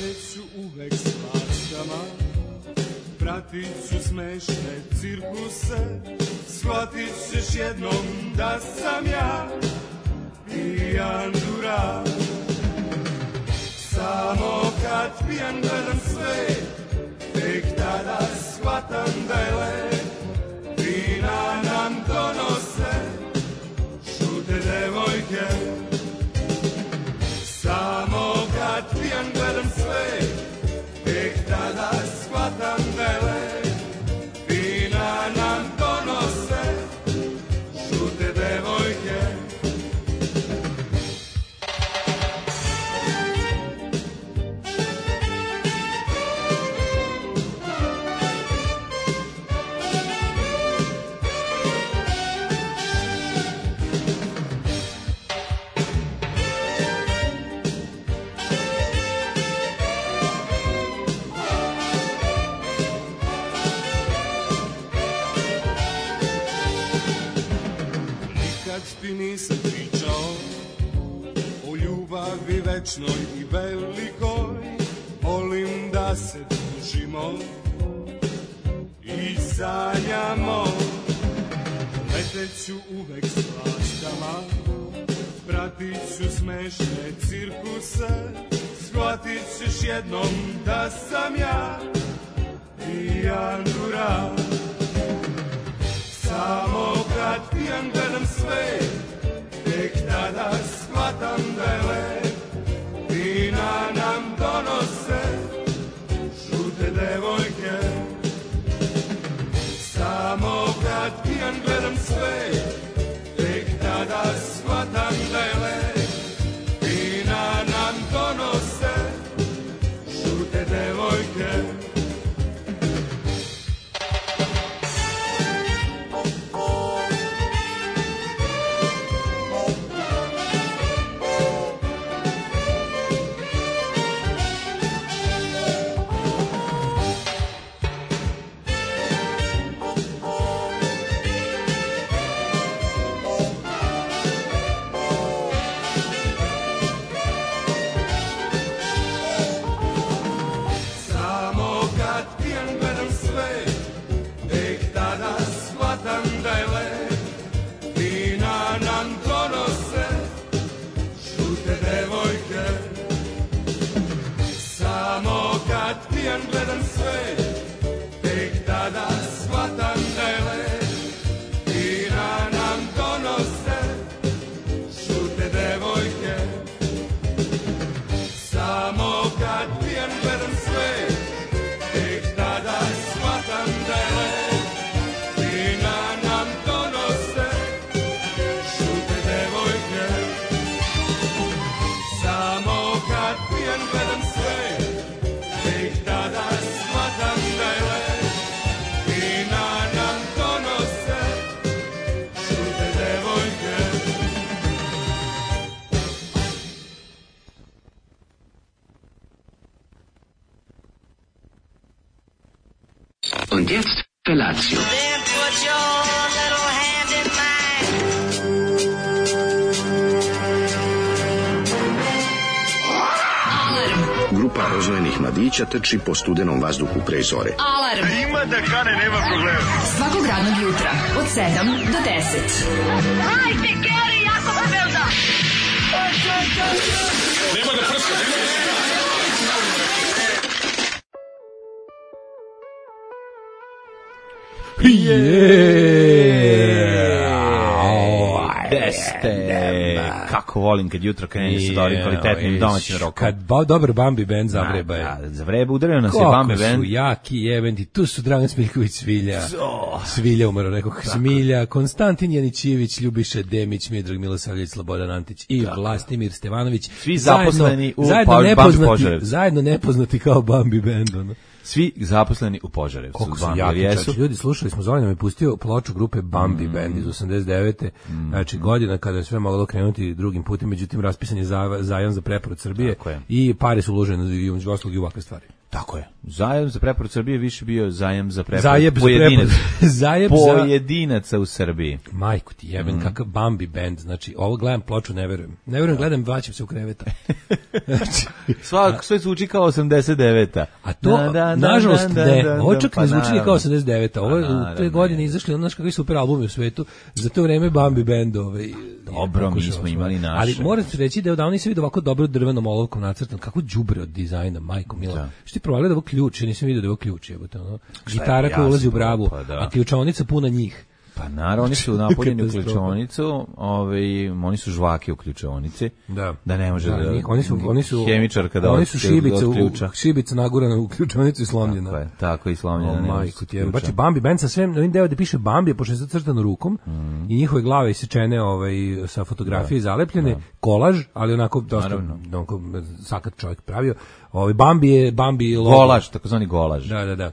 Leteću uvek s maštama, pratit ću smešne cirkuse, shvatit ćeš jednom da sam ja pijan durak. Samo kad pijan gledam sve, tek tada shvatam da je lep. Vina nam donose žute devojke. Samo kad pijan gledam sve, tek tada shvatam da je lep. Vina nam donose žute devojke. Ti nisam pričao o ljubavi večnoj i velikoj. Volim da se družimo i sanjamo. Leteću uvek s laštama, pratit ću smešne cirkuse, shvatit ćeš jednom da sam ja pijan durak. Samo kad pijan gledam sve, tek tada shvatam da je lep. Vina nam donose žute devojke. Samo kad pijan gledam sve, tek tada shvatam da je lep. Vina nam donose žute devojke. Gledam sve, tek tada shvatam da je lep. Vina nam donose žute devojke. Samo kad pijan gledam sve, tek tada shvatam da je lep. Vina nam donose žute devojke. Samo kad pijan gledam sve, tek tada shvatam da je lep. Vina nam donose žute devojke. Und jetzt Felatio. Then put your little hand in mine. Grupa rozvojenih mladića trči po studenom vazduhu pre zore. Alarm. Ima da kane, nema problema. Svakog radnog jutra od 7 do 10. Hajde, Geri, jako se velda. Nema da prska, nema da prska. Kako volim kad jutro krene sa dobrim kvalitetnim domaćim rokom. Kad dobar Bambi band zavreba je. Zavreba, udario nas je Bambi band. Kako su jaki jebenti, tu su Dragan Smiljković Svilja. Svilja umro, rekao Smilja, Konstantin Janićijević, Ljubiša Demić, Miodrag Milosavljević, Slobodan Antić i Vlastimir Stevanović. Svi zaposleni u Bambi Požarevcu. Zajedno nepoznati kao Bambi band. Ono. Svi zaposleni u Požarevcu. Koliko su jaki, ljudi, slušali smo, Zoran nam je pustio ploču grupe Bambi Band iz 89. Znači, godina kada je sve moglo krenuti drugim putem, međutim, raspisan je zajam za preporod Srbije i pare su uložene i u ovakve stvari. Tako je. Zajam za preporod Srbije više bio zajam za preporod Zajeb za pojedinaca u Srbiji. Majku ti jeben, kakav Bambi band. Znači, ovo gledam ploču, ne verujem. Ne verujem, gledam, vraćam se u kreveta. Sve zvuči kao 89-a. A to, nažalost, ne. Ovo čak ne zvuči kao 89-a. Ovo je u te godine izašli, znaš kakvi super albumi u svetu. Za to vreme Bambi band. Dobro, mi smo imali naše. Ali moram ti reći da je odavno nisam vidio ovako dobro drvenom olovkom nacrtan. Kako đubre od dizajna, majko mila. Što ti provalio da ovo ključ, ja nisam vidio da je ovo ključ. Gitara koja ulazi u bravu, a ključaonica puna njih. Pa naravno, oni su napoljeni u ključaonicu, oni su žvake u ključaonici, da ne može oni su hemičarka da oni su šibica nagurana u ključaonicu i slomljena. Tako i slomljena. Majko ti je. Znači Bambi band sa svem, ovim deo da piše Bambi, pošto je zacrtano rukom i njihove glave isečene sa fotografije zalepljene, kolaž, ali onako dosta sakat čovjek pravio. Bambi logo. Golaž, takozvani golaž. Da.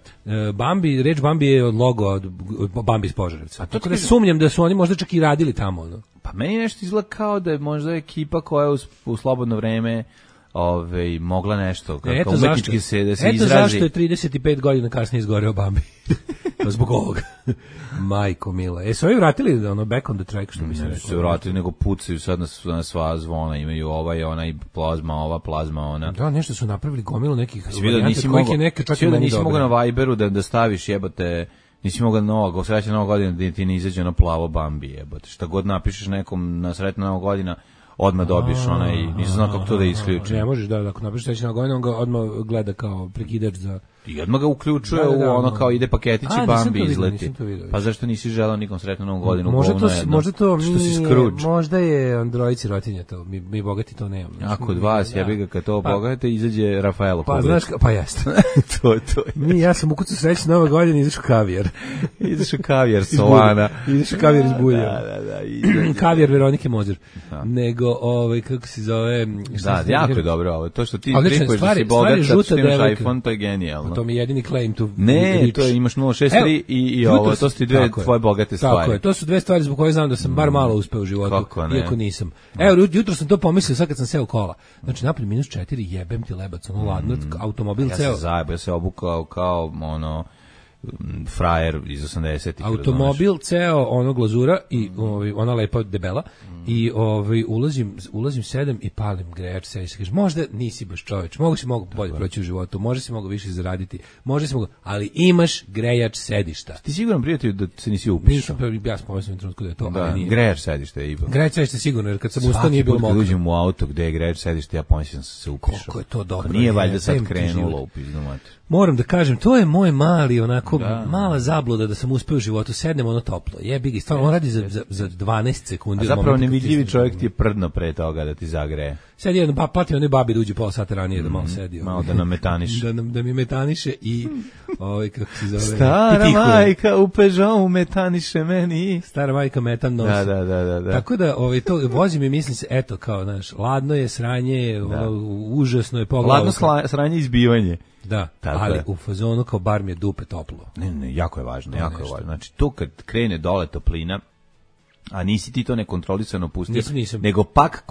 Reč Bambi je od logo od Bambi iz Požarevca. Tako da sumnjam da su oni možda čak i radili tamo. No? Pa meni nešto izgleda kao da je možda ekipa koja je u slobodno vreme mogla nešto kako umetnički da se izrazi. Eto zašto je 35 godina kasnije izgoreo Bambi. Zbog ovoga. Majko mila. Su ovi vratili back on the track, što bi se rekao? Su vratili, nego pucaju sad na sva zvona, imaju ona i plazma ona. Da, nešto su napravili gomilu nekih varijanta kojih je neke čak i meni nisi mogao na Viberu da staviš jebote, nisi mogao srećna Nova godina da ti ne izađe ono plavo Bambi jebote. Šta god napišeš nekom na sretna Nova godina, odmah dobiješ nisam znao kako to da isključim. Ne možeš, da, ako napišeš srećna godina, on ga odmah gleda kao prekidač za... I odmah ga uključuje u ono kao ide paketić i Bambi izleti. Pa zašto nisi želao nikom sretnu Novu godinu? Možda to što si Scrooge. Možda je Android sirotinja to, mi bogati to nemamo. A kod vas, ja bih ga kad to bogate, izađe Rafaelo. Pa znaš, pa jeste. to. Ja sam ukucao srećna Nova godina, izašao kavijar. Izašao kavijar Solana. Izašao kavijar iz Bulja. Da. Kavijar Veronike Mozer. Nego, kako se zove... Da, jako je dobro ovo. To što ti tripuješ da si bogat, sad što imaš iPhone, to je genijalno. To mi je jedini claim to ne, to je, imaš 063 i ovo, to su ti dve tvoje bogate stvari. Tako je, to su dve stvari zbog koje znam da sam bar malo uspeo u životu, iako nisam. Evo, jutro sam to pomislio sad kad sam seo kola. Znači, napolje -4, jebem ti lebac, ono ladno, automobil ceo. Ja se obukao kao, frajer iz 80-ih. Automobil ceo, glazura i ona lepa debela i ulazim 7 i palim grejač se i se kaže, možda nisi baš čoveč, mogu bolje proći u životu, možda si mogu više zaraditi, ali imaš grejač sedišta. Ti siguran, prijatelju, da se nisi upišao? Ja sam pomislio u trenutku da je to, ali nije. Grejač sedišta je ipak. Grejač sedišta sigurno, jer kad sam ustao nije bilo moguće. Kad uđem u auto gde je grejač sedišta, ja pomislio sam se upišao. Koliko je to dobro. Nije valjda sad krenulo upizno mater. Moram da kažem, to je moj mali, mala zabluda da sam uspeo u životu, sednem toplo, jebi ga, stvarno, on radi za 12 sekundi. A zapravo nevidljivi čovjek ti je prdno pre toga da ti zagreje. Sad jedan, platim onoj babi da uđe pola sata ranije da malo sedi. Malo da nam metaniše. Da mi metaniše i, kako se zove, stara majka u Peugeotu metaniše meni. Stara majka metan nosi. Da. Tako da, to vozim i mislim se, eto, kao, znaš, ladno je, sranje je, užasno je pogledalo. Ladno sranje i izbivanje. Da, ali u fazonu kao bar mi je dupe toplo. Ne, jako je važno, Znači, to kad krene dole toplina, a nisi ti to nekontrolisano pustio, nisam. nego pak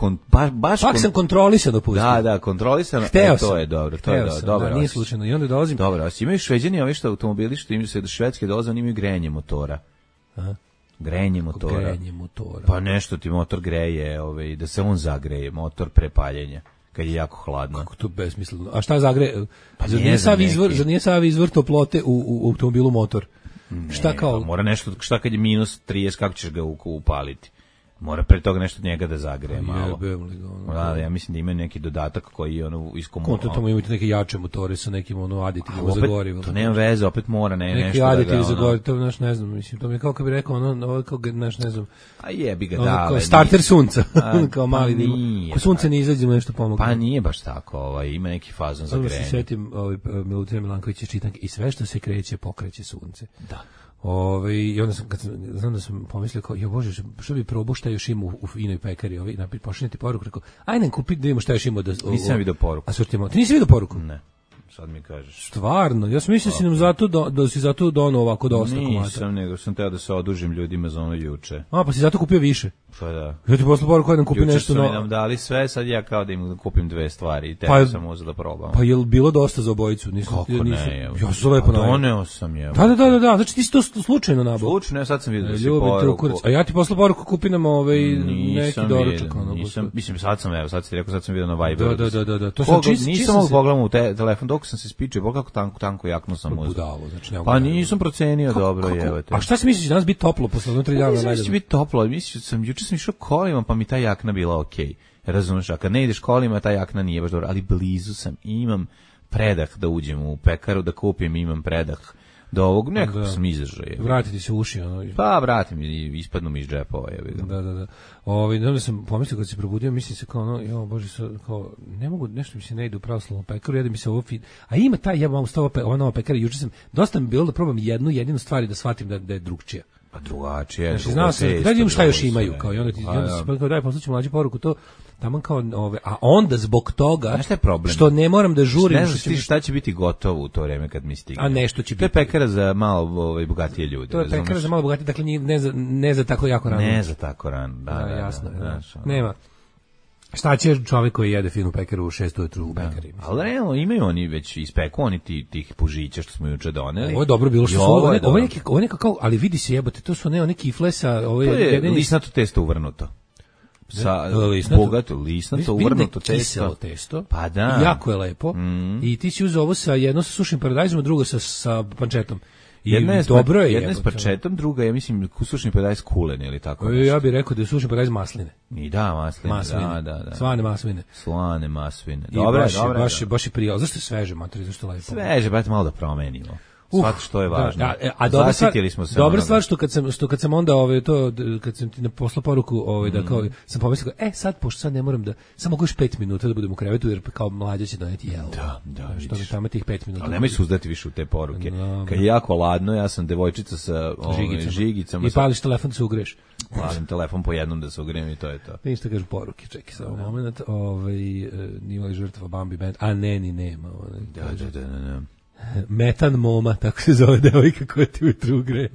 sam kontrolisano pustio. Da, kontrolisano, to je dobro, dobro. Nije slučajno, i onda dolazim. Dobro, imaju Šveđani ovi što automobili što imaju se do švedske dolaze, oni imaju grejanje motora. Aha. Grenje motora. Pa nešto ti motor greje, da se on zagreje, motor pre paljenja. Kad je jako hladno. Kako to besmisleno. A šta zagreje? Zar nije sav izvor toplote u automobilu motor? Šta kao? Pa mora nešto, šta kad je -30, kako ćeš ga upaliti? Mora pre toga nešto od njega da zagreje malo. Ja mislim da ima neki dodatak koji je Konto tamo imate neke jače motore sa nekim aditivima za gorivo. To nema veze, opet mora nešto da ga... Neki aditivi za gorivo, to ne znam, mislim, to mi je kao kad bi rekao, ne znam... A jebi ga dale. Starter sunca, kao mali dim. Ko sunce ne izađemo nešto pomogu. Pa nije baš tako, ima neki fazon za grenje. Samo se setim Milutina Milankovića čitanke i sve što se kreće, pokreće sunce. Da. I onda znam da sam pomislio kao, jo Bože, što bi probao šta još ima u finoj pekari, pošaljete poruku, rekao, ajde kupi da vidimo šta još ima. Nisam vidio poruku. Ti nisi vidio poruku? Ne. sad mi kažeš. Stvarno, ja sam mislio si nam zato da si zato donao ovako dosta komata. Nisam, nego sam teo da se odužim ljudima za ono juče. A, pa si zato kupio više. Pa da. Ja ti posle poruku da kupi juče nešto novo. novo. Juče su mi nam dali sve, sad ja kao da im kupim 2 stvari i teo sam uzeo da probam. Pa je li bilo dosta za obojicu? Kako ne? Ja sam lepo najao. Doneo sam je. Da, znači ti si to slučajno nabao. Slučajno, sad sam vidio da si poruku. A ja ti posle poruku kupi nam neki doručak. Mislim, sad sam vidio na Viberu. Da. To sam nisam mogu pogledam u telefon, dok sam se spičio, kako tanko jaknu sam uzeo. Budalo, znači pa nisam procenio dobro, jevate. A šta si misliš, danas biti toplo posle 3 dana? Mislim da će biti toplo, juče sam išao kolima, pa mi ta jakna bila okej. Razumeš, a kad ne ideš kolima, ta jakna nije baš dobro, ali blizu sam i imam predah da uđem u pekaru, da kupim, imam predah do ovog, nekako sam izdržao. Vratiti se uši. Pa vratim i ispadnu mi iz džepova. Da. Onda sam pomislio kad se probudio, mislim se kao jo bože, kao ne mogu, nešto mi se ne ide u pravoslavnu pekaru, jedem mi se ovo a ima taj jebam stava ova nova pekara, juče sam dosta mi bilo da probam jedinu stvar i da shvatim da je drugčija. Pa drugačije. Znači, znao sam, da vidim šta još imaju, kao i onda ti daj, poslaću mlađu poruku, to tamo kao a onda zbog toga što ne moram da žurim, ne znaš šta će biti gotovo u to vreme kad mi stigne. A nešto će biti. To je pekara za malo bogatije ljude. To je pekara za malo bogatije, dakle ne za tako jako rano. Ne za tako rano, da. Jasno, nema. Šta će čovjek koji jede finu pekaru u 6 ujutru u pekari? Ali realno imaju oni već ispeku, oni tih pužića što smo juče doneli. Ovo je dobro bilo što su ovo je kao, ali vidi se jebote, to su ne kifle sa to je lisnato testo uvrnuto. Sa bogato lisnato uvrnuto testo. Pa da. Jako je lepo. I ti si uzeo ovo sa jedno sa sušim paradajzom, drugo sa pančetom. Jedna je s pačetom, druga je, mislim, sušni paradajz kulen ili tako. Ja bih rekao da je sušni paradajz masline. I da, masline. Da. Slane masvine. Dobro. Baš je prijelo. Zašto je sveže, materi, zašto je lepo? Sveže, brate, malo da promenimo. Svato što je važno. A dobra stvar što kad sam onda kad sam ti poslao poruku da kao sam pomislio sad pošto sad ne moram da samo mogu još 5 minuta da budem u krevetu jer kao mlađa će doneti jelo. Da. Što mi tamo tih 5 minuta. Ali nemoj se uzdati više u te poruke. Kad je jako ladno, ja sam devojčica sa žigicama. I pališ telefon da se ugreš. Palim telefon po jednom da se ugrijem i to je to. Ništa kažu poruke, čekaj samo moment. Nije li žrtva Bambi Band? A ne, ni nema. Da. Metan Moma, tako se zove devojka koja ti ujutru grije.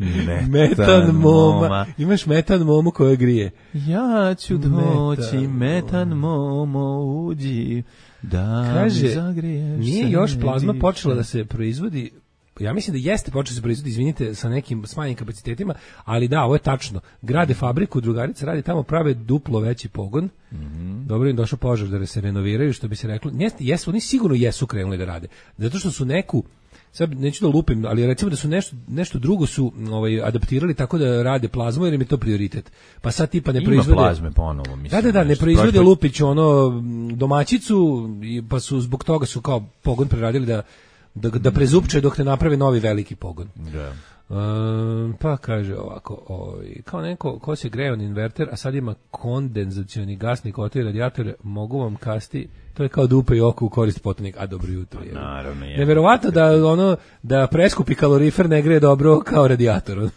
Metan Moma. Imaš Metan Momu koja grije. Ja ću doći, Metan Momo, uđi, da mi zagriješ. Nije još plazma počela da se proizvodi. Ja mislim da jeste počeo se proizvodi, izvinite, sa nekim smanjenim kapacitetima, ali da, ovo je tačno. Grade fabriku, drugarica radi tamo, prave duplo veći pogon. Dobro im došao požar da se renoviraju, što bi se reklo. Oni sigurno jesu krenuli da rade. Zato što su neku, sad neću da lupim, ali recimo da su nešto drugo su adaptirali tako da rade plazmu jer im je to prioritet. Pa sad tipa ne proizvode... Ima plazme ponovo, mislim. Da, ne proizvode Lupić domaćicu, pa su zbog toga su kao pogon preradili da prezupče dok ne naprave novi veliki pogon. Da. Pa kaže ovako, kao neko ko se greje on inverter, a sad ima kondenzacioni gasni kotel i radijator, mogu vam kasti, to je kao dupe i oko u korist potonik, a dobro jutro je. Naravno je. Neverovatno da preskupi kalorifer ne greje dobro kao radijator.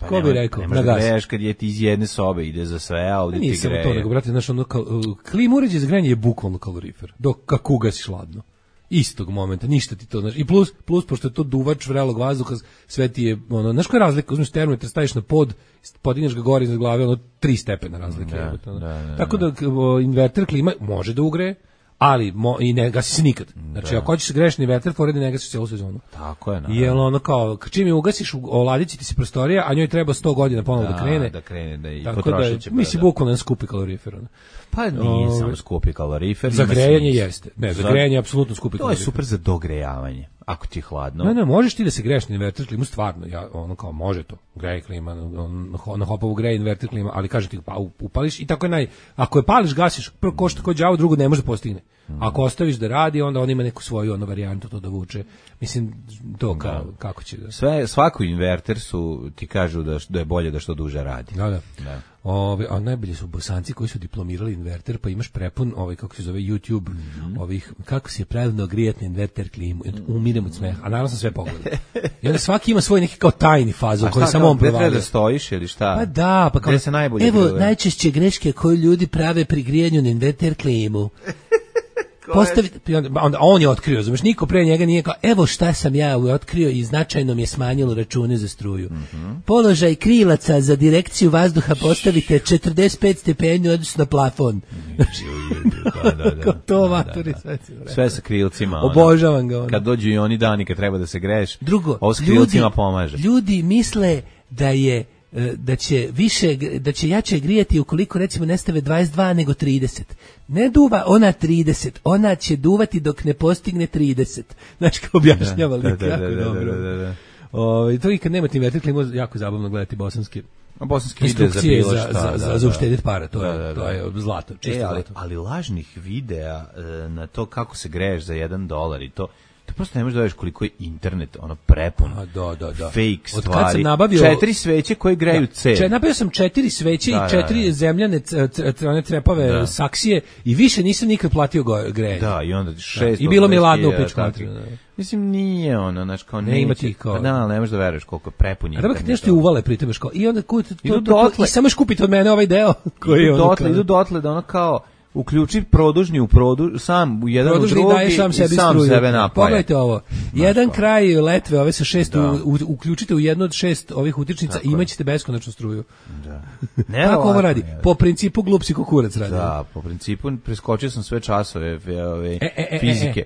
Pa ko bi rekao? Ne možda greješ kad je ti iz jedne sobe, ide za sve, a ovdje ti greje. Nisam to nego, brate, znaš, klim uređaj za grejanje je bukvalno kalorifer, dok kako ugasiš hladno. Istog momenta, ništa ti to, znaš, i plus pošto je to duvač vrelog vazduha, sve ti je, znaš koja je razlika, uzmeš termometar, staviš na pod, podigneš ga gore iznad glave, 3 stepena razlike. Tako da inverter klima može da ugreje, ali i ne gasi se nikad. Znači, ako hoćeš grešni inverter, poredi ne gasiš celu sezonu. Tako je, naravno. Jer kao, čim je ugasiš, oladit će ti se prostorija, a njoj treba 100 godina ponovno da krene. Da krene, i potrošit će. Mislim, bukvalno skupi kalorifer. Pa nije samo skupi kalorifer. Za grejanje jeste. Ne, za grejanje je apsolutno skupi kalorifer. To je super za dogrejavanje. Ako ti je hladno. Ne, možeš ti da se greješ na inverter klimu, stvarno, kao može to, greje klima, na hopovu greje inverter klima, ali kaže ti, pa upališ i tako je ako je pališ, gasiš, prvo košta kod đavo, drugo ne može da postigne. Ako ostaviš da radi, onda on ima neku svoju varijantu to da vuče. Mislim, to kako će da... Svako inverter ti kažu da je bolje da što duže radi. Da. A najbolje su Bosanci koji su diplomirali inverter, pa imaš prepun, kako se zove YouTube, kako se je pravilno grijati na inverter klimu. Umirem od smeha, a naravno sam sve pogledao. I onda svaki ima svoj neki kao tajni fazu koji samo on provalio. A šta, da stojiš ili šta? Pa da, pa kao... se najbolje evo, najčešće greške koje ljudi prave pri grijanju na inverter klimu. postavite, onda on je otkrio, znaš, niko pre njega nije kao, evo šta sam ja otkrio i značajno mi je smanjilo račune za struju. Položaj krilaca za direkciju vazduha postavite 45 stepeni odnosno na plafon. Da. To maturi, Sve sa krilcima. Obožavam ga. Kad dođu i oni dani kad treba da se greješ, drugo, ovo s krilcima pomaže. Ljudi misle da će jače grijati ukoliko recimo ne stave 22 nego 30. Ne duva ona 30, ona će duvati dok ne postigne 30. Znači kao objašnjava lik, jako dobro. To i kad nemate inverter klimu, jako zabavno gledati bosanske video za bilo šta. Za uštediti para, to je zlato, čisto zlato. Ali lažnih videa na to kako se greješ za $1 i to prosto ne možeš da vidiš koliko je internet prepun fake stvari. Kad sam nabavio 4 sveće koje greju cel. Nabavio sam 4 sveće i 4 zemljane trepave saksije i više nisam nikad platio grejanje. Da, i onda 6. I bilo mi je ladno u pičku. Mislim, nije znači kao ne ima ti kao. Da, ne možeš da veruješ koliko je prepun internet. A da kad nešto uvale pri tebe i onda i samo kupite od mene ovaj deo koji je idu dotle da kao uključi produžni sam u jedan produžni u drugi i sam sebe napaja. Pogledajte ovo. Jedan kraj letve ove sa 6 uključite u jednu od 6 ovih utičnica i imaćete beskonačnu struju. Da. Kako ovo radi? Po principu glup si kukurac radi. Da, po principu preskočio sam sve časove fizike.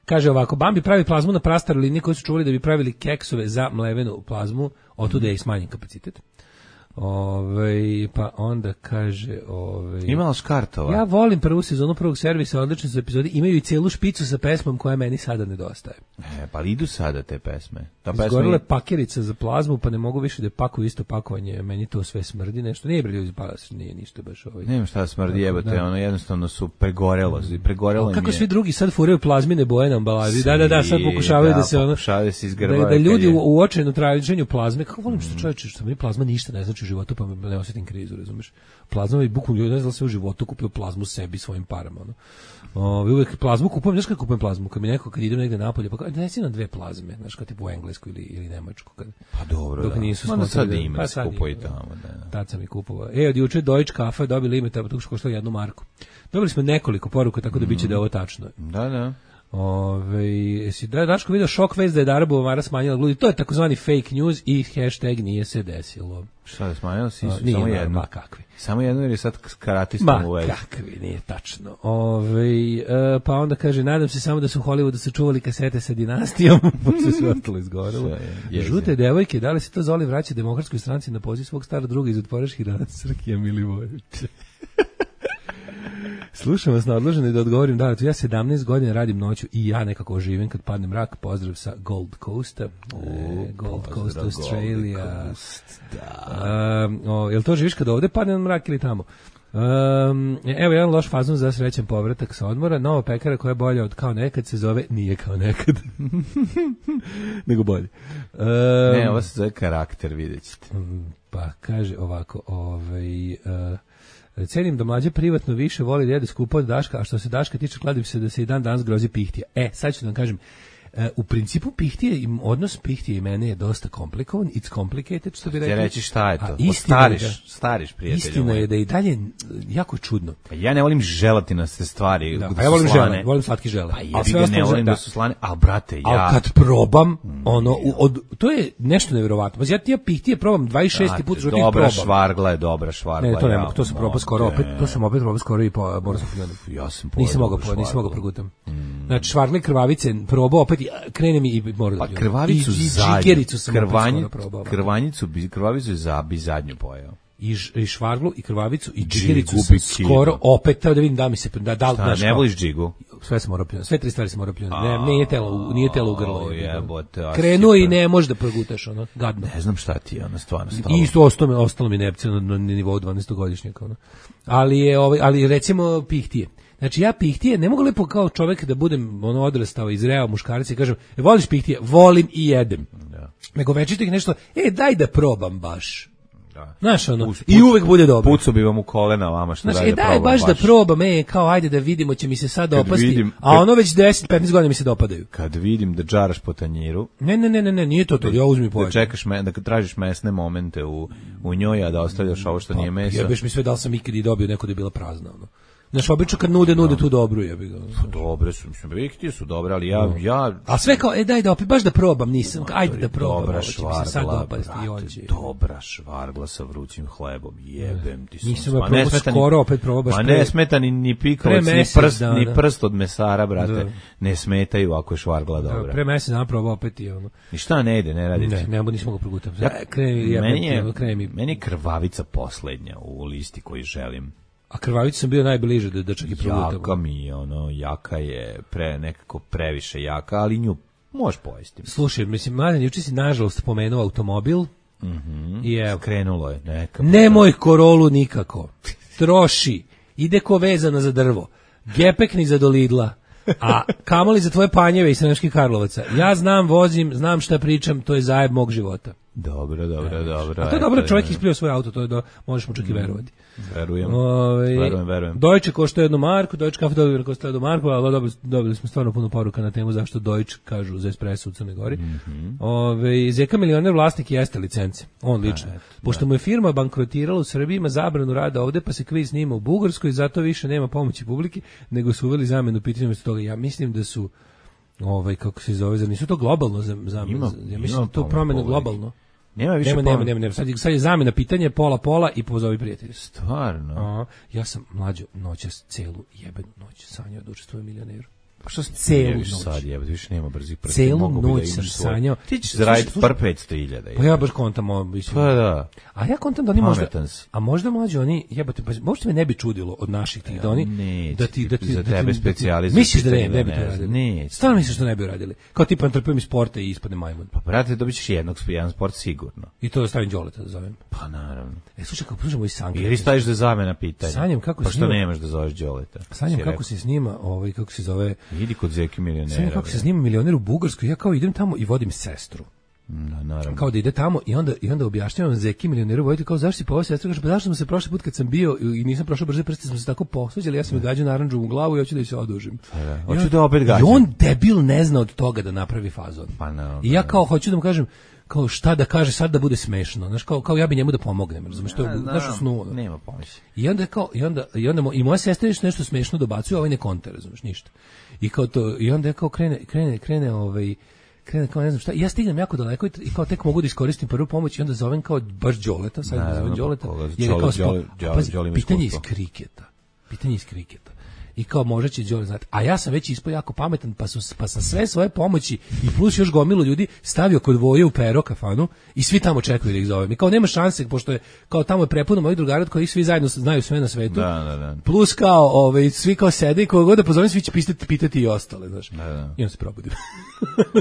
Kaže ovako, Bambi pravi plazmu na prastaroj liniji koji su čuvali da bi pravili keksove za mlevenu plazmu, otuda je i smanjen kapacitet. Pa onda kaže imala škartova. Ja volim prvu sezonu prvog servisa, odlične su epizode, imaju i celu špicu sa pesmom koja meni sada nedostaje. Pa idu sada te pesme. Izgorila je pakerica za plazmu, pa ne mogu više da pakuju isto pakovanje, meni to sve smrdi nešto. Nije bre ljudi, pa nije ništa baš Nema šta smrdi, jebote, jednostavno su pregorelo kako svi drugi sad furaju plazmine boje na ambalaži. Da, sad pokušavaju da se da ljudi u očajnom traženju plazme, kako volim što čoveče, što mi plazma ništa ne znači u životu, pa ne osjetim krizu, razumeš? Plazma i bukvalno ljudi ne znam da se u životu kupio plazmu sebi svojim parama, uvek plazmu kupujem, znaš kako kupujem plazmu? Kad idem negde napolje, pa donesi nam 2 plazme, znaš, kao tipu u Englesku ili Nemačku. Pa dobro, dok nisu sad ima, kupuje tamo. Tad sam i kupovao. Od juče Deutsche Kafe dobili ime, to koštalo 1 marku. Dobili smo nekoliko poruka, tako da biće da je ovo tačno. Da. Jesi Daško video šok vest da je Darabova Mara smanjila gludi, to je takozvani fake news i hashtag nije se desilo. Šta je smanjila? Samo jedno. Kakvi. Samo jedno jer je sad karatistom u vezi. Kakvi, nije tačno. Pa onda kaže, nadam se samo da su u Hollywoodu sačuvali kasete sa dinastijom, pošto sve ostalo izgorelo. Žute devojke, da li se to Zoli vraća Demokratskoj stranci na poziv svog starog druga iz Otporaških dana Srkija Milivojevića? Slušam vas na odloženo da odgovorim, ja 17 godina radim noću i ja nekako živim kad padne mrak, pozdrav sa Gold Coasta, Gold Coast, Australia. Jel to živiš kad ovde padne mrak ili tamo? Evo jedan loš fazon za srećan povratak sa odmora, nova pekara koja je bolja od kao nekad se zove nije kao nekad. Nego bolje. Ovo se zove karakter, vidjet ćete. Pa kaže ovako, cenim da mlađe privatno više voli da jede skupo od Daška, a što se Daška tiče, kladim se da se i dan danas grozi pihtija. Sad ću da vam kažem, u principu pihtije, odnos pihtije i mene je dosta komplikovan, it's complicated, što bi rekli. Ja reći šta je to? Stariš prijatelju. Istina je da i dalje jako čudno. Ja ne volim želatinaste stvari. Ja volim žele, volim slatki žele. Ja ne volim da su slane, ali brate, ali kad probam, to je nešto nevjerovatno. Ja pihtije probam 26. put života ih probam. Dobra švargla je dobra švargla. Ne, to ne mogu, to sam probao skoro opet, to sam opet probao skoro i po Borskom Pljonu. Ja sam nisam mogao progutam. Znači švargle i krvavice probao opet krene mi i mora da. Pa krvavicu krvavicu bi zadnju pojeo. I švarglu i krvavicu i džigericu skoro opet da vidim da mi se ne voliš džigu. Sve se mora pljunuti. Sve 3 stvari se mora pljunuti. Nije telo u grlo. Krenuo i ne možeš da progutaš gadno. Ne znam šta ti je stvarno. I isto ostalo mi nepce na nivou 12-godišnjaka ali recimo pihtije. Znači ja pihtije, ne mogu lepo kao čovjek da budem odrastao, izreo muškarac i kažem, voliš pihtije? Volim i jedem. Da. Nego večito ih nešto, daj da probam baš. Da. Znaš, i uvek bude dobro. Pucu bi vam u kolena vama što daj da probam. Daj baš da probam, kao ajde da vidimo, će mi se sad opasti, a već 10-15 godina mi se dopadaju. Kad vidim da džaraš po tanjiru. Ne, nije to, ja uzmi pojed. Da čekaš, da tražiš mesne momente u njoj, a da ostavljaš ovo što nije meso. Jebeš mi sve da li sam ikad i dobio neko da je bila prazna, Znaš, obično kad nude tu dobru je. Dobre su, mislim, Riktije su dobre, ali ja... A sve kao, daj da opet, baš da probam, nisam, ajde da probam. Dobra švargla, dobra švargla sa vrućim hlebom, jebem ti sam. Nisam ja probao skoro, opet probao baš ne smeta ni pikavac, ni prst od mesara, brate, ne smetaju ako je švargla dobra. Pre mesec dana probao opet i ono. I šta ne ide, ne radi? Nismo ga progutam. Meni je krvavica poslednja u listi koji želim. A krvavicu sam bio najbliže da čak i progutam. Jaka mi je, jaka je nekako previše jaka, ali nju možeš pojesti. Slušaj, mislim, Mladen, juče si nažalost pomenuo automobil. I evo. Skrenulo je neka. Nemoj Korolu nikako. Troši. Ide ko vezana za drvo. Gepek ni za do Lidla. A kamoli za tvoje panjeve iz Sremskih Karlovaca. Ja znam, vozim, znam šta pričam, to je zajeb mog života. Dobro. A to je dobro, čovjek isplio svoj auto, to je možeš mu čak i verovati. Verujem. Deutsche košta 1 marku, Deutsche kafe košta 1 marku, ali dobili smo stvarno puno poruka na temu zašto Deutsche kažu za espresso u Crnoj Gori. Zeka milioner vlasnik jeste licence, on lično. Pošto mu je firma bankrotirala u Srbiji, ima zabranu rada ovde, pa se kviz snima u Bugarskoj, zato više nema pomoći publike, nego su uveli zamenu pitanja umjesto toga. Ja mislim da su kako se zove, nisu to globalno zamena. Ja mislim da to promena globalno. Nema više nema. Sad je zamena pitanje pola i pozovi prijatelji. Stvarno? Ja sam mlađo noćas celu jebenu noć sanjao da učestvujem milioneru. Pa što se celu sad jebati, više nema brzih prsti. Celu noć sam sanjao. Ti ćeš zaraditi par 500.000. Pa ja baš kontam Pa da. A ja kontam da oni možda, a možda mlađe oni, jebate, pa možda me ne bi čudilo od naših tih da oni, da ti za tebe specijalizuju. Misliš da ne bi to radili? Ne. Stvarno misliš da ne bi radili? Kao tipa trpim iz sporta i ispadne majmun. Pa brate, dobićeš jedan sport sigurno. I to stavim Đoleta da zovem. Pa naravno. Slušaj, kako slušamo i Sanka. Ili staviš da zamena pitanja. Sanjam kako pa što nemaš da zoveš Đoleta? Sanjam kako se snima, kako se zove. Idi kod Zeki milionera. Sanjam kako se snima milioner u Bugarskoj. Ja kao idem tamo i vodim sestru. Naravno. Kao da ide tamo i onda objašnjavam Zeki milioneru, vojte kao zašto si poveo sestru, kaže pa zašto smo se prošli put kad sam bio i nisam prošao brže prste, smo se tako posvađali, ja sam mi gađao narandžu u glavu i hoću da se odužim. Hoću da opet gađam. I on debil ne zna od toga da napravi fazon. Pa no, i ja kao hoću da mu kažem kao šta da kaže sad da bude smešno, znaš, kao ja bi njemu da pomognem, razumeš, to je našu snu. Nema pomoći. I onda moja sestra nešto smešno dobacuje, ovaj ne konta, razumeš, ništa. I kao to, i onda kao krene kao ne znam šta, ja stignem jako daleko i kao tek mogu da iskoristim prvu pomoć i onda zovem kao baš Đoleta, sad da zovem Đoleta, jer je kao pitanje iz kriketa. I kao možda će Đole znati. A ja sam već ispao jako pametan, pa sam sve svoje pomoći i plus još gomilu ljudi stavio kod Voje u Pero kafanu i svi tamo čekaju da ih zovem. I kao nema šanse, pošto je kao tamo je prepuno mojih drugara koji svi zajedno znaju sve na svetu. Da. Plus kao svi kao sede i koga god da pozovem svi će pitati i ostale, znaš. Da. I on se probudio.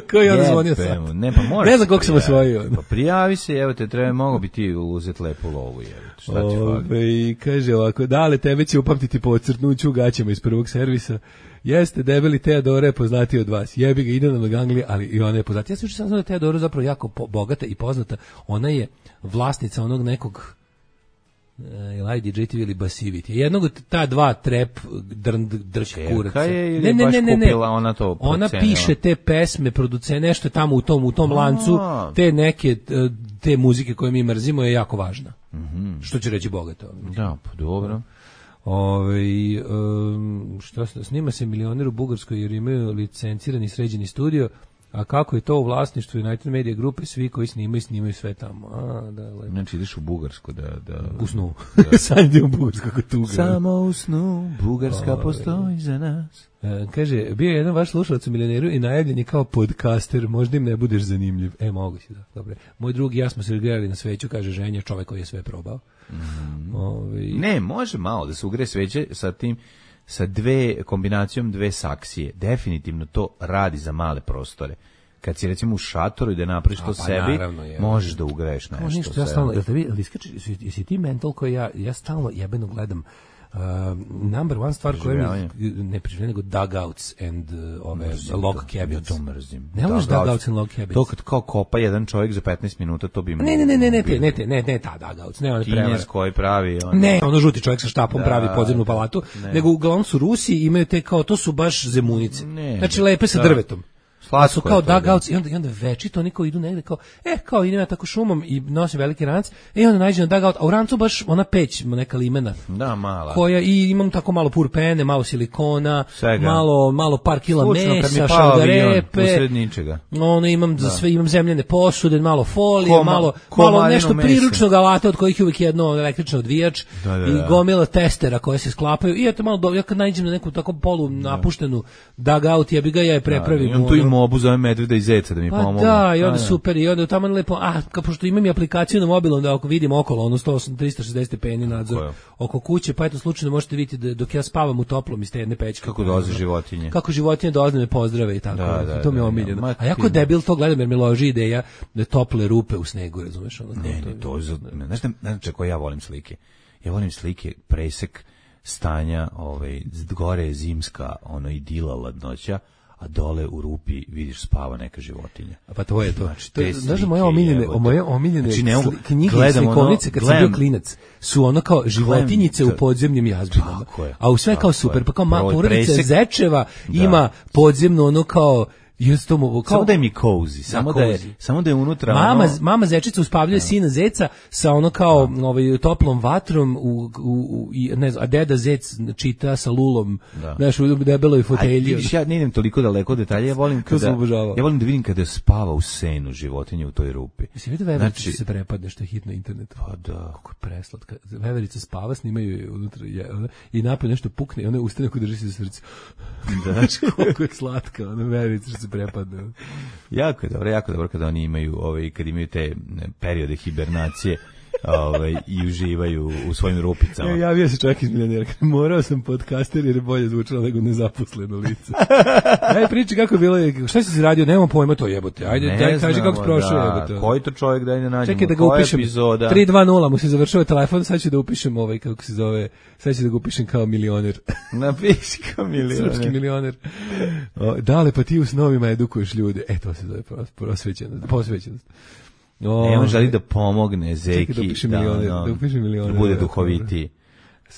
Kao i onda zvonio sam. Ne znam koliko sam osvojio. Pa prijavi se, evo te, mogo bi ti uzeti lepu lovu, šta ti fali? I kaže ovako, dale, tebe će upamtiti po ocrtnuću u gaćama iz prvog servisa. Jeste, debeli Teodora je poznati od vas. Jebi ga, ide na Leganglije, ali i ona je poznati. Ja sam znao da je Teodora zapravo jako bogata i poznata. Ona je vlasnica onog nekog ili DJ TV ili Basivity. Jednog od ta dva trap drč kuraca. Ne. Ona piše te pesme, producuje nešto je tamo u tom lancu, te neke te muzike koje mi mrzimo je jako važna. Što će reći bogata. Da, pa dobro. Što snima se milioner u Bugarskoj jer imaju licencirani sređeni studio. A kako je to u vlasništvu United Media grupe, svi koji snimaju sve tamo. Znači ideš u Bugarsku da u snu. Sanjam u Bugarsku kako tuga. Samo u snu, Bugarska postoji za nas. Kaže, bio je jedan vaš slušalac u milioneru i najavljen je kao podcaster, možda im ne budeš zanimljiv. Mogu si da, dobro. Moj drug i ja smo se gledali na sveću, kaže ženja, čovek koji je sve probao. Ne, može malo da se ugre sveće sa tim, sa kombinacijom dve saksije. Definitivno to radi za male prostore. Kad si recimo u šatoru i da napraviš to sebi, možeš da ugreješ nešto. Ja stalno, jesi ti mental koji ja stalno jebeno gledam number one stvar koja mi ne preživljaju nego dugouts and log cabins. To mrzim. Ne možeš dugouts and log cabins. To kad kao kopa jedan čovjek za 15 minuta, to bi... Ne, ta dugouts. Ne, Kinez koji pravi... Ne, ono žuti čovjek sa štapom pravi podzemnu palatu, nego uglavnom su Rusi, imaju te kao, to su baš zemunice. Znači lepe sa drvetom. Slatko su kao je to, dugouts i onda večito oni kao idu negde kao, kao idem ja tako šumom i nosim veliki ranac, onda nađem na dugout, a u rancu baš ona peć, neka limena. Da, mala. Koja i imam tako malo purpene, malo silikona, Svega. malo par kila Slučno, mesa, šalgarepe. Usred ničega. Imam za sve, imam zemljane posude, malo folije, malo nešto mesa. priručnog alata od kojih je uvijek jedno električno odvijač i gomila testera koje se sklapaju. I eto malo, ja kad nađem na neku tako polu napuštenu dugout, ja je prepravim. Imam tu i mobu, zovem medveda i zeca da mi pomogu. Da, i onda super, i onda tamo lepo, pošto imam i aplikaciju na mobilom da ako vidim okolo, 360 stepeni nadzor oko kuće, pa eto slučajno možete vidjeti dok ja spavam u toplom iz te jedne pećke. Kako dolaze životinje. Kako životinje dolaze me pozdrave i tako. To mi je omiljeno. A jako debil to gledam jer mi loži ideja da tople rupe u snegu, razumeš? Znaš koje ja volim slike? Ja volim slike, presek stanja, gore je zimska, idila, ladnoća, a dole u rupi vidiš spava neka životinja. Pa to je to. Znači, znaš da moje omiljene knjige i slikovnice kad sam bio klinac su ono kao životinjice u podzemnim jazbinama. A u sve kao super, pa kao porodica Zečeva ima podzemno ono kao samo da je mi cozy, samo da je unutra mama zečica uspavljuje sina zeca sa ono kao toplom vatrom a deda zec čita sa lulom u debeloj fotelji. Ja ne idem toliko daleko detalje, ja volim da vidim kada spava u senu životinje u toj rupi. Jesi vidio veverica se prepadne što je hit na internetu? Pa da. Kako je preslatka. Veverica spava, snimaju je unutra i napad nešto pukne i ona ustane ko drži se za srce. Znaš koliko je slatka, veverica što se prepadne. Jako je dobro kada oni imaju kad imaju te periode hibernacije i uživaju u svojim rupicama. Javio se čovjek iz Milionera. Morao sam podcaster jer je bolje zvučalo nego nezaposleno lice. Ajde priči kako je bilo, šta si radio, nemamo pojma to jebote. Ajde, kaži kako si prošao jebote. Koji to čovjek da ne nađemo? Čekaj da ga upišem. 320 mu se završava telefon, sad ću da upišem kako se zove, sad ću da ga upišem kao milioner. Napiši kao milioner. Srpski milioner. Dale, pa ti u snovima edukuješ ljude. To se zove posvećenost. On želi da pomogne Zeki da upiše milioner, bude duhovitiji,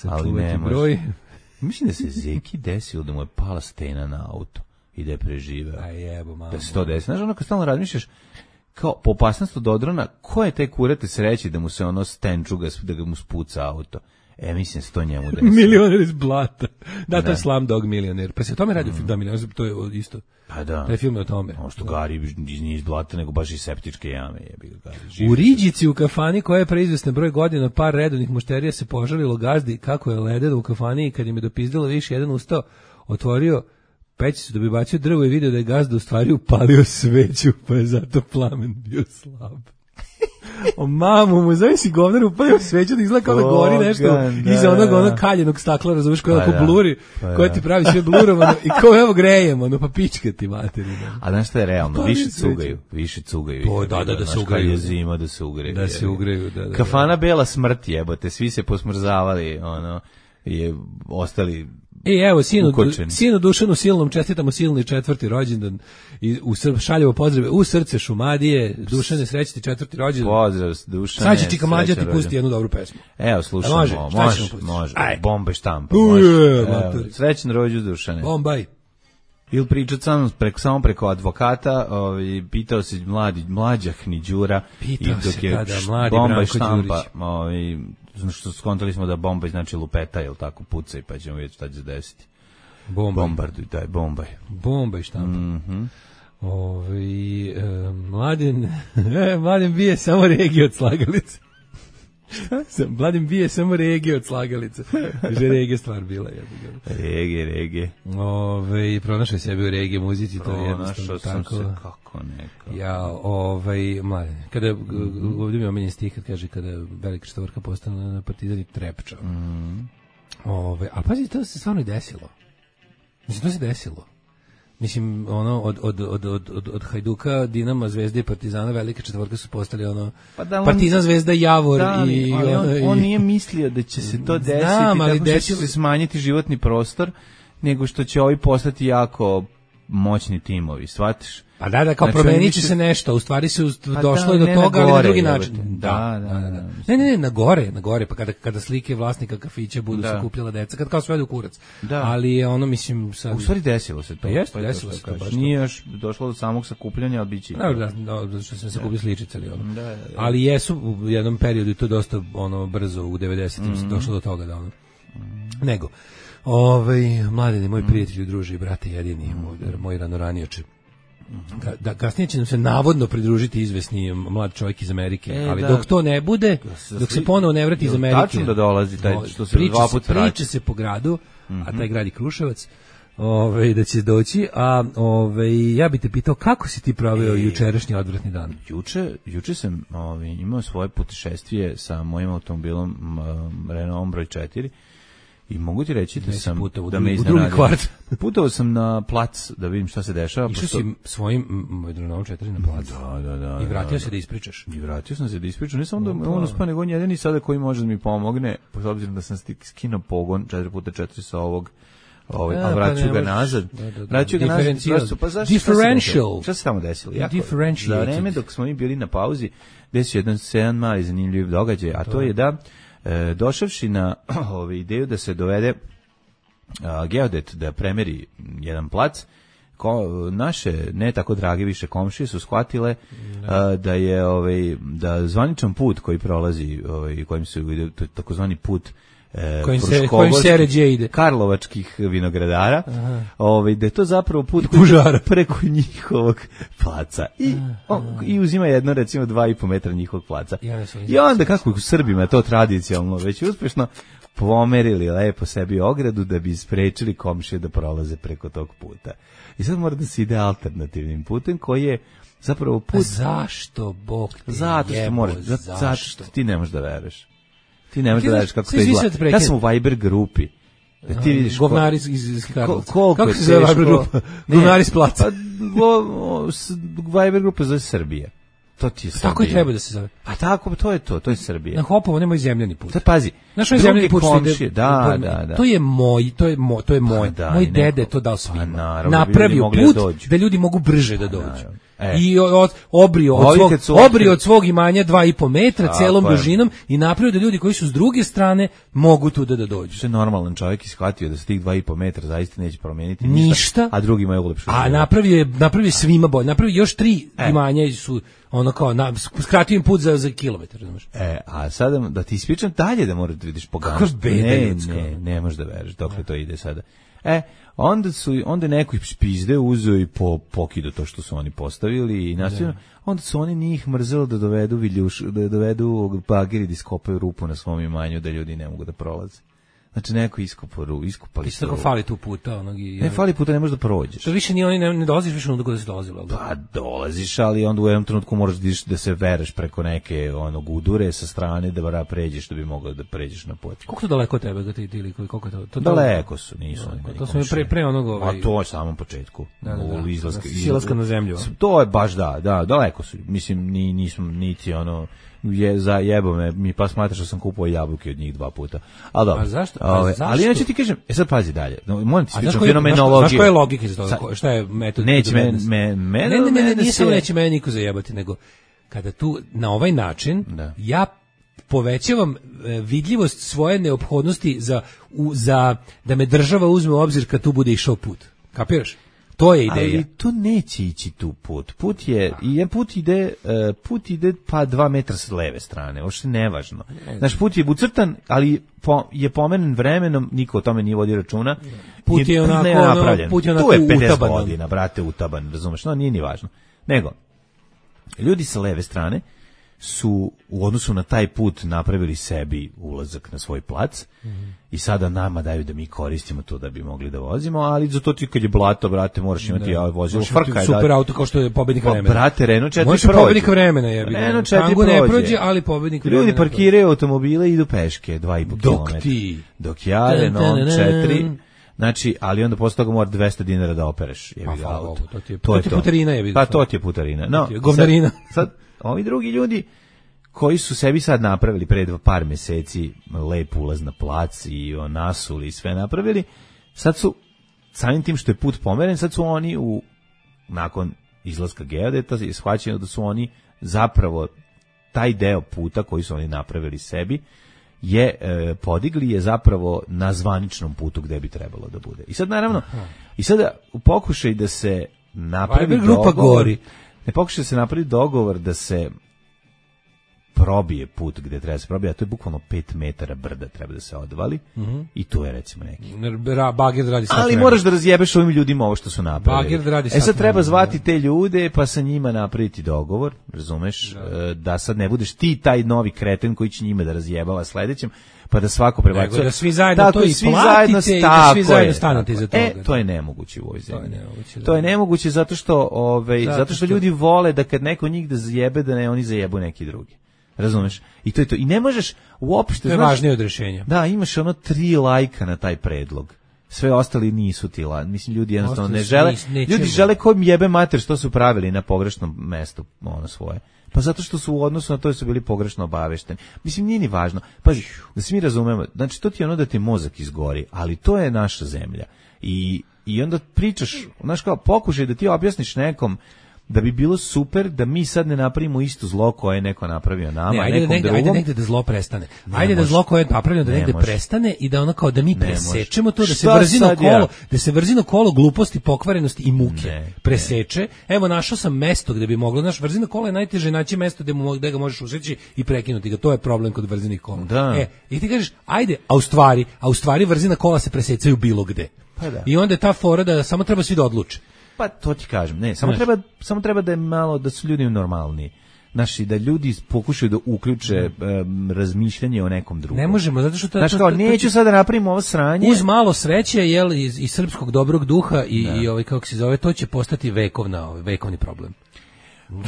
ali ne može. Mislim da se Zeki desilo da mu je pala stena na auto i da je preživeo. Da se to desi. Znaš, ono kad stalno razmišljaš, kao po opasnosti od odrona, ko je taj kurate sreći da mu se ono stenčuga, da ga mu spuca auto? Mislim da se to njemu desilo. Milioner iz blata. Da, to je Slumdog Milioner. Pa se o tome radi film, da, Milioner, to je isto. Pa da. Taj film je o tome. Ono što Gari nije iz blata, nego baš iz septičke jame. U Riđici u kafani koja je preizvesna broj godina, par redovnih mušterija se požalilo gazdi kako je ledeno u kafani i kad im je dopizdilo više, jedan ustao, otvorio pećicu da bi bacio drvo i vidio da je gazda u stvari upalio sveću, pa je zato plamen bio slab. O mamu, mu zove si govnar upalio sveću da izgleda kao da gori nešto iza onog kaljenog stakla, razumiješ, koja ako bluri, koja ti pravi sve blurovano i kao evo grejemo, pa pička ti materi. A znaš šta je realno, više cugaju. To, da se ugreju. Je zima, da se ugreju. Da se ugreju, da. Kafana Bela smrt jebote, svi se posmrzavali, je ostali evo, sinu Dušanu Silnom čestitamo silni 4. rođendan i šaljemo pozdrave u srce Šumadije. Dušane, srećti 4. rođendan. Pozdrav Dušane. Sad će Čika Mlađa ti pusti jednu dobru pesmu. Evo, slušamo. Može. Bombaj štampa. Srećan rođendan Dušane. Bombaj. Ili pričat samo preko advokata, pitao se mlađa Hniđura. Pitao se, mladi Branko Đurić. Što skontali smo da bombaj znači lupeta, jel tako, pucaj, pa ćemo vidjeti šta će se desiti. Bombarduj, daj, bombaj. Bombaj štampa. Mladen bije samo regije od slagalice. Šta sam? Mladen bije samo regije od slagalice. Že regije stvar bila. Regije. Pronašao sebi u regije muzici, to je jednostavno tako. Našao sam se kako neko. Mladen, kada ovdje mi je omenjen stih kad kaže kada velika Četvorka postane na Partizani trepča. A pazi, to se stvarno i desilo. Mislim, to se desilo. Mislim, od Hajduka, Dinama, Zvezde i Partizana, velika Četvorka su postali Partizan, Zvezda, Javor i on nije mislio da će se to desiti, tako što će se smanjiti životni prostor, nego što će ovi postati jako moćni timovi, shvatiš? Pa da, kao Znači, promenit će više- se nešto, u stvari se Pa došlo da, je do ne toga, na ali na gore, drugi jebote. način. Da. Ne, na gore, pa kada slike vlasnika kafića budu Da. sakupljala deca, kad kao sve ide u kurac. Da. Ali je ono, mislim, sad... U stvari desilo se to. Pa jeste, je to desilo što se to, kažeš. baš to. Nije još došlo do samog sakupljanja, ali bit će. Da, što sam se kupio sličice ali ono. Da. Ali jesu u jednom periodu i to dosta ono brzo u 90-im se došlo do toga da ono. Nego, mladene, moj prijatelj, druži, brate jedini, moj ranoranioče. Da kasnije će nam se navodno pridružiti izvesni mlad čovjek iz Amerike, ali da. dok to ne bude, dok se ponovo ne vrati iz Amerike. Tačno da dolazi taj što se dva puta vraća. Priča se po gradu, a taj grad je Kruševac. Da će doći, a ja bih te pitao kako si ti proveo jučerašnji odvratni dan? Juče sam imao svoje putešestvije sa mojim automobilom Renault broj 4 i mogu ti reći da sam da me u drugi kvart. Putovao sam na plac da vidim šta se dešava. Išao si svojim Renault 4 na plac. Da. I vratio se da ispričaš. I vratio sam se da ispričam. Ne samo da on uspeo, nego on jedini sada koji može da mi pomogne, s obzirom da sam skinuo pogon 4x4 sa ovog a vraću ga nazad. Vraću ga nazad. Pa zašto? Differential. Šta se tamo desilo? Differentiated. Za vreme dok smo mi bili na pauzi, desio jedan mali zanimljiv događaj, a to je da došavši na ideju da se dovede geodet da premeri jedan plac, naše ne tako drage više komšije su shvatile da je da zvaničan put koji prolazi kojim se ide takozvani put kojim se ređe ide karlovačkih vinogradara, da je to zapravo put preko njihovog placa i uzima jedno recimo 2,5 metra njihovog placa. I onda kako u Srbima to tradicionalno već uspešno pomerili lepo sebi ogradu da bi sprečili komšije da prolaze preko tog puta. I sad mora da se ide alternativnim putem koji je zapravo put. A zašto Bog te zato što moraš, zato ti ne možeš da veruješ. Ti ne možeš da veruješ kako to izgleda. Ja sam u Viber grupi. Da ti vidiš govnari iz Karlovca. Kako se zove Viber grupa? Govnari iz placa. Viber grupa za Srbije. To ti je Srbija. Tako i treba da se zove. A tako, to je Srbija. Na Hopovo nemoj zemljani put. Sad pazi. Naš zemljani put komšije, da. To je moj. Moj dede to dao svima. Napravio put da ljudi mogu brže da dođu. I obrio od svog imanja 2,5 metra celom dužinom i napravio da ljudi koji su s druge strane mogu tu da dođu. Što je normalan čovjek ishvatio da se tih 2,5 metra zaista neće promijeniti ništa, a drugi imaju ulepšu. A napravio svima bolje. Napravio još 3 imanja su ono kao skratio im put za kilometar, razumeš? A sada da ti ispričam dalje da moraš da vidiš poganstvo. Kako beda ljudska. Ne možeš da veruješ dokle to ide sada. Onda neko ih špizde uzeo i pokido to što su oni postavili i nastavljeno. Onda su oni njih mrzeli da dovedu bageri da iskopaju rupu na svom imanju da ljudi ne mogu da prolaze. Znači neko iskopali su. Tako fali tu puta. Ne fali puta, ne možeš da prođeš. To više ni oni ne dolaziš više onda kada si dolazilo. Pa dolaziš, ali onda u jednom trenutku moraš da se vereš preko neke gudure sa strane da pređeš da bi mogao da pređeš na put. Koliko to daleko od tebe ti ili koliko je to? Daleko su, nisu. To su pre onog A to je samom početku. Silaska na zemlju. To je baš da, daleko su. Mislim nisam niti za jebo me, mi pa smatraš da sam kupao jabuke od njih 2 puta. Ali dobro. A zašto? Ali ja ću ti kažem, sad pazi dalje. Moram ti pričati fenomenologiju. Znaš koja je logika za to? Šta je metod? Neće Ne, nije samo neće mene niko zajebati, nego kada tu na ovaj način ja povećavam vidljivost svoje neophodnosti za da me država uzme u obzir kad tu bude išao put. Kapiraš? To je ideja. Ali tu neće ići tu put. Put ide pa 2 metra s leve strane. Uopšte nevažno. Znaš, put je ucrtan, ali je pomeren vremenom, niko o tome nije vodio računa. Put je onako napravljen. Tu je 50 godina, brate, utaban, razumeš? No, nije ni važno. Nego, ljudi sa leve strane su u odnosu na taj put napravili sebi ulazak na svoj plac i sada nama daju da mi koristimo to da bi mogli da vozimo, ali za to ti kad je blato, brate, moraš imati vozilo frka. Super auto kao što je pobednik vremena. Brate, Renault 4 prođe. Pobednik vremena je. Renault 4 prođe. Ne prođe, ali pobednik vremena. Ljudi parkiraju automobile i idu peške 2,5 km. Dok ja Renault 4... Znači, ali onda posle toga mora 200 dinara da opereš. To je putarina je. Pa to ti je putarina. No, govnarina. Sad, ovi drugi ljudi koji su sebi sad napravili pre par meseci lep ulaz na plac i nasuli i sve napravili, sad su samim tim što je put pomeren, sad su oni nakon izlaska geodeta je shvaćeno da su oni zapravo taj deo puta koji su oni napravili sebi podigli je zapravo na zvaničnom putu gde bi trebalo da bude. I sad naravno, i sada u pokušaju da se napravi dogovor, ne pokušaju da se napravi dogovor da se probije put gde treba se probije, a to je bukvalno 5 metara brda treba da se odvali i tu je recimo neki. Bager radi sad. Ali moraš da razjebeš ovim ljudima ovo što su napravili. Bager radi sad treba zvati te ljude pa sa njima napraviti dogovor, razumeš, da sad ne budeš ti taj novi kreten koji će njima da razjebava sledećem, pa da svako prebacuje. Da svi zajedno to i platite i da svi zajedno stanete iza toga. To je nemoguće u ovoj zemlji. To je nemoguće zato što ljudi vole da kad neko njih da zajebe, da ne oni zajebu neki drugi. Razumeš? I to je to. I ne možeš uopšte... To je važnije od rješenja. Da, imaš 3 lajka na taj predlog. Sve ostali nisu ti lajka. Mislim, ljudi jednostavno ne žele... Ljudi žele kojim jebe mater što su pravili na pogrešnom mestu svoje. Pa zato što su u odnosu na to su bili pogrešno obavešteni. Mislim, nije ni važno. Pazi, da se mi razumemo, znači to ti je da ti mozak izgori, ali to je naša zemlja. I onda pričaš, znaš kao, pokušaj da ti objasniš nekom da bi bilo super da mi sad ne napravimo isto zlo koje je neko napravio nama, nekom drugom. Ajde negde da zlo prestane. Ajde da zlo koje je napravljeno da negde prestane i da ono kao da mi presečemo to, da se vrzino kolo gluposti, pokvarenosti i muke preseče. Evo, našao sam mesto gde bi moglo, naš vrzino kola je najteže naći mesto gde ga možeš usreći i prekinuti ga. To je problem kod vrzinih kola. I ti kažeš, ajde, a u stvari vrzina kola se presecaju bilo gde. I onda je ta fora da samo treba svi da odluče. Pa to ti kažem, ne, samo treba da je malo, da su ljudi normalni. Znači, da ljudi pokušaju da uključe razmišljanje o nekom drugom. Ne možemo, zato što... Znači, kao, neću sada da napravimo ovo sranje. Uz malo sreće, i srpskog dobrog duha i kako se zove, to će postati vekovni problem.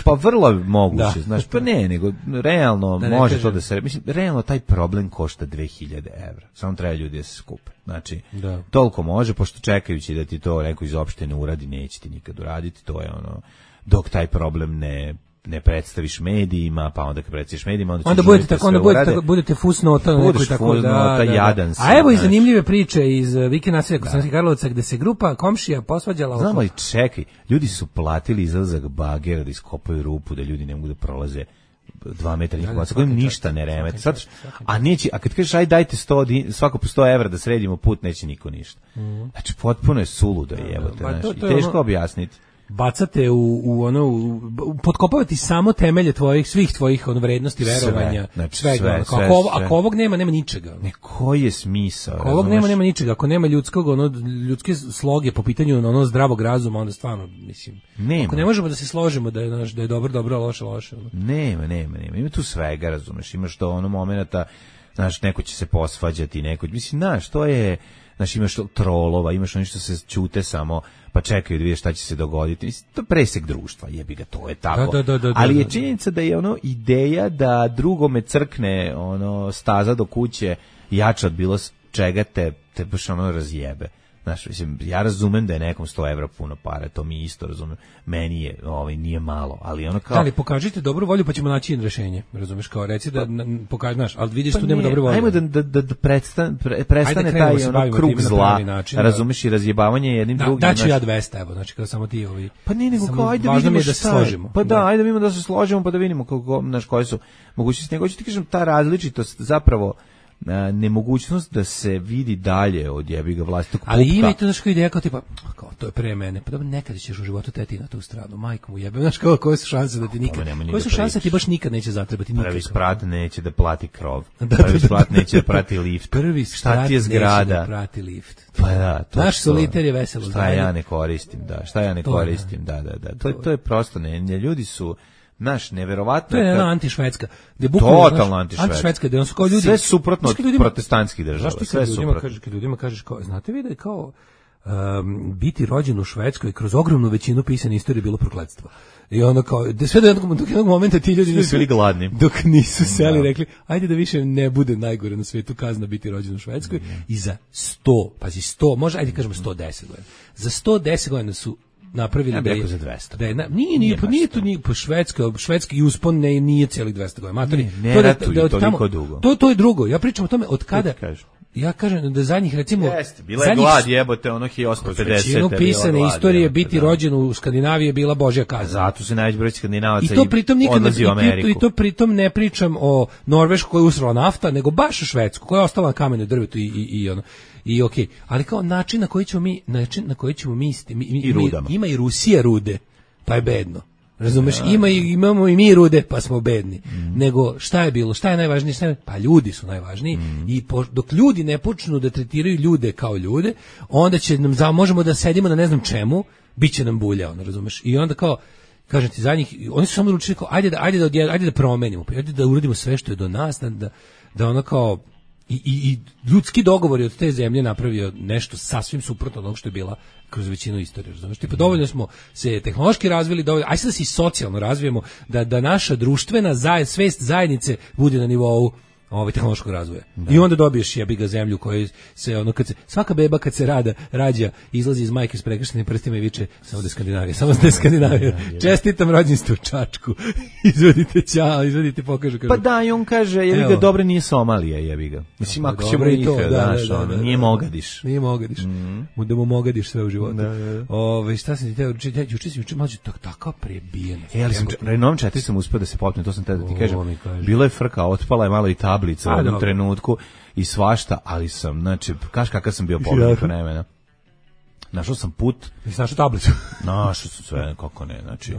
Pa vrlo moguće, znaš, pa ne, nego realno može to da se... Mislim, realno taj problem košta 2000 evra. Samo treba ljudi da se skupe. Znači, toliko može, pošto čekajući da ti to neko iz opštine uradi, neće ti nikad uraditi, to je dok taj problem ne predstaviš medijima, pa onda kad predstaviš medijima, onda budete fusnota, jadan. A evo i zanimljive priče iz Vike naselja Kosovskih Karlovaca, gde se grupa komšija posvađala. Znamo li, čekaj, ljudi su platili izlazak bagera da iskopaju rupu, da ljudi ne mogu da prolaze 2 metra njih sa kojim ništa ne remete. A kad kažeš aj dajte svako po 100 evra da sredimo put, neće niko ništa. Znači potpuno je suludo jebote, znači i teško objasniti. Bacate potkopavati samo temelje svih tvojih vrednosti, verovanja, svega. Ako ovog nema ničega. Koji je smisao? Ako ovog nema ničega. Ako nema ljudske sloge po pitanju zdravog razuma, onda stvarno, mislim, ako ne možemo da se složimo da je dobro, loše. Nema. Ima tu svega, razumeš. Imaš to momenata, znaš, neko će se posvađati, mislim, znaš, to je... Znaš, imaš trolova, imaš oni što se ćute samo, pa čekaju da vidjeti šta će se dogoditi. To je presek društva, jebi ga, to je tako. Ali je činjenica da je ideja da drugome crkne staza do kuće jača od bilo čega te baš razjebe. Znaš, mislim, ja razumem da je nekom 100 evra puno para, to mi isto razumem. Meni je, nije malo, ali kao... Ali pokažite dobru volju pa ćemo naći rešenje, razumeš, kao reci da pokaži, znaš, ali vidiš tu nema dobre volje. Ajmo da prestane taj krug zla, razumeš, i razjebavanje jednim drugim. Daću ja 200, evo, znači kao samo ti ovi... Pa nije nego kao, ajde vidimo da se složimo. Pa da, ajde vidimo da se složimo pa da vidimo koje su mogućnosti. Nego ću ti kažem, ta različitost zapravo nemogućnost da se vidi dalje od jebiga vlastitog pupka. Ali ima i to znaš ideja kao tipa, to je pre mene, pa dobro, nekad ćeš u životu teti na tu stranu, majku mu jebe, znaš koje su šanse da ti nikad, koje su šanse da ti baš nikad neće zatrebati nikad. Prvi sprat neće da plati krov, prvi sprat neće da prati lift, prvi sprat neće da prati lift. Pa da, to naš soliter je veselo. Šta ja ne koristim, da. To je prosto, ljudi su naš neverovatno. To je jedna antišvedska. Totalno antišvedska. Gde su kao ljudi sve suprotno od protestantskih država. Sve suprotno. Kad ljudima kažeš kao, znate vi da je kao biti rođen u Švedskoj kroz ogromnu većinu pisane istorije bilo prokletstvo. I ono kao, sve do jednog momenta ti ljudi nisu bili gladni. Dok nisu seli rekli, ajde da više ne bude najgore na svijetu kazna biti rođen u Švedskoj. I za 100, može, ajde kažemo 110 godina. Za 110 godina su napravili da je za 200. Nije to švedski uspon nije celih 200 godina. Ne ratuju toliko dugo. To je drugo. Ja pričam o tome od kada ja kažem da zadnjih recimo jeste, bila je glad jebote ono 1850. Većinu pisane istorije biti rođen u Skandinaviji je bila božja kazna. Zato se najveći broj Skandinavaca i to pritom nikad odlazi u Ameriku. I to pritom ne pričam o Norveškoj koja je usrala nafta, nego baš o Švedsku koja je ostala na kamenu drvetu i ono. I okej, ali kao način na koji ćemo mi ima i Rusija rude, pa je bedno. Razumeš, imamo i mi rude, pa smo bedni. Nego šta je bilo, šta je najvažnije, pa ljudi su najvažniji i dok ljudi ne počnu da tretiraju ljude kao ljude, onda će nam možemo da sedimo na ne znam čemu, biće nam bulja, ono, razumeš? I onda kao kažem ti zadnjih, oni su samo ručili kao ajde da promenimo, ajde da uradimo sve što je do nas, da ono kao i ljudski dogovori od te zemlje napravio nešto sasvim suprotno od onog što je bila kroz većinu istorije, razumiješ? Tipa dovoljno smo se tehnološki razvili, dovoljno, aj sad da se i socijalno razvijemo, da naša društvena svest zajednice bude na nivou tehnološkog razvoja. Da. I onda dobiješ jebi ga zemlju koja se ono svaka beba kad se rađa izlazi iz majke s prekrštenim prstima i viče samo da je Skandinavija. Čestitam rođenstvo Čačku. izvodite pokažu kaže. Pa da, i on kaže jebi ga dobro nije Somalija jebi ga. Mislim ako ćemo i to, nije Mogadiš. Nije Mogadiš. Da mu Mogadiš sve u životu. Šta sam ti teo juče mlađe tako prebijen. Ali sam Renault 4 sam uspeo da se popnem, to sam te da ti kažem. Bilo je frka, otpala je malo i tablica u jednom trenutku i svašta, ali sam, znači, kaš kakav sam bio pogledan vremena. Našao sam put. Nisi našao tablicu? Našao sam sve, kako ne, znači,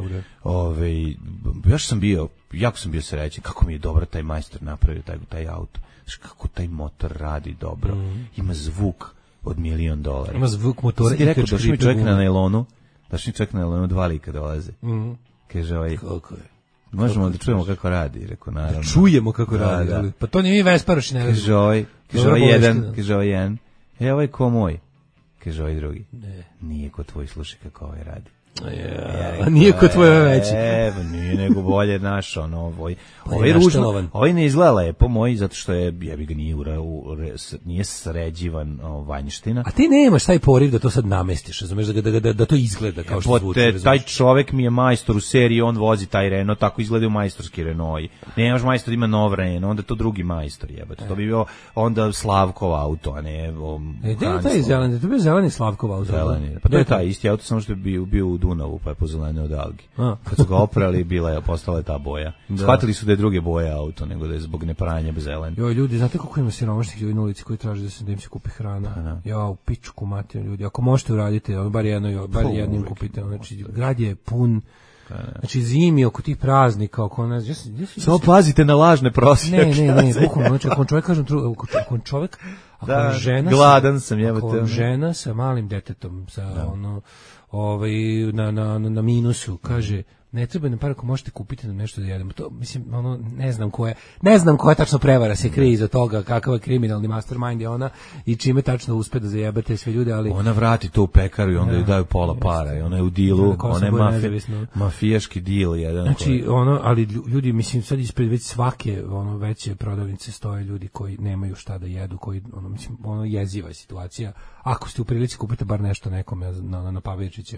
jako sam bio srećen, kako mi je dobro taj majstor napravio taj auto. Znači, kako taj motor radi dobro. Ima zvuk od $1.000.000. Ima zvuk motora. Ti rekao, došli mi čovjek na nailonu, 2 lika dolaze. Kaže kako je? Možemo da čujemo kako radi, rekao naravno. Da čujemo kako radi, ali pa to nije mi Vesparoš ne radi. Kaže ovaj jedan, ovaj ko moj. Kaže ovaj drugi. Nije ko tvoj, slušaj kako ovaj radi. Nije ko tvoj veći. Nije nego bolje naš, ovaj ružno, ovaj ne izgleda lepo moj, zato što je, jebi ga nije sređivan vanjština. A ti nemaš taj poriv da to sad namestiš, razumeš, da to izgleda kao što zvuči. Taj čovek mi je majstor u seriji, on vozi taj Renault, tako izgledaju majstorski Renault. Nemaš majstor ima nov Renault, onda to drugi majstor jebate. To bi bio onda Slavkov auto, a ne taj zeleni, to bi zeleni Slavkov auto. Zeleni, pa to je taj isti auto, samo što je bio u Dunavu, pa je pozelenio od algi. Kad su ga oprali, postala je ta boja. Shvatili su da je druge boje auto, nego da je zbog nepranja zelen. Joj, ljudi, znate koliko ima siromašnih ljudi na ulici koji traže da im se kupi hrana? U pičku materiju, ljudi. Ako možete uraditi, bar jednim kupite. Znači, grad je pun. Znači, zimi oko tih praznika, oko nas. Samo pazite na lažne prosjeke. Ne, bukvalno. Znači, ako čovjek kaže, ako čovjek, gladan sam, jebate. Ako žena sa malim detetom, sa na minusu, kaže, ne treba nam par ako možete kupiti nam nešto da jedemo. To, mislim, ne znam koja tačno prevara se krije iza toga, kakav je kriminalni mastermind je ona i čime tačno uspe da zajebate sve ljude, ali... Ona vrati to u pekaru i onda joj daju pola para i ona je u dilu, ona je mafijaški dil jedan. Znači, ali ljudi, mislim, sad ispred već svake veće prodavnice stoje ljudi koji nemaju šta da jedu, koji, mislim, jeziva je situacija. Ako ste u prilici kupite bar nešto nekome na Pavličiće,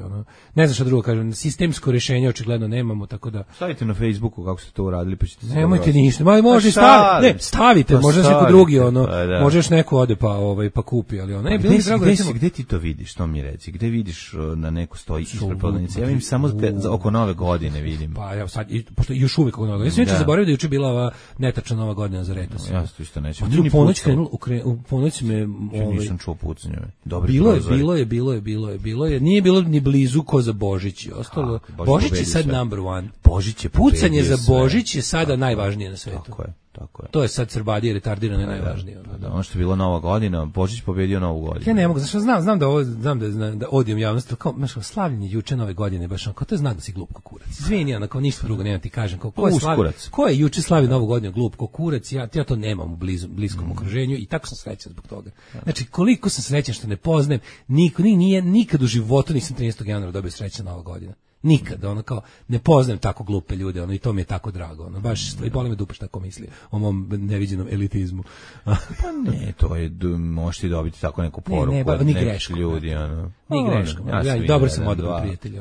ne znam šta drugo kažem, sistemsko rješenje očigledno nemamo, tako da... Stavite na Facebooku kako ste to uradili, pa ćete se... Nemojte ništa, može stavite, može se neko drugi, možeš neko ode pa kupi, ali Gde ti to vidiš, to mi reci, gde vidiš na neko stoji ispred prodavnice? Ja vidim samo oko Nove godine vidim. Pa ja sad, pošto još uvijek oko Nove godine, ja sam juče zaboravio da juče bila ova netačna Nova godina za Retos. Ja to isto nećem. U ponoć me... Nisam čuo pucanje. Bilo je. Nije bilo ni blizu ko za Božić i ostalo. Božić je sad number one. Božić je pucanje za Božić je sada najvažnije na svetu. Tako je. To je sad Srbadije retardirano najvažnije. Ono što je bilo Nova godina, Božić pobedio Novu godinu. Ja ne mogu, znači znam da odijem javnost, kao slavljenje juče Nove godine, baš kao to je znak da si glup ko kurac. Izvini, kao ništa drugo nemam ti kažem, ko je juče slavi Novu godinu glup ko kurac, ja to nemam u bliskom okruženju i tako sam srećan zbog toga. Znači, koliko sam srećan što ne poznajem, nikad u životu nisam 13. januara dobio srećan Nova godina. Nikad, kao, ne poznajem tako glupe ljude, i to mi je tako drago, baš, i boli me dupe šta tako misli o mom neviđenom elitizmu. Pa ne, to je, možeš ti dobiti tako neku poruku od nekih ljudi, Ni greškom, dobro sam odavno prijatelj,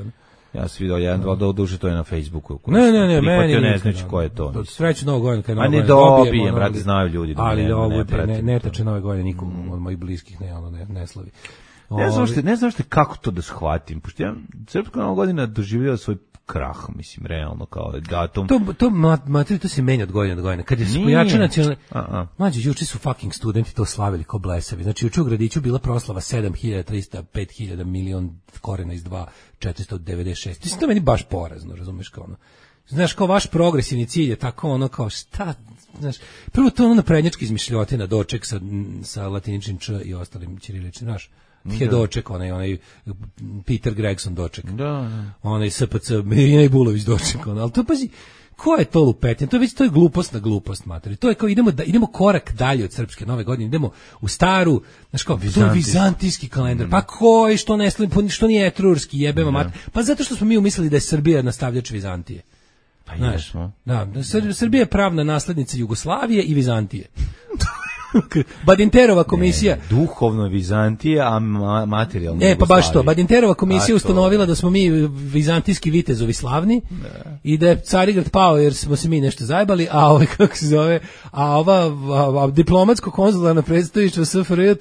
Ja sam vidio jedan, dva duže, to je na Facebooku. Ne, meni ne znajući ko je to. Sreću Novog godina. A ne dobijem, brate, znaju ljudi. Ali ovo ne tače Nove godine nikom od mojih bliskih ne slavi. Ne znam što kako to da shvatim, pošto ja Srpska Nova godina doživljava svoj krah, mislim, realno kao datum. To se menja od godine do godine. Kad je pojača nacionalni... Mlađe, juče su fucking studenti to slavili ko blesavi. Znači, juče u gradiću bila proslava 7.300, 5.000 milion korena iz 2, 496. Mislim, to meni baš porazno, razumeš, kao ono. Znaš, kao vaš progresivni cilj je tako ono kao šta, znaš, prvo to ono naprednjački izmišljotina, doček sa latiničnim č i ostalim ćiriličnim, znaš. Doček, onaj Peter Gregson doček. Da. Onaj SPC, Mirina Ibulović doček, ali to pazi, ko je to lupetin? To je glupost na glupost, materi. To je kao idemo korak dalje od Srpske Nove godine, idemo u staru, znaš kao, to je vizantijski kalendar. Pa koji, što nije etrurski, jebema mater. Pa zato što smo mi umislili da je Srbija nastavljač Vizantije. Pa jesmo. Da, Srbija je pravna naslednica Jugoslavije i Vizantije. Badinterova komisija duhovno Vizantije, a materijalno pa baš to, Badinterova komisija ustanovila da smo mi vizantijski vitezovi slavni i da je Carigrad pao jer smo se mi nešto zajebali, a kako se zove, ova diplomatsko konzularno predstavništvo SFRJ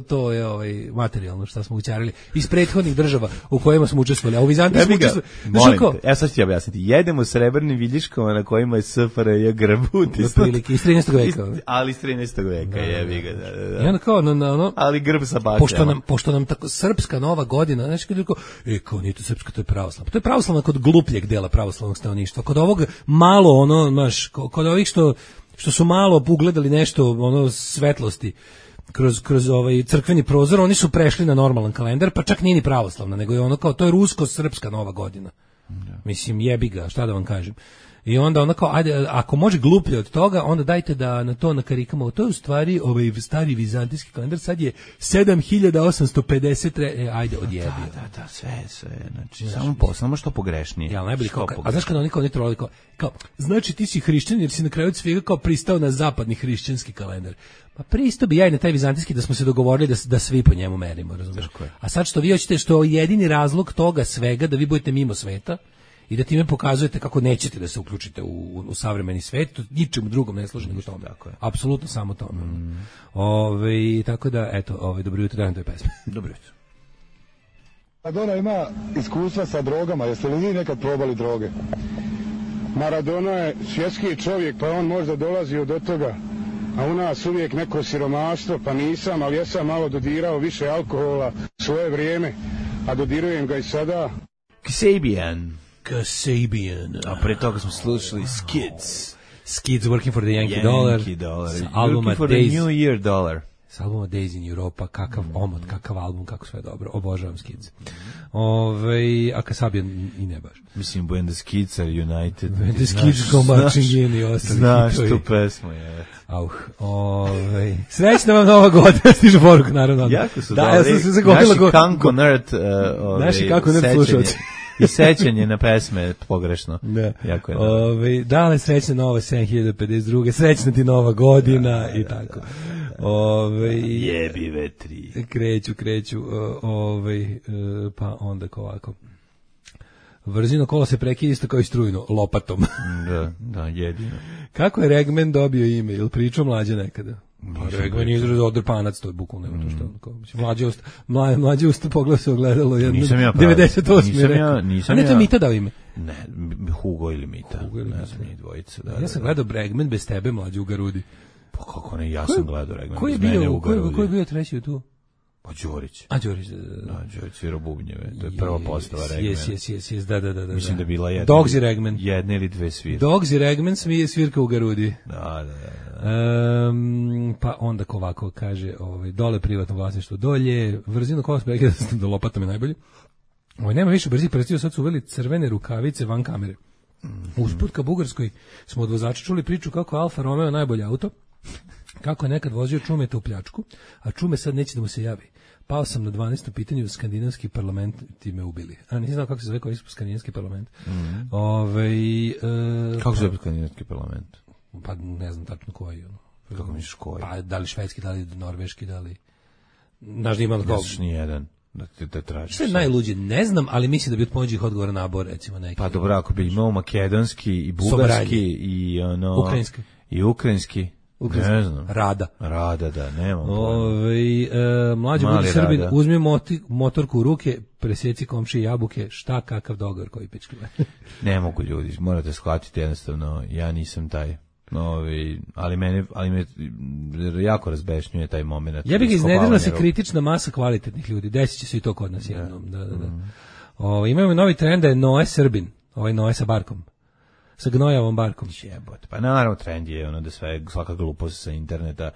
to je materijalno što smo ućarili iz prethodnih država u kojima smo učestvovali, a u Vizantiji smo učestvovali. Sad ću ti objasniti, jedemo srebrnim viljiškama na kojima je SFRJ grb utisnut iz 13. veka, ali iz 13. veka, jebi ga. I onda kao, ali grb sa bakljama. Pošto nam tako Srpska Nova godina, znači kad kao nije to srpska, to je pravoslavna. To je pravoslavna kod glupljeg dela pravoslavnog stanovništva. Kod ovog malo, kod ovih što su malo ugledali nešto, svetlosti kroz ovaj crkveni prozor, oni su prešli na normalan kalendar, pa čak nije ni pravoslavna, nego je to je rusko-srpska Nova godina. Mislim, jebi ga, šta da vam kažem. I onda kao, ajde, ako može gluplje od toga, onda dajte da na to nakarikamo. To je u stvari ovaj stari vizantijski kalendar, sad je 7850, ajde, odjebi. Da, sve, znači, samo što pogrešnije. Ja, najbolje kao, a znaš kada oni trolali, kao, znači ti si hrišćanin jer si na kraju od svega kao pristao na zapadni hrišćanski kalendar. Pa pristao bi ja i na taj vizantijski da smo se dogovorili da svi po njemu merimo, razumiješ? A sad što vi hoćete, što je jedini razlog toga svega, da vi budete mimo sveta, i da time pokazujete kako nećete da se uključite u savremeni svet, ničemu drugom ne služi nego tome. Apsolutno samo tome. Tako da, eto, dobro jutro, dajem toj pesme. Dobro jutro. Maradona ima iskustva sa drogama, jeste li vi nekad probali droge? Maradona je svjetski čovjek, pa on možda dolazio do toga, a u nas uvijek neko siromaštvo, pa nisam, ali ja sam malo dodirao više alkohola svoje vrijeme, a dodirujem ga i sada. Kasabian. A pre toga smo slušali Skids. Skids Working for the Yankee Dollar. Working for the New Year Dollar. S albuma Days in Europa, kakav omot, kakav album, kako sve dobro. Obožavam Skids. A Kasabian i ne baš. Mislim, when the Skids are united. When the Skids go marching in i ostali. Znaš tu pesmu, je. Srećna vam Nova godina, stižu poruku, naravno. Jako su dobri. Ja sam se zagovorila. Naši kako nerd slušalci. I sećanje na pesme pogrešno. Da. Jako je. Dale srećna nova 7052, srećna ti Nova godina i tako. Jebi vetri. Kreću. Pa onda ovako. Vrzino kola se prekida isto kao i strujno, lopatom. Da, jedino. Kako je Regman dobio ime? Ili pričao Mlađe nekada? Regman je izraz odrpanac, to je bukvalno nema to što. Mlađe usta pogleda se ogledalo jedno 98. Nisam a ne to je Mita dao ime? Ne, Hugo ili Mita. Ne znam, njih dvojica. Ja sam gledao Regman bez tebe, Mlađe, u Garudi. Pa kako ne, ja sam gledao Regman bez mene u Garudi. Ko je bio treći tu? Pa Đorić. A Đorić, Đorić svira bubnjeve. To je prva postava Regman. Jes, da. Mislim da je bila jedna. Dogs i Regman. Jedna ili dve svirke. Dogs i Regman svirka u Garudi. Da. Pa onda ovako kaže, dole privatno vlasništvo dolje, vrzino kola sprekida da lopatom je najbolje. Nema više brzih prstiju, sad su uveli crvene rukavice van kamere. Usput ka Bugarskoj smo od vozača čuli priču kako Alfa Romeo najbolje auto, kako je nekad vozio Čumeta u pljačku, a Čume sad neće da mu se javi. Pao sam na 12. pitanju, skandinavski parlament ti me ubili. A nisam znao kako se zove koji su skandinavski parlament. Kako se zove skandinavski parlament? Pa ne znam tačno koji. Kako misliš koji? Pa da li švedski, da li norveški, da li... Znaš da ima... Ne znaš ni jedan. Da tražiš. Što je najluđe, ne znam, ali mislim da bi od pomoćih odgovora nabor, recimo neki. Pa dobro, ako bi imao makedonski i bugarski i ukrajinski. Ne znam. Rada, da, nemam pojma. Mlađi budi Srbin, uzmi motorku u ruke, preseci komšije jabuke, šta kakav dogovor koji pičkima. Ne mogu ljudi, morate shvatiti jednostavno, ja nisam taj. Ali me jako razbešnjuje taj moment. Ja bih iznedrila se kritična masa kvalitetnih ljudi. Desit će se i to kod nas jednom. Da. Imamo novi trend da je Noe Srbin. Noe sa barkom. Sa gnojavom barkom. Jebot. Pa naravno trend je da svaka glupost sa interneta,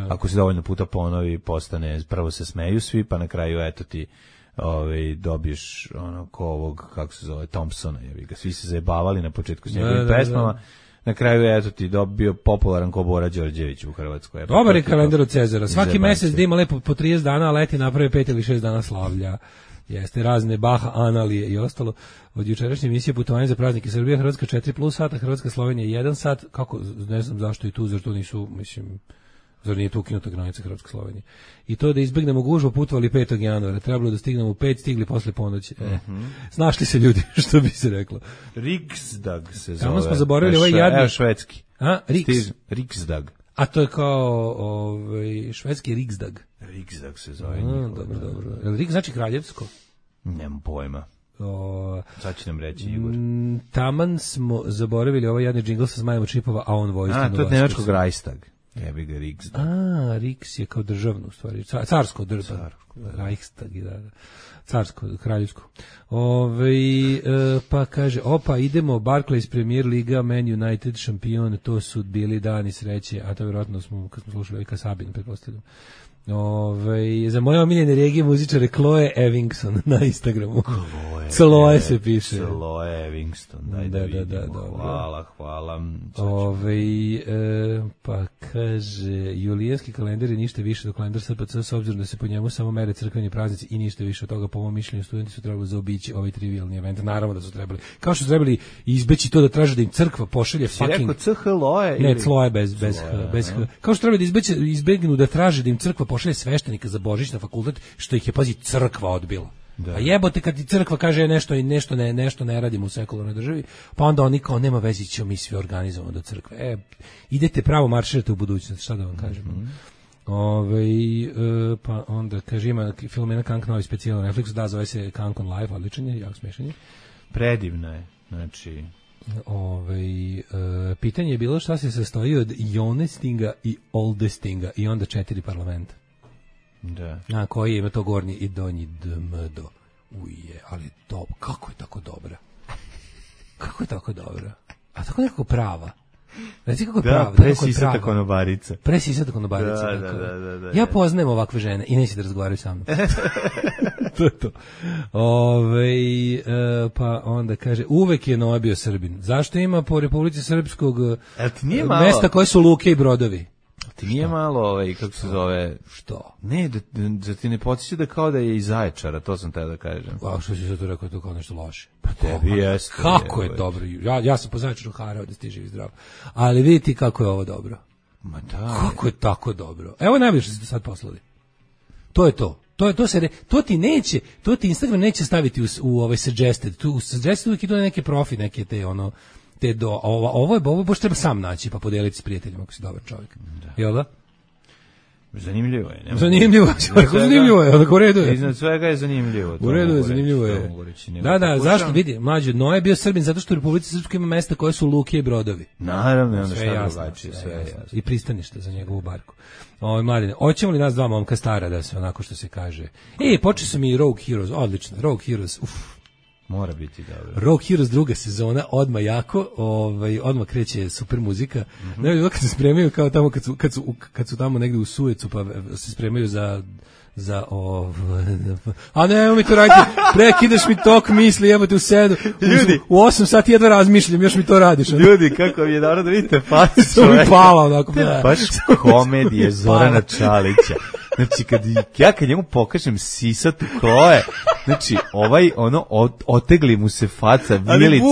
ako se dovoljno puta ponovi, postane, prvo se smeju svi, pa na kraju eto ti dobiješ ko ovog, kako se zove, Thompsona. Svi se zajebavali na početku s njegovim pesmama. Na kraju eto ti bio popularan ko Bora Đorđević u Hrvatskoj. Dobar je kalendar od Cezara. Svaki mesec da ima lepo po 30 dana, a leti naprave 5 ili 6 dana slavlja. Jeste razne Baha, Analije i ostalo. Od jučerašnje emisije putovanje za praznike Srbije, Hrvatska 4+ sata, Hrvatska Slovenija 1 sat. Kako, ne znam zašto i tu, zar to nisu, zar nije tu ukinuta granica Hrvatska Slovenija. I to da izbegnemo gužvu, putovali 5. januara. Trebalo da stignemo u 5, stigli posle ponoći. Snašli se ljudi, što bi se reklo. Riksdag se zove. Tamo smo zaboravili ovaj jadni. Švedski. Riksdag. A to je kao švedski Riksdag. Riksdag se zove. Dobro. Rik znači kraljevsko? Nemam pojma. Sad će nam reći Igor. Taman smo zaboravili ovaj jadni džingl sa zmajem od čipova, a on vojstveno. To je nemačkog Reichstag. Jebi ga Riksdag. Riks je kao državno u stvari. Carsko državno. Reichstag, da. Carsko, kraljevsko. Pa kaže, idemo, Barclays Premier Liga, Man United šampion, to su bili dani sreće, a to vjerojatno kad smo slušali Kasabin, pretpostavljam. Za moje omiljene regije muzičare Chloe Evingson na Instagramu. Chloe se piše. Chloe Evingson, daj da vidimo. Hvala. Pa kaže, julijanski kalendar je ništa više do kalendar SPC, s obzirom da se po njemu samo mere crkveni praznici i ništa više od toga. Po mom mišljenju, studenti su trebali zaobići ovaj trivialni event. Naravno da su trebali. Kao što su trebali izbeći to da traže da im crkva pošalje fucking... Si rekao CHLOE? Ne, Chloe bez H. Kao što trebali da izbegnu da traže da im crkva pošalje sveštenika za Božić na fakultet, što ih je, pazi, crkva odbila. A jebote kad ti crkva kaže nešto ne radimo u sekularnoj državi, pa onda oni kao nema veze, ćemo mi svi organizovamo do crkve. Idete pravo, marširate u budućnost, šta da vam kažem. Pa onda kaže, ima Filomena Kank novi specijal na Netflixu, zove se Kank on Live, odličan je, jako smešan je. Predivna je, znači... pitanje je bilo šta se sastoji od Jonestinga i Oldestinga i onda 4 parlamenta. Da. Koji ima to gornji i donji dmdo. Ali to, kako je tako dobra? Kako je tako dobra? A tako nekako prava. Reci kako je prava. Presisata konobarica. Presisata konobarica. Da. Ja poznajem ovakve žene i neće da razgovaraju sa mnom. To je to. Pa onda kaže, uvek je Noa bio Srbin. Zašto ima po Republici Srpskog mesta koje su luke i brodovi? Ti nije malo, kako se zove... Što? Ne, da ti ne podsjeća da kao da je iz Zaječara, to sam te da kažem. A što si sad tu rekao, to kao nešto loše? Pa tebi jeste. Kako je dobro? Ja sam po Zaječaru harao da stiže zdrav. Ali vidite kako je ovo dobro. Ma da. Kako je tako dobro? Evo najbolje što ste sad poslali. To je to. To ti Instagram neće staviti u ovaj suggested. Tu suggested uvijek idu neke profi, neke te ovo baš treba sam naći pa podeliti s prijateljima ako si dobar čovjek. Jel da? Zanimljivo je. Zanimljivo je, u redu je. Iznad svega je zanimljivo. U redu je, zanimljivo je. Da, zašto vidi? Mlađe, Noe je bio Srbin zato što u Republici Srpskoj ima mesta koje su luke i brodovi. Naravno, onda šta drugačije, sve je jasno. I pristanište za njegovu barku. Mladine, hoćemo li nas dva momka stara da se onako što se kaže? Počeli su mi Rogue Heroes, odlično, Rogue Heroes, mora biti dobro. Rogue Heroes druga sezona, odmah jako, odmah kreće super muzika. Ne, kad se spremaju kao tamo kad su tamo negde u Suecu pa se spremaju za a ne, mi to raditi, prekidaš mi tok misli, jebote u 7, u 8 sati jedva razmišljam, još mi to radiš. Ljudi, kako mi je dobro da vidite facu čoveka. Pala, onako. Baš komedije Zorana Čalića. Znači, kad njemu pokažem sisatu kloje, znači, otegli mu se faca, vilica,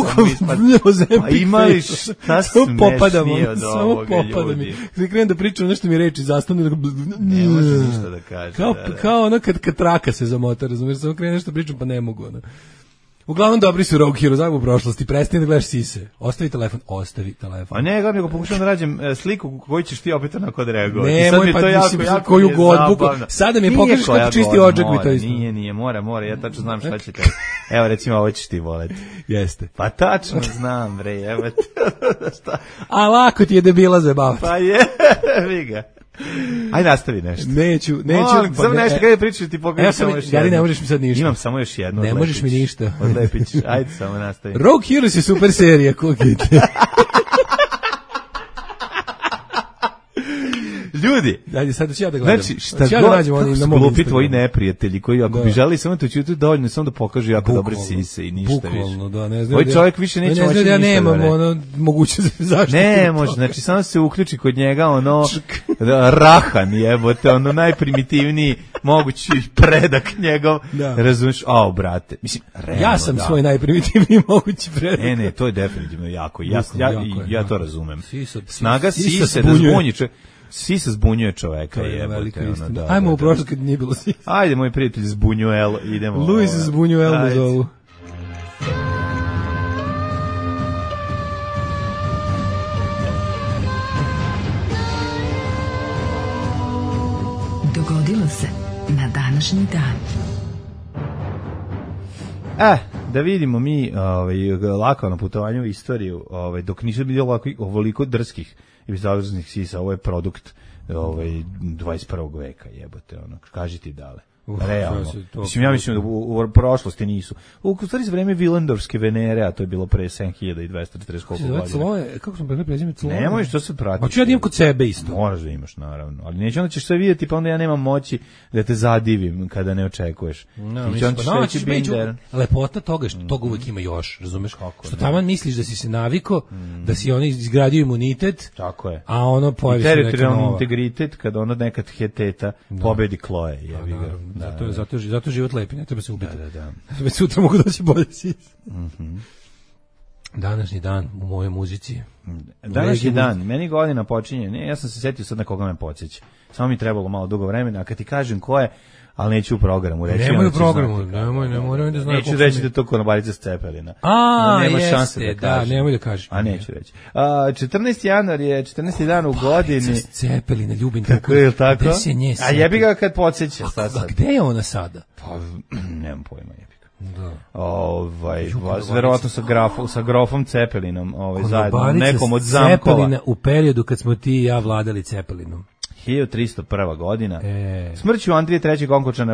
pa imali šta smešnije od ovoga, ljudi. Kad krenem da pričam, nešto mi reči zastane, ne može ništa da kaže. Kao ono kad traka se zamota, razumiješ, samo krenem nešto pričam, pa ne mogu, ono. Uglavnom dobri su Rogue Hero, znam u prošlosti, prestani da gledaš sise. Ostavi telefon. A ne, nego pokušam da rađem sliku koju ćeš ti opet onako da reagovati. Nemoj, pa jako koju god buku. Sada mi pokažeš kako čisti odžak bi to isto. Nije, mora, ja tačno znam šta će te. Evo, recimo, ovo ćeš ti voleti. Jeste. Pa tačno znam, bre, evo te. A lako ti je debila zabavati. Pa je, vi ga. Aj nastavi nešto. Neću. Samo nešto kada je pričaš ti pokažem samo još jedno. Jari, ne možeš mi sad ništa. Imam samo još jedno. Ne možeš mi ništa. Odlepić. Ajde, samo nastavi. Rogue Heroes je super serija, kukite. Ljudi, ajde sad ću ja da gledam. Znači, šta god glupi tvoji neprijatelji koji ako bi želeli samo to ćuti dovoljno samo da pokažu jako dobre sise i ništa više. Bukvalno, da, ne znam. Ovaj čovjek više neće moći ništa. Ja nemam mogućnost zaštite. Ne može, znači samo se uključi kod njega rahan jebote, najprimitivniji mogući predak njegov. Razumeš? Brate, mislim, realno. Ja sam svoj najprimitivniji mogući predak. Ne, to je definitivno jako. Ja to razumem. Snaga sise da zbunji sisa zbunjuje čoveka, jebote. Ajmo u prošlost kad nije bilo sisa. Ajde, moj prijatelj Zbunjuel, idemo. Luis Zbunjuel me zovu. Dogodilo se na današnji dan. Da vidimo mi lako na putovanju u istoriju, dok nisu bili ovoliko drskih i bezobraznih sisa, ovo je produkt 21. veka, jebote, kaži ti dale. Realno. Ja mislim da u prošlosti nisu. U stvari za vreme Vilendorfske Venere, a to je bilo pre 7240 koliko godina. Kako smo pre prezime Cloje? Nemoj što se prati. Hoću ja da imam kod sebe isto. Moraš da imaš, naravno. Ali neće, onda ćeš sve vidjeti, pa onda ja nemam moći da te zadivim kada ne očekuješ. Lepota toga što toga uvijek ima još, razumeš? Što taman misliš da si se naviko, da si izgradio imunitet, tako je. A ono pojavi se neka nova. Teritorijalni integritet, kada ono nekad heteta pobedi Kloje, jebi ga. Zato život lepi, ne treba se ubiti. Da. Već sutra mogu doći bolje sisa. Današnji dan u mojoj muzici. Današnji dan, meni godina počinje, ja sam se setio sad na koga me podsjeća. Samo mi trebalo malo dugo vremena, a kad ti kažem ko je, ali neću u programu reći. Nemoj u programu, nemoj da znam. Neću reći da to Konobarica s Cepelina. Jeste, da, nemoj da kažeš. A neću reći. 14. januar je 14. dan u godini. S Cepelina, ljubim tako. Je tako? Gde se nje a jebi ga kad podsjeća. A gde je ona sada? Pa, nemam pojma, jebi ga. Da. Verovatno sa grofom Cepelinom, zajedno, nekom od zampova. Cepelina u periodu kad smo ti i ja vladali Cepelinom. 1301. godina. Smrću Andrije III. Onkočana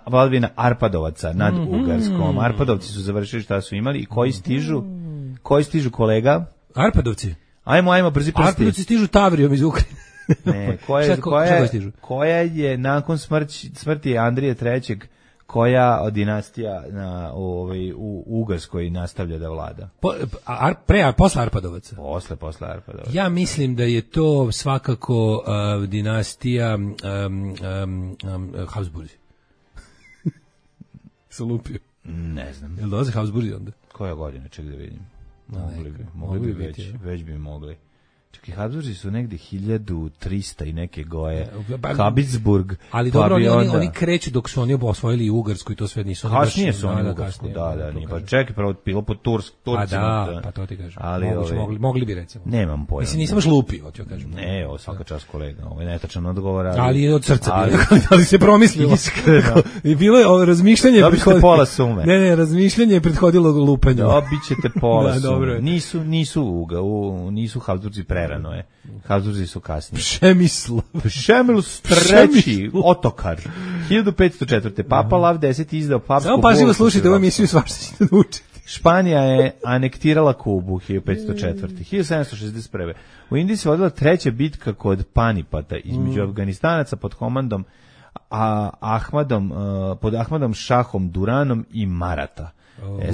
vladavina Arpadovaca nad Ugarskom. Arpadovci su završili šta su imali i koji stižu kolega? Arpadovci? Ajmo, brzi prsti. Arpadovci stižu Tavrijom iz Ukrajine. Ne, koja je nakon smrti Andrije III. Koja dinastija u Ugarskoj nastavlja da vlada? Posle Arpadovaca? Posle Arpadovaca. Ja mislim da je to svakako dinastija Habsburzi. Sam lupio. Ne znam. Jel dolaze Habsburzi onda? Koja godina, ček da vidim. Mogli bi već bi mogli. Čekaj, Habsburzi su negde 1300 i neke goje. Habsburg. Ali dobro, oni kreću dok su oni osvojili Ugarsku i to sve nisu. Kasnije su oni Ugarsku, da. Pa čekaj, prvo bilo po Turcima. Pa to ti kažem. Mogli bi recimo. Nemam pojma. Mislim, nisam baš lupi, hoću kažem. Ne, svaka čast kolega, ovo je netačan odgovor. Ali od srca bilo, ali se promislilo. Iskreno. I bilo je razmišljanje. Dobite pola sume. Ne, razmišljanje je prethodilo lupanju. Dobićete pola sume. Nisu Habsburzi prerano je. Habsburzi su kasnije. Přemysl III. Otokar. 1504. Papa Lav X izdao papsku samo pažljivo slušajte ovu emisiju, svašta ćete naučiti. Španija je anektirala Kubu 1504. 1761. U Indiji se vodila treća bitka kod Panipata između Afganistanaca pod komandom pod Ahmadom Šahom Duranom i Marata.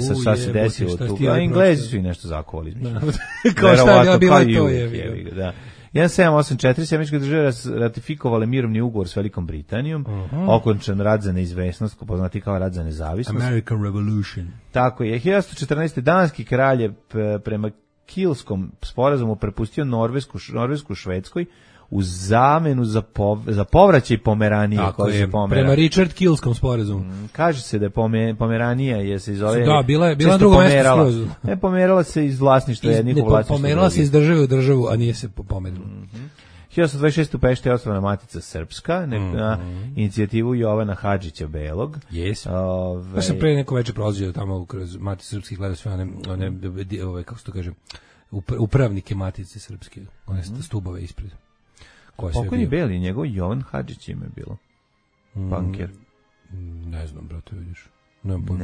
Sad šta se desilo tu? Englezi su i nešto zakovali. Kao šta je bila to je. Da. 1784, Sjemeničke države ratifikovale mirovni ugovor s Velikom Britanijom, okončan rad za neizvesnost, poznati kao rad za nezavisnost. American Revolution. Tako je. 1114. danski kralj je prema Kilskom sporazumu prepustio Norvesku Švedskoj u zamenu za povraćaj Pomeranije. Tako je, prema Richard Kilskom sporazumu. Kaže se da je Pomeranija je se zove... Da, bila na drugom mjestu skroz. Ne, pomerala se iz vlasništva jednih u vlasništvo. Pomerala se iz države u državu, a nije se pomerila. 1826. u Pešti je osnovana Matica Srpska, na inicijativu Jovana Hadžića Belog. Jes. Pa sam pre neko veče prolazio tamo kroz Matice Srpske, gledao sve one kako se to kaže, upravnike Matice Srpske, one stubove ispred. Pokojni Beli, njegov Jovan Hadžić ime je bilo. Banker. Ne znam, brate, vidiš.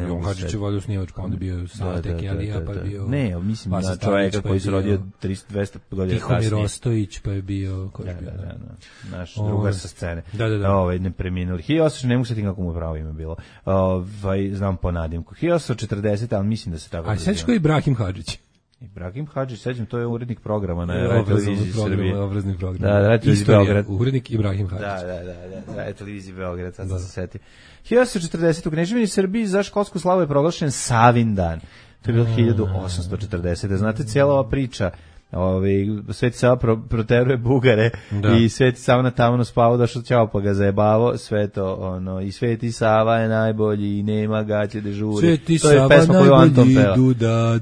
Jovan Hadžić je vodio snivačku, onda bio Salatek Elija, pa je bio... Ne, mislim na čovjeka koji se rodio 200 godina kasnije. Tihomir Ostojić, pa je bio... Naš drugar sa scene. Ne preminuli. 1800, ne mogu se ti kako mu pravo ime bilo. Znam po nadimku. 1840, ali mislim da se tako... A sećaš koji Ibrahim Hadžić? Ibrahim Hadžić, sećam, to je urednik programa na televiziji Srbije. Obrazni program. Da, televiziji Beograd. Urednik Ibrahim Hadžić. Da, televiziji Beograd, sad se seti. 1840. u Kneževini Srbiji za školsku slavu je proglašen Savin dan. To je bilo 1840. Znate, cijela ova priča, Sveti Sava proteruje Bugare i Sveti Sava na tavanu spavao, došao ćao pa ga zajebavo, sve to, i Sveti Sava je najbolji i nema gaće dežuri. Sveti Sava najbolji, duda,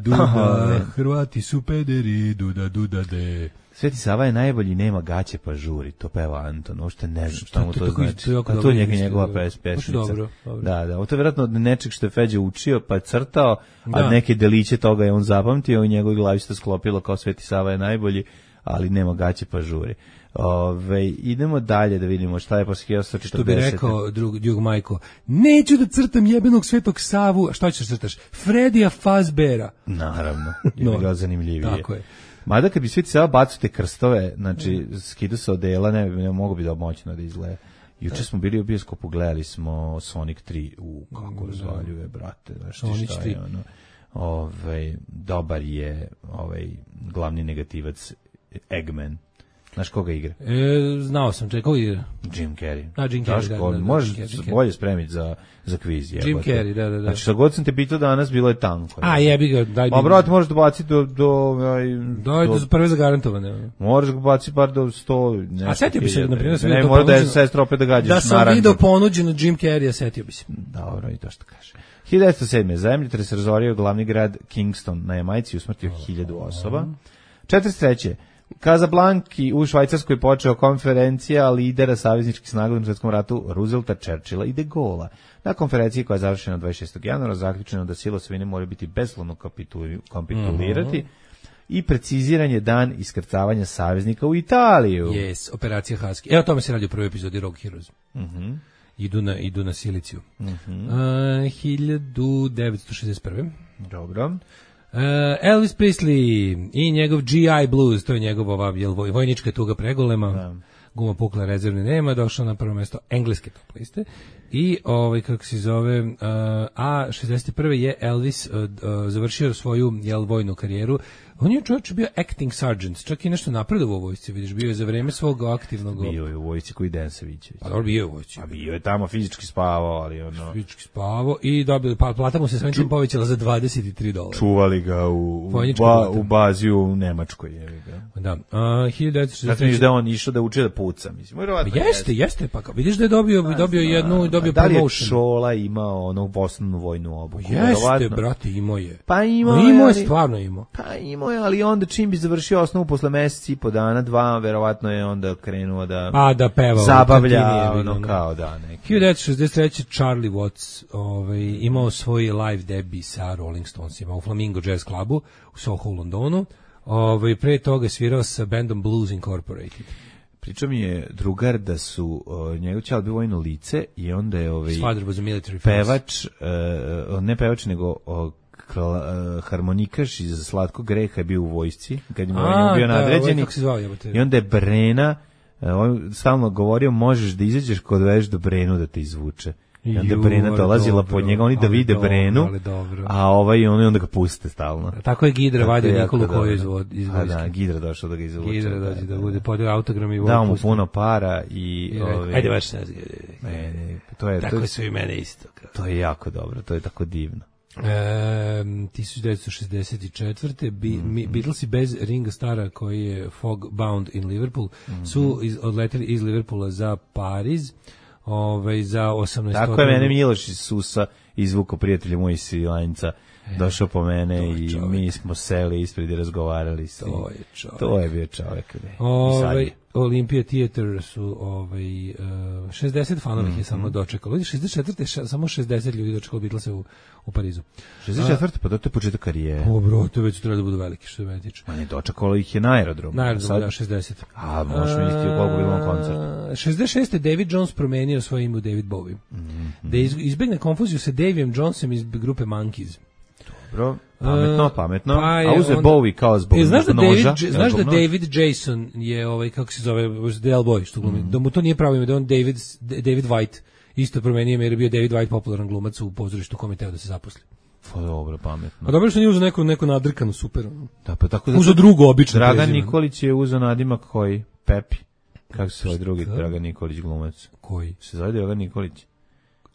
Hrvati su pederi, duda, de. Sveti Sava je najbolji, nema gaće pa žuri, to peva Anton, uopšte ne znam šta mu to znači. A to je njegova pesmica. Da, ovo to je vjerojatno od nečeg što je Feđa učio pa je crtao, a neke deliće toga je on zapamtio i njegovoj glavi se to sklopilo kao Sveti Sava je najbolji, ali nema gaće pa žuri. Idemo dalje da vidimo šta je posle 1840. Što bi rekao drug Majko, neću da crtam jebenog Svetog Savu, a što ćeš crtaš? Fredija Fazbera. Naravno, je bilo zanimljivije. Tako je. Mada kad bi Sveti Sava bacio te krstove, znači skidu se odela, ne mogu bi da moćno da izgleda. Juče smo bili u bioskopu, gledali smo Sonic 3, kako razvaljuje, brate, znaš ti šta je ono. Dobar je glavni negativac Eggman. Znaš koga igra? Znao sam, koga igra? Jim Carrey. Jim Carrey, da. Možeš bolje spremiti za kviz. Jim Carrey, da. Znači, što god sam te pitao danas, bilo je tanko. A, jebi ga, daj mi. Ma, brate, možeš da baciti do prve zagarantovane. Možeš ga baciti bar do 100... A setio bi se, na primjer, ne, mora da je sestra opet da gađaš. Da sam vidio ponuđeno Jim Carrey, setio bi se. Dobro, i to što kaže. 1907. zemljotres razorio glavni grad Kingston na Jamajci, usmrtio 1000 osoba. 43. Kazablanki u Švajcarskoj počeo konferencija lidera savezničkih snaga u Svjetskom ratu Roosevelta, Churchilla i De Gaulea. Na konferenciji koja je završena 26. januara zaključeno da sile osvojine moraju biti beslovno kapitulirati i preciziran je dan iskrcavanja saveznika u Italiju. Yes, operacija Husky. Evo tome se radi u prvoj epizodi Rogue Heroes. Idu na Siliciju. 1961. Dobro. Elvis Presley i njegov GI Blues, to je njegova vojnička tuga pregolema, guma pukla, rezervne nema, došao na prvo mjesto engleske top liste i kako se zove, a 61. je Elvis završio svoju vojnu karijeru. On je čovječ bio acting sergeant, čak i nešto napredovao u vojsci, vidiš, bio je za vreme svog aktivnog... Bio je u vojsci koji Dejan Savićević. Pa bio je u vojsci. A bio je tamo fizički spavao, ali ono... Fizički spavao i dobio, plata mu se svojim čim povećala za $23. Čuvali ga u bazi u Nemačkoj, jevi ga. Da, 1963... Zato vidiš da on išao da uči da puca, mislim. Jeste, pa vidiš da je dobio promotion. Da li je Šola imao onu osnovnu vojnu obuku? Jeste, brate, imao je. Pa imao je, stvarno imao. Pa imao je, ali onda čim bi završio osnovu posle meseci i po dana, 2, verovatno je onda krenuo da peva, zabavlja, ono kao da neki. 1963. Charlie Watts imao svoj live debut sa Rolling Stonesima u Flamingo Jazz Clubu u Soho u Londonu. Pre toga svirao sa bandom Blues Incorporated. Pričao mi je drugar da su njegov ćal bio vojno lice i onda je pevač, ne pevač nego harmonikaš iz Slatkog greha je bio u vojsci kad je bio nadređeni i onda je Brena on stalno govorio možeš da izađeš kod veš do Brenu da te izvuče I onda Brena dolazila pod njega, oni da vide Brenu, a onda ga puste stalno. Tako je Gidra vadio Nikolu Koju iz vojske. Da, Gidra došao da ga izvuče. Gidra dođe da bude podio autogram i dao mu puno para i ajde baš se. Tako su i mene isto. To je jako dobro, to je tako divno. 1964. Beatlesi bez Ringa Starra koji je Fog Bound in Liverpool su odleteli iz Liverpoola za Pariz za 18. Tako je mene Miloš iz Susa izvuko prijatelja moj iz Svilajnca. Došao po mene i mi smo seli ispred i razgovarali s njim. To je bio čovjek. Olympia Theater su 60 fanovih je samo dočekalo. 64. samo 60 ljudi dočekalo Beatlese u Parizu. 64. pa to je početak karijere. Bro, to već treba da budu veliki, što je meni tiče. Ma ne, dočekalo ih je na aerodromu. Na aerodromu, da, 60. A, možemo isti u koliko bilo koncert. 66. David Jones promenio svoje ime u David Bowie. Da izbegne konfuziju sa Davijem Jonesom iz grupe Monkees. Dobro, pametno. A uze Bowie kao zbog noža. Znaš da David Jason je, kako se zove, Del Boy, što glumi, da mu to nije pravo ime, da on David White isto promenio ime jer je bio David White popularan glumac u pozorištu kome teo da se zaposli. Pa dobro, pametno. A dobro što nije uzeo neku nadrkanu, super. Da, pa tako da... Uzeo drugo, obično. Dragan Nikolić je uzeo nadimak koji? Pepi. Kako se zove drugi Dragan Nikolić glumac? Koji? Se zove Dragan Nikolić.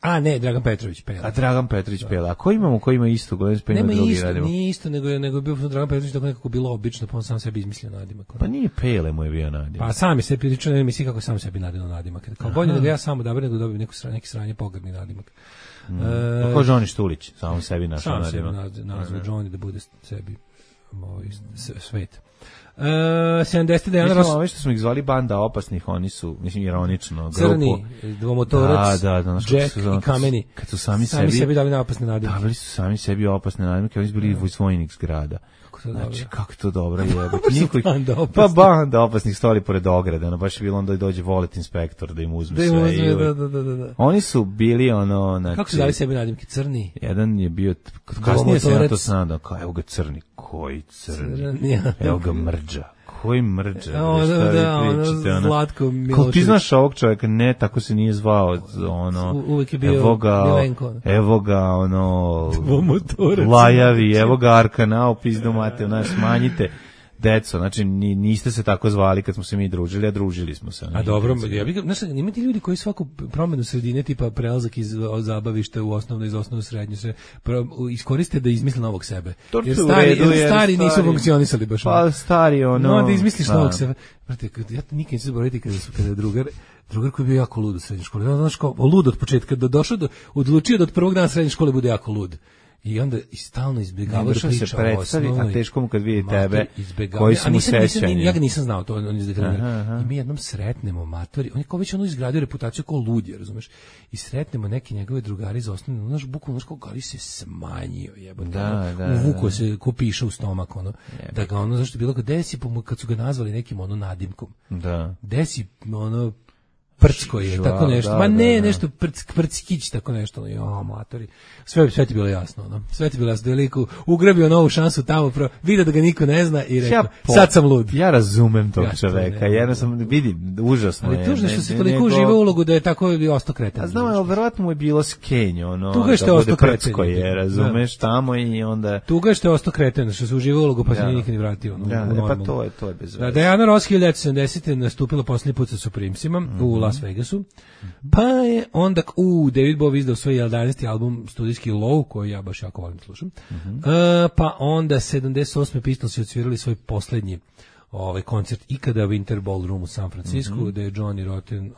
A ne, Dragan Petrović Pela. A Dragan Petrović Pela. A ko imamo, ko ima isto? Nema isto, nije isto, nego je bio Dragan Petrović tako nekako bilo obično, pa on sam sebi izmislio nadimak. Pa nije Pele mu je bio nadimak. Pa sam je sebi pričao, ne misli kako sam sebi nadao nadimak. Kao bolje da ga ja samo odaberem nego dobijem neki sranje pogrdni nadimak. Ko Johnny Štulić, sam sebi našao nadimak. Sam sebi nazvao Johnny da bude sebi svet. 70. Dejana Ross. Ove što smo ih zvali banda opasnih, oni su, mislim, ironično, grupu. Crni, dvomotorac, Jack i Kameni. Kad su sami sebi dali na opasne nadimke. Davali su sami sebi opasne nadimke, oni su bili vojnik zgrada. Znači, kako to dobro je. Pa banda opasnih stoli pored ograda, baš je bilo onda dođe volet inspektor da im uzme sve. Da. Oni su bili znači... Kako su dali sebi nadimke? Crni? Jedan je bio, kasnije se ja to snadao, kao evo ga crni, koji crni? Evo ga mrđa. Koji mrđa? Zlatko Milošević. Ko ti znaš ovog čovjeka? Ne, tako se nije zvao. Uvijek je bio Milenko. Evo ga, Lajavi, evo ga Arkanao, pizdu mate, smanjite. Deco, znači niste se tako zvali kad smo se mi družili, a družili smo se. A dobro, ima ti ljudi koji svaku promenu sredine, tipa prelazak iz zabavišta u osnovno, iz osnovno srednju, se iskoriste da izmisle novog sebe. Jer stari nisu funkcionisali baš. Pa stari No, da izmisliš novog sebe. Ja nikad neću zaboraviti kada je drugar koji je bio jako lud u srednjoj školi. Znaš kao, lud od početka, odlučio da od prvog dana srednje škole bude jako lud. I onda stalno izbjegavaš da priča o osnovnoj. A teško mu kad vidi tebe koji su mu sećanje. Ja ga nisam znao to. I mi jednom sretnemo matori. On je kao već izgradio reputaciju kao ludje, razumeš? I sretnemo neki njegove drugari iz osnovne. Naš bukvalno kao Gali se smanjio, jebote. Uvukao se ko piše u stomak, da ga zašto je bilo kao desi, kad su ga nazvali nekim nadimkom. Desi, Prcko je, tako nešto. Nešto Prckić, tako nešto. Matori. Sve ti bilo jasno, Sve ti bilo jasno. Veliko ugrabio novu šansu tamo, vidio da ga niko ne zna i rekao, sad sam lud. Ja razumem tog čoveka, jednostavno vidim, užasno je. Ali tužno što se toliko uživa ulogu da je tako ostao kreten. A znam, ali verovatno mu je bilo skenje, tuga što je ostao kreten. Prcko je, razumeš, tamo i onda... Tuga što je ostao kreten, što se uživa ulogu, pa se nije nikad ni vratio. Pa to je bez veze. Diana Ross 1970. nastupila posljednji put sa Supremesima u Las Vegasu, pa je onda David Bowie izdao svoj 11. album studijski Low, koji ja baš jako volim slušam, pa onda 78. Pistolsi odsvirali svoj posljednji koncert ikada u Winter Ballroom u San Francisco, gde je Johnny Rotten,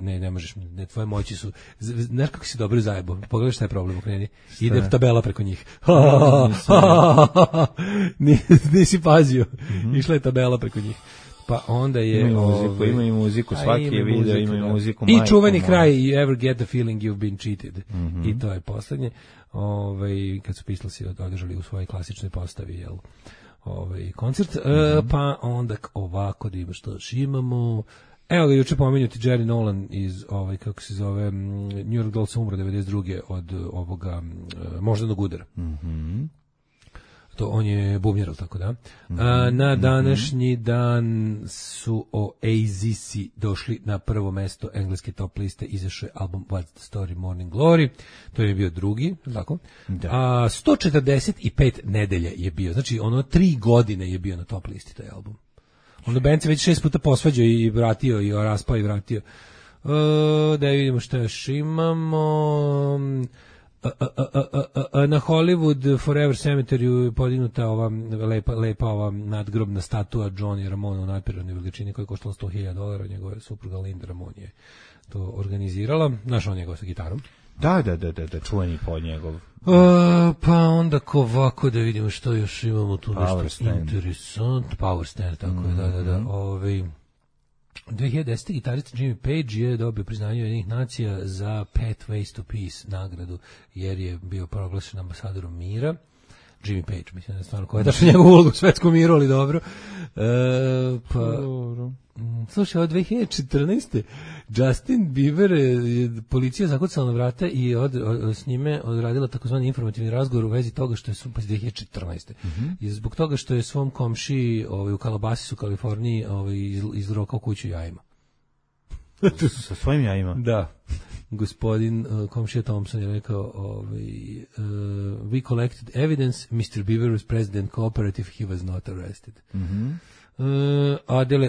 ne možeš, tvoje moći su, znaš kako si dobro zajebo, pogledaj šta je problem u kreni, ide tabela preko njih, nisi pazio, išla je tabela preko njih. Pa onda je... Ima i muziku, svaki je video, ima i muziku. I čuveni kraj, You ever get the feeling you've been cheated. I to je poslednje. Kad su Pistolsi održali u svojoj klasičnoj postavi, koncert. Pa onda ovako da ima što imamo... Evo ga, juče pomenuti Jerry Nolan iz, kako se zove, New York Dolls umro 92. od ovoga moždanog udara. To on je bubnjar, tako da. Na današnji dan su Oasis došli na prvo mesto engleske top liste, izašao je album What's the Story Morning Glory, to je bio drugi, tako? Da. 145 nedelje je bio, znači ono 3 godine je bio na top listi taj album. Onda band se već 6 puta posvađao i vratio, i raspao i vratio. Da vidimo šta još imamo. Na Hollywood Forever Cemetery podignuta ova lepa ova nadgrobna statua Johnny Ramone u nadprirodnoj veličini koja je koštala $100,000, njegova supruga Linda Ramone je to organizirala, našao njegov sa gitarom. Da, čuveni pod njegov. Pa onda ovako da vidimo što još imamo tu nešto interesant. Power Stand, tako je, da. 2010. gitarista Jimmy Page je dobio priznanje Ujedinjenih nacija za Pathways Ways to Peace nagradu, jer je bio proglašen ambasadorom mira. Jimmy Page, mislim da je stvarno koja je dašla njegovu ulogu u svetskom miru, ali dobro. Slušaj, od 2014. Justin Bieber je policija zakucala na vrata i s njime odradila takozvani informativni razgovor u vezi toga što je 2014. I zbog toga što je svom komšiji u Calabasisu, Kaliforniji, izrokao kuću jajima. Sa svojim jajima? Da. Gospodin komšija Thompson je rekao we collected evidence, Mr. Bieber was president cooperative, he was not arrested.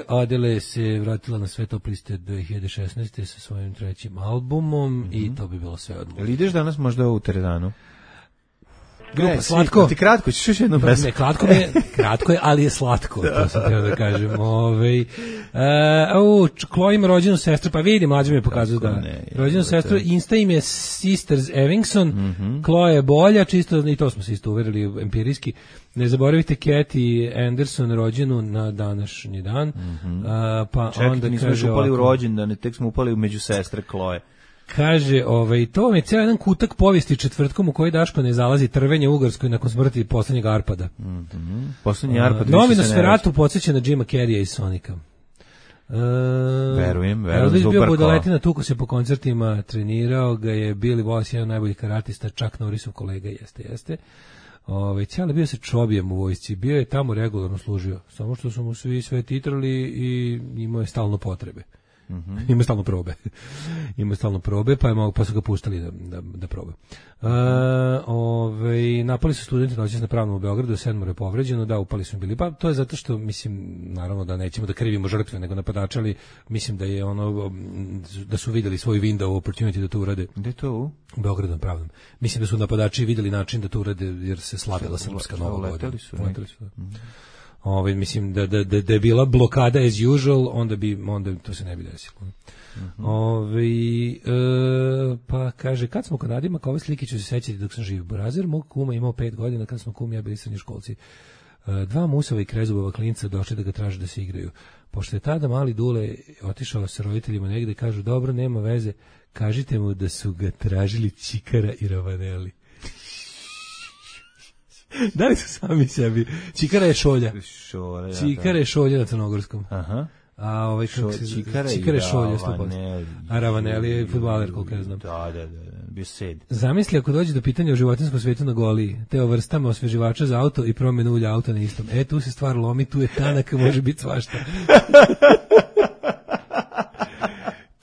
Adele se vratila na sve top liste 2016. sa svojim trećim albumom i to bi bilo sve od mojeg. Jel ideš danas možda u teretanu? Grupa Slatko. Ti kratko, ćeš još jednu pesmu. Ne, kratko je, ali je slatko, to sam htio da kažem. Chloe ima rođenu sestru, pa vidi, mlađe mi je pokazao da. Rođenu sestru, Insta im je Sisters Evingson, Chloe je bolja, čisto, i to smo se isto uverili empirijski. Ne zaboravite Kathy Anderson, rođenu na današnji dan. Čekaj, onda nismo još upali u rođendan, tek smo upali među sestre Chloe. Kaže, to vam je cijel jedan kutak povijesti četvrtkom u kojoj Daško ne zalazi trvenje u Ugarskoj nakon smrti poslednjeg Arpada. Poslednji Arpad. Novi Nosferatu podsjeća na Jima Carreya i Sonika. Verujem, Elvis bio Zubarko. budaletina, tuko se po koncertima, trenirao ga je Billy Wallace, jedan od najboljih karatista, Chuck Norrisov kolega, jeste. Cijeli bio se čobijem u vojsci, bio je tamo regularno služio, samo što su mu svi sve titrali i imao je stalno potrebe. Ima stalno probe, pa su ga puštali da proba. Napali su studenti noćas na Pravnom u Beogradu, 7 je povređeno, da, upali su bili. Pa to je zato što, mislim, naravno da nećemo da krivimo žrtve, nego napadače, ali mislim da je da su videli svoj window opportunity da to urade. Gde to? U Beogradu na Pravnom. Mislim da su napadači videli način da to urade, jer se slavila srpska nova godina. Leteli su. Mislim da je bila blokada as usual, onda to se ne bi desilo. Pa kaže, kad smo kod nadimaka, ove slike ću se sećati dok sam živ. Burazer mog kuma imao 5 godina, kad smo kum ja bili srednjoškolci. 2 musova i krezubova klinca došli da ga traže da se igraju. Pošto je tada mali Dule otišao sa roditeljima negde, kažu, dobro, nema veze, kažite mu da su ga tražili Čikara i Ravaneli. Da li su sami sebi? Čikara je šolja. Čikara je šolja na crnogorskom. Aha. A Čikara je šolja, 100%. A Ravaneli je fudbaler, koliko ja znam. Da, bio sed. Zamisli ako dođe do pitanja o životinjskom svetu na Goliji, te o vrstama osveživača za auto i promjenu ulja auta na istom. Tu se stvar lomi, tu je tanak, može biti svašta.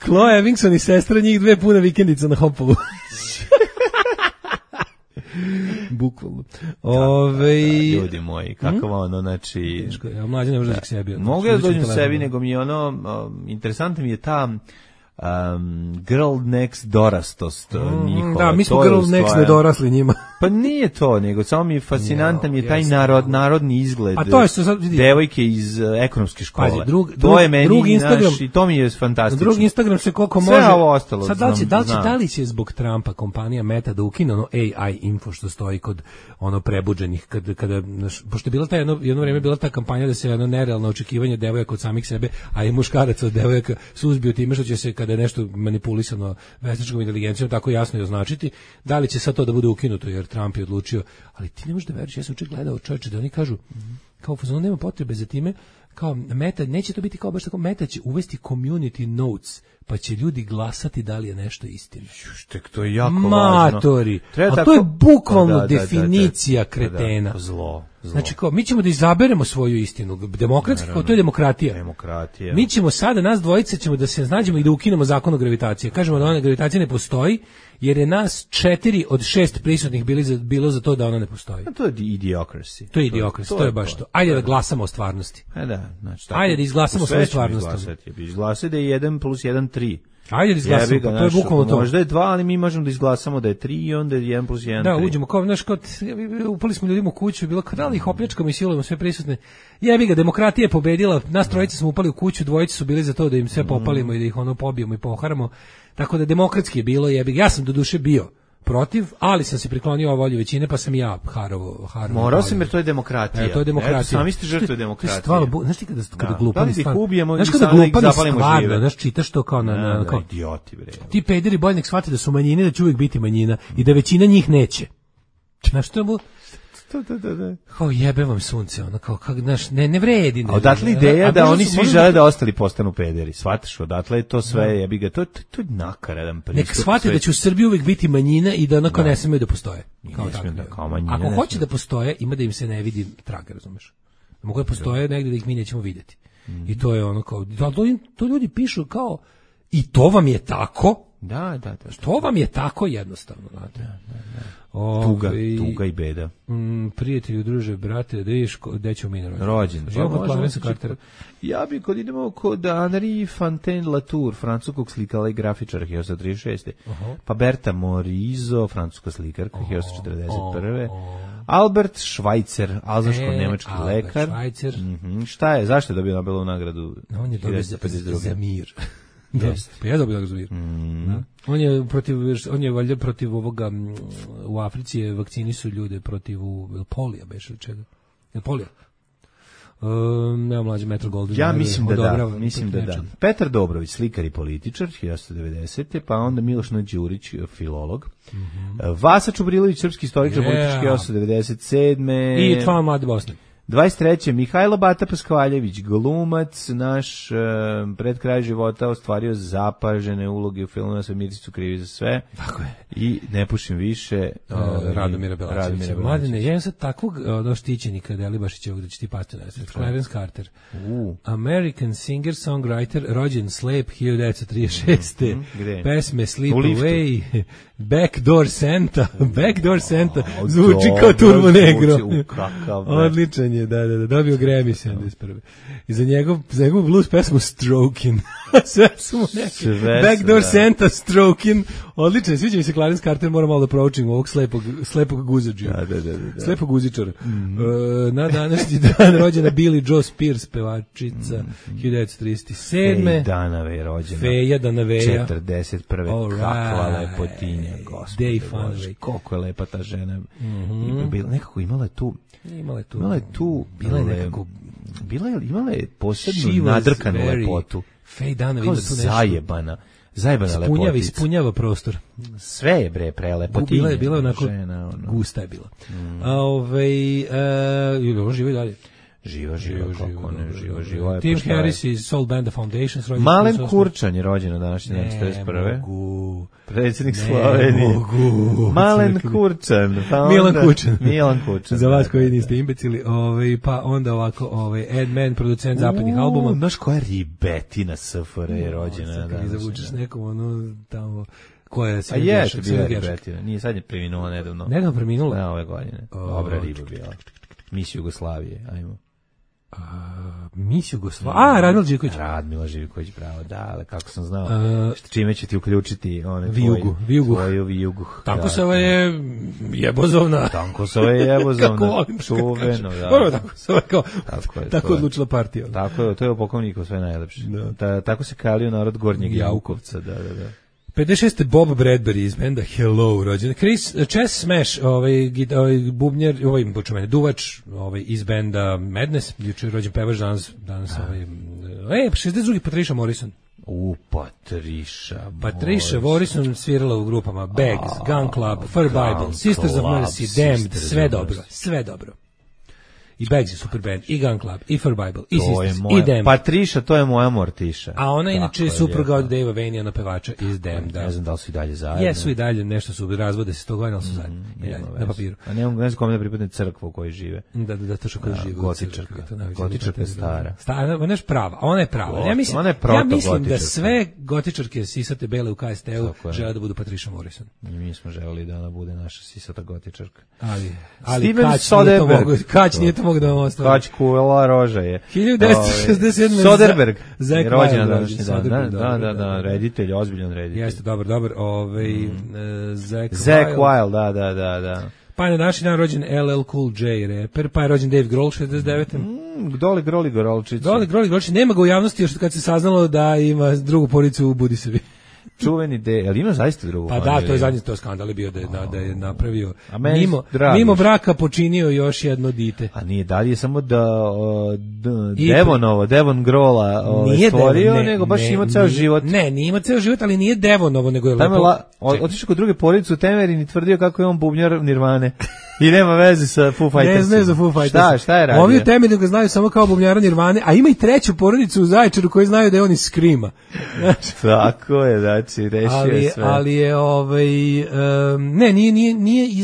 Chloe Evingson i sestra, njih 2 pune vikendica na Hopovu. Bukvalno. Ljudi moji, kako znači... Mlađe ne može da k sebi. Mogu ja da dođem sebi, nego mi je interesantno mi je ta girl next dorastost njihova. Da, mi smo girl next nedorasli njima. Pa nije to, nego samo mi je fascinantan mi je taj narodni izgled. A to je što sad vidi. Devojke iz ekonomske škole. Pazi, to je meni naš i to mi je fantastično. Drugi Instagram se koliko može. Sve ovo ostalo. Sad da li će zbog Trumpa kompanija Meta da ukine AI info što stoji kod prebuđenih kada pošto je bila ta jedno vrijeme bila ta kampanja da se nerealno očekivanje devojaka od samih sebe, a i muškaraca od devojaka suzbio time što će se kada je nešto manipulisano veštačkom inteligencijom tako jasno i označiti, da li će sad to da bude ukinuto jer Trump je odlučio, ali ti ne možeš da veruješ, ja sam juče gledao čoveče da oni kažu kao fazon nema potrebe za time, kao Meta, neće to biti kao baš tako, Meta će uvesti community notes pa će ljudi glasati da li je nešto istina. Štek, to je jako Matori. važno. A to je bukvalno definicija kretena. Zlo. Znači, kao, mi ćemo da izaberemo svoju istinu. Demokratski, kao, to je demokratija. Mi ćemo sada, nas dvojice ćemo da se nađemo i da ukinemo zakon o gravitaciji. Kažemo da ona gravitacija ne postoji, jer je nas 4 od 6 prisutnih bilo za to da ona ne postoji. To je idiocracy. To je idiocracy, to je baš to. Ajde da glasamo o stvarnosti. Znači, ajde da izglasamo svoju stvarnost. Izglasaj da je 1 plus 1 3. Ajde da izglasamo, pa to je bukvalno to. Možda je 2, ali mi možemo da izglasamo da je 3 i onda je 1 plus 1 3. Da, uđemo kao, znaš, upali smo ljudima u kuću, bilo kao da li ih opljačkamo i silujemo sve prisutne. Jebi ga, demokratija je pobedila, nas trojice smo upali u kuću, dvojice su bili za to da im sve popalimo i da ih ono pobijemo i poharamo. Tako da demokratski je bilo, jebi ga. Ja sam doduše bio protiv, ali sam se priklonio o volji većine, pa sam i ja harovo. Morao sam, jer to je demokratija. To je demokratija. Sami ste žrtve demokratije. Znaš ti kada glupani stvarno... Znaš kada glupani stvarno, znaš, čitaš to kao na... kao idioti, bre. Ti pederi bolj nek shvate da su manjine, da će uvijek biti manjina i da većina njih neće. Znaš što je mu... Kao jebe vam sunce, ono kao, znaš, ne vredi. A odatle ideja da oni svi žele da ostali postanu pederi, shvataš, odatle je to sve, jebi ga, to je nakaradan pristup. Nek shvate da će u Srbiji uvijek biti manjina i da onako ne smiju da postoje. Ako hoće da postoje, ima da im se ne vidi traga, razumeš? Mogu da postoje negdje da ih mi nećemo vidjeti. I to je ono kao, to ljudi pišu kao, i to vam je tako. Da. To vam je tako jednostavno, znate. Tuga i beda. Prijatelju, druže, brate, da vidiš gde ćemo mi na rođen. Ja bi kod idemo kod Henri Fontaine-Latour, francuskog slikala i grafičara 1936. Pa Berta Morisot, francuska slikarka 1941. Albert Schweitzer, alzaško-nemački lekar. Šta je? Zašto je dobio Nobelovu nagradu? On je dobio za mir. Pa ja dobio za mir. On je valjda protiv ovoga, u Africi je vakcinisu ljude protiv polija, beše čega. Je polija? Nema mlađe Metro Goldwyn. Ja mislim da da. Petar Dobrović, slikar i političar, 1990. Pa onda Miloš Đurić, filolog. Vasa Čubrilović, srpski historičar, politički, 1997. I član Mlade Bosne. 23. Mihajlo Bata Paskvaljević, glumac, naš pred kraj života ostvario zapažene uloge u filmu Sve Mircicu krivi za sve. Tako je. I Ne pušim više. Radomira Belačevića. Mladine, ja imam sad takvog štićenika Delibašićevog da će ti pasti na sred. Clarence Carter. American singer, songwriter, rođen slep 1936. Pesme Sleep Away, Backdoor Santa. Backdoor Santa. Zvuči kao Turbo Negro. Odličan je, da, dobio Grammy 71. I za njegov blues pesmu Strokin. Sve su mu neki. Backdoor Santa, Strokin. Odličan, sviđa mi se Clarence Carter, moram malo da proučim ovog slepog guzađija. Da. Slepog guzičara. Na današnji dan rođena Billie Joe Spears, pevačica, 1937. Feja Danave je rođena. Feja Danaveja. 41. Kakva lepotinja, gospode Bože. Koliko je lepa ta žena. Nekako imala je tu posebnu nadrkanu lepotu. Fej Danove ima tu nešto. Zajebana lepotica. Ispunjava prostor. Sve je bre prelepotinje. Bila je onako gusta je bila. On živi dalje. Živa. Tim Harris iz Soul Band The Foundations. Malen Kurčan je rođen na današnji dan 41. Predsjednik Slovenije. Malen Kurčan. Milan Kurčan. Za vas koji niste imbecili. Pa onda ovako, Ed Mann, producent zapadnih albuma. Znaš koja ribetina SFR je rođena? Kad zavučeš nekom, tamo... Koja a je to bila ribetina. Nije, sad je preminula nedavno. Nedavno preminula? Na ove godine. Dobra riba bila. Mis Jugoslavije, ajmo. Mis Jugoslavije. Radmila Živković. Radmila Živković, bravo, da, ali kako sam znao. Čime će ti uključiti tvoju vijugu. Tankosova je jebozovna. Tankosova je jebozovna. Kako volim čuveno, da. Tako odlučila partija. Tako je, to je u Pokovniku sve najlepše. Tako se kalio narod Gornjeg Jaukovca, da. 56. Bob Bradbury iz benda Hello rođen. Chess Smash, bubnjar, duvač, iz benda Madness, juče rođen pevač danas 62. Patricia Morrison. Patricia Morrison svirala u grupama Bags, Gun Club, Fur Bible, Sisters of Mercy, Damned, sve dobro. i Bags je super band, i Gun Club, i For Bible, i To je Sisters, moja, i Damned. Patriša, to je moja Mortiša. A ona Tako inače je supruga lijepo. od Dave Vania na pevača iz Damned. Ne znam da li su i dalje zajedno. Jesu i dalje, nešto su razvode se 100 godina, ali su zajedno. I dalje, na papiru. A ne znam kome da pripadne crkva u kojoj žive. Da, to što kaže živo. Gotičarka. Gotičarka je stara. Ona je prava, ona je prava. Ja mislim, Ona je proto ja mislim da gotičarka. sve gotičarke sisate bele u KST-u Tako je. žele da budu Patricia Morrison. I mi smo želeli da ona bude naša sisata gotičarka. Ali Steven Kać Soderbergh. Kać nije to mogu da vam ostavi. Kać kuvela roža je. 1967. Soderbergh Zack je rođen na Wilde današnji dan. Soderbergh, Da, reditelj, ozbiljan reditelj. Jeste, dobar. Zack Wilde, da. Pa je na današnji dan rođen LL Cool J, reper, pa je rođen Dave Grohl 69. Doli Groli Gorolčić. Doli Grohl, nema ga u javnosti još kad se saznalo da ima drugu porodicu u Budisevi. Čuveni ali ima zaista drugu Pa familiju. da, to je zadnji skandal je bio da je napravio. A meni Mimo braka počinio još jedno dite. A nije dalje je samo da Devon Grola stvorio, nego baš ima ceo život. Ne, nije ima ceo život, ali nije Devonovo, nego je lepo. Otišao kod druge porodice u Temerin i tvrdio kako je on bubnjar Nirvane. I nema veze sa Foo Fighters. Ne znaju za Foo Fighters. Šta je radio? Ovi u Temerinu ga znaju samo kao bubnjara Nirvane, a ima i treću porodicu u Zaječaru koji znaju da je on iz Screama. Tako je, znači, rešio je sve. Ali je, ne, nije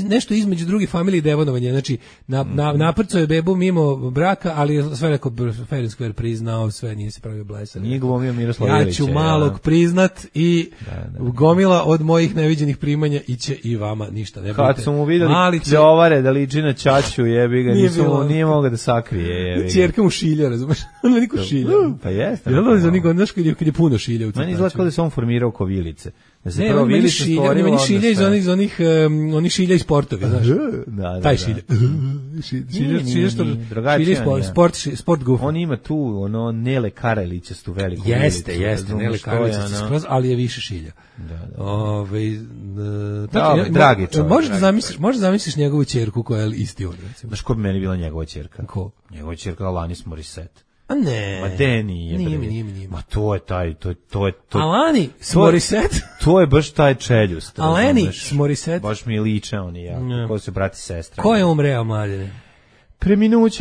nešto između drugih familije devonovanja, znači, naprcao je bebu mimo braka, ali je sve rekao, fair and square priznao, sve, nije se pravio blesan. Nije glumio Miroslav Ilić. Ja ću malog priznat i gomila od mojih neviđenih primanja iće i vama ništa. Ne kad su mu videli pljovare da liči na ćaću, jebi ga, nije mogao da sakrije, jebi ga. Ćerka mu šilja, razumeš? On me niko šilja. Pa jeste. Jel da niko, znaš kad je puno šilja u meni izgleda kao da se on formirao ko vilice. Da se ne, prvo vilice stvorilo. Meni šilja iz onih šilja iz sportovi, znaš. Taj šilja. Sport goof. On ima tu Nele Karelićastu veliku vilicu. Jeste, Nele Karelićastu skroz, ali je više šilja. Dragi čovjek. Možeš zamisliš njegovu ćerku koja je isti on, recimo. Znaš ko bi meni bila njegova ćerka? Ko? Njegova ćerka Alanis Morissette. A ne. Ma de nije. Nije. Ma to je taj, to je. Alanis Morissette? To je baš taj čeljust. Alanis Morissette? Baš mi liče oni, ja. Ko su brati i sestre. Ko je umreo, mladine?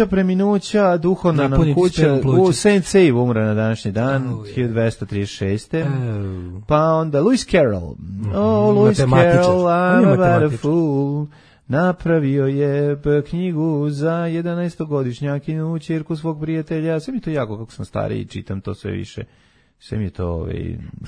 Preminuća, duhovna nam kuća, u Saint Save umre na današnji dan, 1236. Pa onda Lewis Carroll. Lewis Carroll, I'm about a fool. Napravio je knjigu za 11-godišnjakinu ćerku svog prijatelja. Sve mi to jako, kako sam stariji, čitam to sve više. Sve mi je to...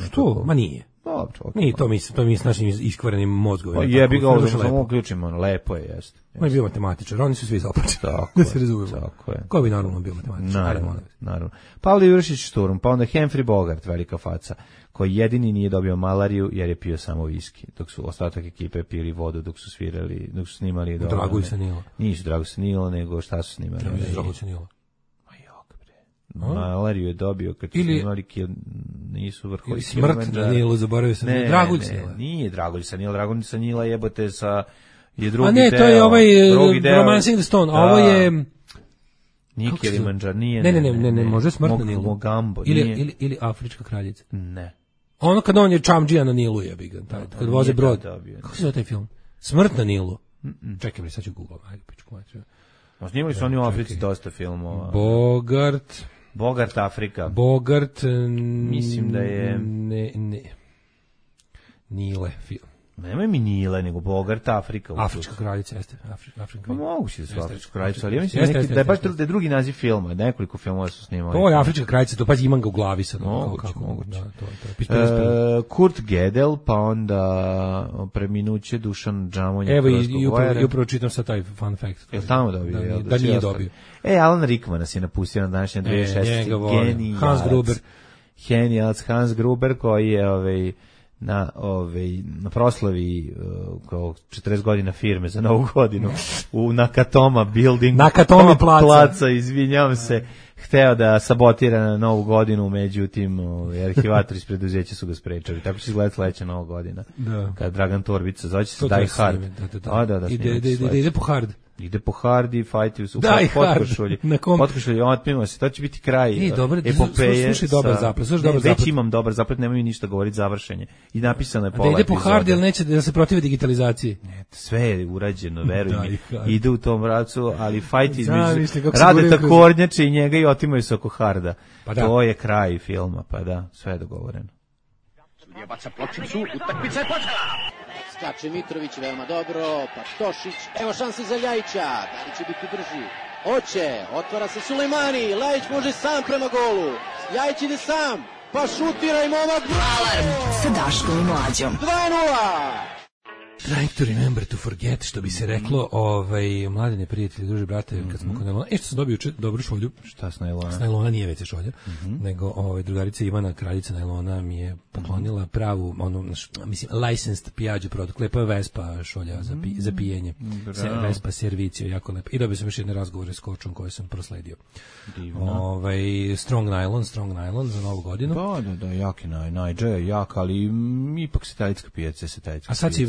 Što? Ma nije. Dobro. Nije, to mi s našim iskvarenim mozgovima. Pa jebi ga ovo, samo uključimo, lepo je, jeste. On je bio matematičar, oni su svi započeli. Da se razumemo. Tako je. Ko bi normalno bio matematičar? Naravno. Pavle Jurišić Šturm, pa onda Humphrey Bogart, velika faca, koji jedini nije dobio malariju jer je pio samo viski, dok su ostatak ekipe pili vodu dok su svirali, dok su snimali... Drago se Nilo. Nisu Drago se Nilo, nego šta su snimali? Drago se Nilo. Malariju je dobio kad su snimali nisu vrhovi. Ili smrt na Nilu, zaboravio sam. Dragulj sa Nila. Nije Dragulj sa Nila, Dragulj sa Nila jebote sa... je drugi a ne, deo, to je ovaj Romancing the Stone, a ovo je... Nije Kilimanđar, nije... Ne, može smrt na Nilu. Mogambo, ili Afrička kraljica. Ne. Ono kad on je Čamdžija na Nilu, je bigan, kad voze brod. Kako se zove taj film? Smrt na Nilu. Čekaj mi, sad ću Google, ajde, pičku maču. Snimali su oni u Africi dosta filmova. Bogart Afrika. Bogart, mislim da je... Ne. Nile film. Nemoj mi Nile, nego Bogart Afrika. Afrička kraljica, jeste. Pa moguće da su Afrička kraljica, ali ja mislim da je baš da je drugi naziv filma, nekoliko filmova su snimali. To je Afrička kraljica, to pazi imam ga u glavi sad. Moguće. Kurt Gödel, pa onda preminuće Dušan Džamonja. Evo i upravo čitam sad taj fun fact. Jel tamo dobio? Da nije dobio. Alan Rickman nas je napustio na današnje 2006. Genijalac Hans Gruber koji je na proslavi kao 40 godina firme za novu godinu u Nakatoma building, Nakatomi placa, izvinjavam se, hteo da sabotira na novu godinu, međutim arhivatori iz preduzeća su ga sprečali. Tako će izgledati sledeća nova godina. Kad Dragan Torbica zove se Die Hard. Da, ide po hard. Ide po Hardy, fajti u potkošulji. Potkošulji, otmimo se, to će biti kraj epopeje. Slušaj dobar zaplet. Već imam dobar zaplet, nemoj mi ništa govoriti, završenje. I napisano je pola ide po Hardy, ali neće da se protivi digitalizaciji. Ne, sve je urađeno, veruj mi. Ide u tom pravcu, ali fajti rade takornjače i njega i otimaju se oko Harda. To je kraj filma, pa da, sve je dogovoreno. Sudija baca pločicu, utakmica je počela. Skače Mitrović veoma dobro, pa Tošić, evo šanse za Ljajića, da li će biti brži? Hoće, otvara se Sulejmani, Ljajić može sam prema golu, Ljajić ide sam, pa šutira i momak. Alarm sa Daškom i Mlađom. 2:0. Trying to remember to forget, što bi se reklo, mladine prijatelji, druže, brate, kad smo kod nailona. Što sam dobio dobru šolju. Šta s nailona? S nailona nije WC šolja, nego drugarica Ivana, kraljica nailona, mi je poklonila pravu, licensed Piaggio produkt, lepa je Vespa šolja za pijenje. Vespa Servicio, jako lepa. I dobio sam još jedne razgovore s kočom koje sam prosledio. Strong nylon za novu godinu. Da, jaki najđe je jak, ali ipak se italijanska pijaca. A sad si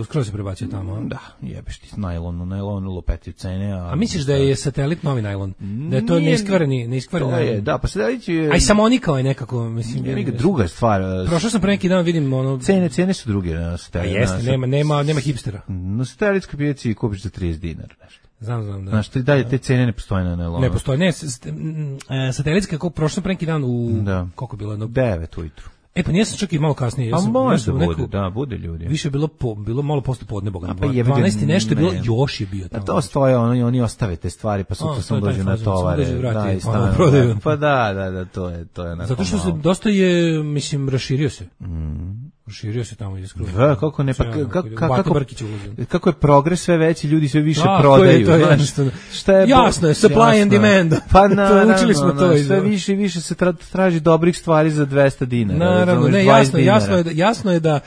skroz se prebacio tamo. Da, jebeš ti najlon lupeti cene. A misliš da je satelit novi najlon? Da je to neiskvareni najlon? Da, pa satelit je... A i samonikao je nekako, mislim... Druga stvar. Prošao sam pre neki dan, vidim ono... Cene su druge na satelit. A jeste, nema hipstera. Na satelitskoj pijaci kupiš za 30 dinara, nešto. Znam, da. Znaš, te cene ne postoje na nailonu. Ne postoje, satelitska, kako prošao sam pre neki dan u... Koliko je bilo? 9 ujutru. Pa nisam čak i malo kasnije. Pa može da bude ljudi. Više je bilo malo posle podne, Boga. 12 nešto je bilo, još je bio tamo. A to stoje, oni ostave te stvari, pa sutra sam dođu na tovare. Pa da, to je onako. Zato što se dosta je, mislim, raširio se. Raširio se tamo iz skroz. Kako ne, pa kako je progres sve veći, ljudi sve više prodaju. Jasno je, supply and demand. Pa učili smo to. Sve više i više se traži dobrih stvari za 200 dinara. Naravno, ne, jasno je da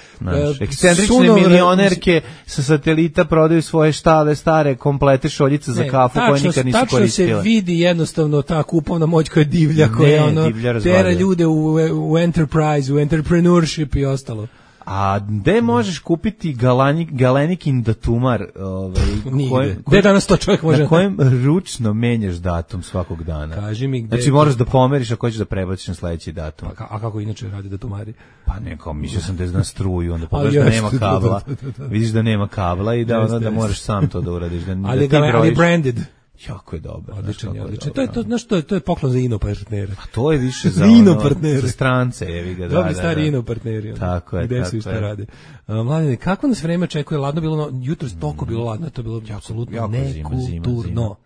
ekscentrične milionerke sa satelita prodaju svoje stare komplete šoljice za kafu koje nikad nisu koristile. Tačno se vidi jednostavno ta kupovna moć koja je divlja, koja tera ljude u enterprise, u entrepreneurship i ostalo. A gde možeš kupiti galenikin datumar? Gde danas to čovjek može? Na kojem ručno menjaš datum svakog dana? Kaži mi gde. Znači moraš da pomeriš ako hoćeš da prebaciš na sledeći datum. A kako inače radi datumari? Pa neko, mislio sam da je na struju, onda pogledaš da nema kabla. Vidiš da nema kabla i da moraš sam to da uradiš. Ali branded. Jako je dobro. Odlično. To je poklon za ino partnere. A to je više za za strance, jevi ga. Dobri stari ino partneri. Tako je. Gde su i šta rade. Mladine, kako nas vreme očekuje? Ladno bilo, jutros toliko bilo ladno, to je bilo apsolutno nekulturno.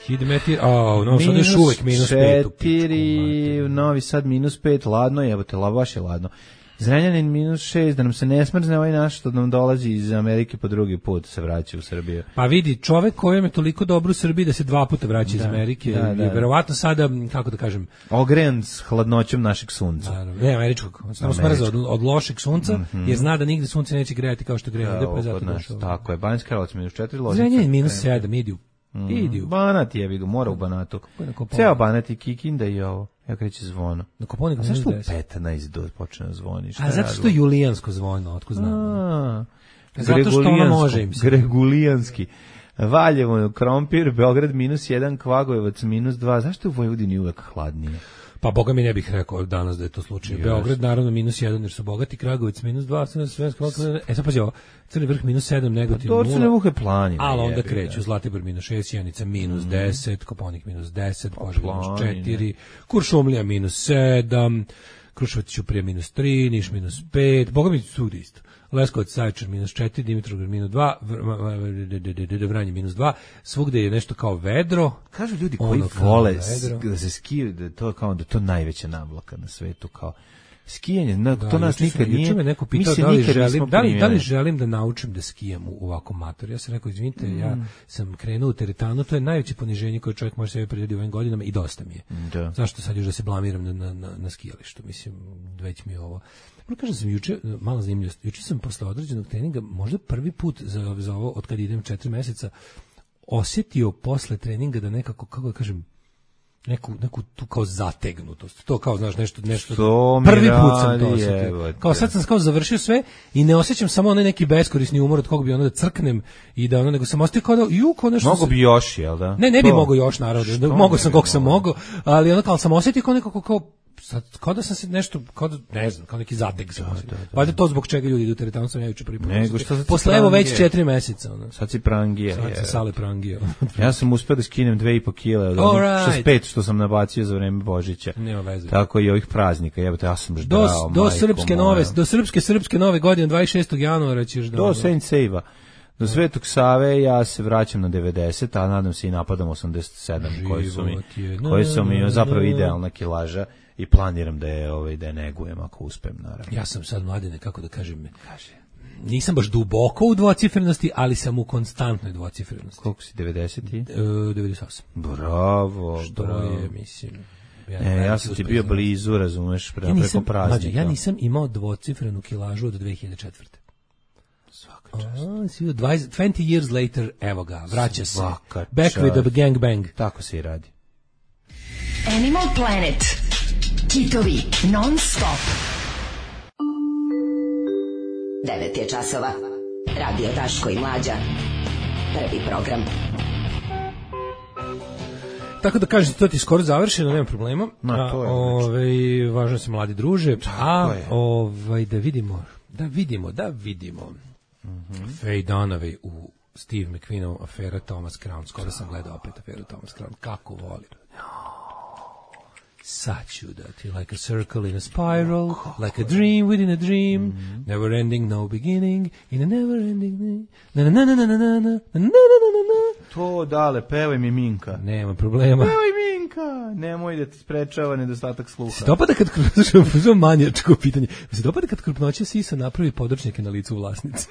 1000 metri, no sad još uvek minus 5. -4, Novi Sad minus 5, ladno je, evo te, baš je ladno. Zrenjanin minus 6, da nam se ne smrzne ovaj naš što nam dolazi iz Amerike po drugi put se vraća u Srbiju. Pa vidi, čovek kojem je toliko dobro u Srbiji da se 2 puta vraća iz Amerike, je verovatno sada, kako da kažem, ogrejan s hladnoćom našeg sunca. Ne, američkog, samo smrza od lošeg sunca, jer zna da nigde sunce neće grejati kao što greje ovde, pa je zato došao. Tako je, Banjska Karlovac minus 4, Loznica. Zrenjanin minus 7, idu. Banat je, vidu, mora u Banatu. Ceo Banat i Kikinda i ovo. Ja kreće zvono. Na Koponiku minus 10. A zašto u 15 počne da zvoni? A zato što je julijansko zvonilo, otko znam. Zato što ono može im se. Gregulijanski. Valjevo, Krompir, Beograd minus 1, Kvagojevac minus 2. Zašto je u Vojvodini uvek hladnije? Pa boga mi ne bih rekao danas da je to slučaj. Beograd naravno minus 1 jer su bogati, Kragujevac minus 2, sad pazi ovo, Crni Vrh minus 7, Negotin 0. To su nevuhe planine. Ali onda kreću, Zlatibor minus 6, Sjenica minus 10, Koponik minus 10, Požega minus 4, Kuršumlija minus 7, Kruševac Ćuprija minus 3, Niš minus 5, boga mi svugde isto. Leskovac, Zaječar minus 4, Dimitrovgrad minus 2, Vranje minus 2, svugde je nešto kao vedro. Kažu ljudi koji vole da se skiju, da to kao da to najveća navlaka na svetu, kao skijanje, to nas nikad nije. Juče me neko pitao da li želim da naučim da skijam u ovakvom matoru. Ja sam rekao, izvinite, ja sam krenuo u teretanu, to je najveće poniženje koje čovjek može sebi prirediti u ovim godinama i dosta mi je. Da. Zašto sad još da se blamiram na skijalištu? Mislim, već mi je ovo. Prvo kažem sam juče, mala zanimljivost, juče sam posle određenog treninga, možda prvi put za ovo, od kad idem 4 meseca, osjetio posle treninga da nekako, kako da kažem, neku tu kao zategnutost. To kao, znaš, nešto prvi put sam to osetio. Kao sad sam kao završio sve i ne osjećam samo onaj neki beskorisni umor od kog bi ono da crknem i da ono, nego sam osetio kao da, kao nešto... Mogu bi još, jel da? Ne bi mogao još, naravno. Mogao sam koliko sam mogao, ali ono kao sam osetio kao nekako kao sad, kao da sam se nešto, kao da, ne znam, kao neki zateg sam. Valjda to zbog čega ljudi idu u teretanu sam ja juče prvi put. Posle evo već 4 meseca. Ono. Sad si prangija. Sad si sale prangija. Ja sam uspeo da skinem 2,5 kile od onih 65 što sam nabacio za vreme Božića. Nema veze. Tako i ovih praznika. Jebote, ja sam ždrao. Do srpske nove godine 26. januara ćeš da... Do Saint Save-a. Do Svetog Save ja se vraćam na 90, a nadam se i napadam 87, koji su mi zapravo idealna kilaža i planiram da je negujem ako uspem, naravno. Ja sam sad, Mladene, kako da kažem, nisam baš duboko u dvocifrenosti, ali sam u konstantnoj dvocifrenosti. Koliko si, 90? 98. Bravo, što bravo. Je, mislim... Ja sam ti bio blizu, razumeš, preko praznika. Ja nisam imao dvocifrenu kilažu od 2004. Svaka čast. 20 years later, evo ga, vraća se. Back with the gangbang. Tako se i radi. Animal Planet. Kitovi non stop. 9 je časova. Radio Daško i Mlađa. Prvi program. Tako da kažete, to ti je skoro završeno, nema problema. Važno se, mladi druže. Da vidimo. Faye Dunaway u Steve McQueenov afera Thomas Crown. Skoro sam gledao opet aferu Thomas Crown. Kako volim. Sad ću da ti, like a circle in a spiral, like a dream within a dream, never ending, no beginning, in a never ending, To, dale, pevaj mi Minka. Nema problema. Pevaj Minka, nemoj da ti sprečava nedostatak sluha. Se dopada kad krupnoća, manjačko pitanje, se dopada kad krupnoća sisa napravi područnjake na licu vlasnice.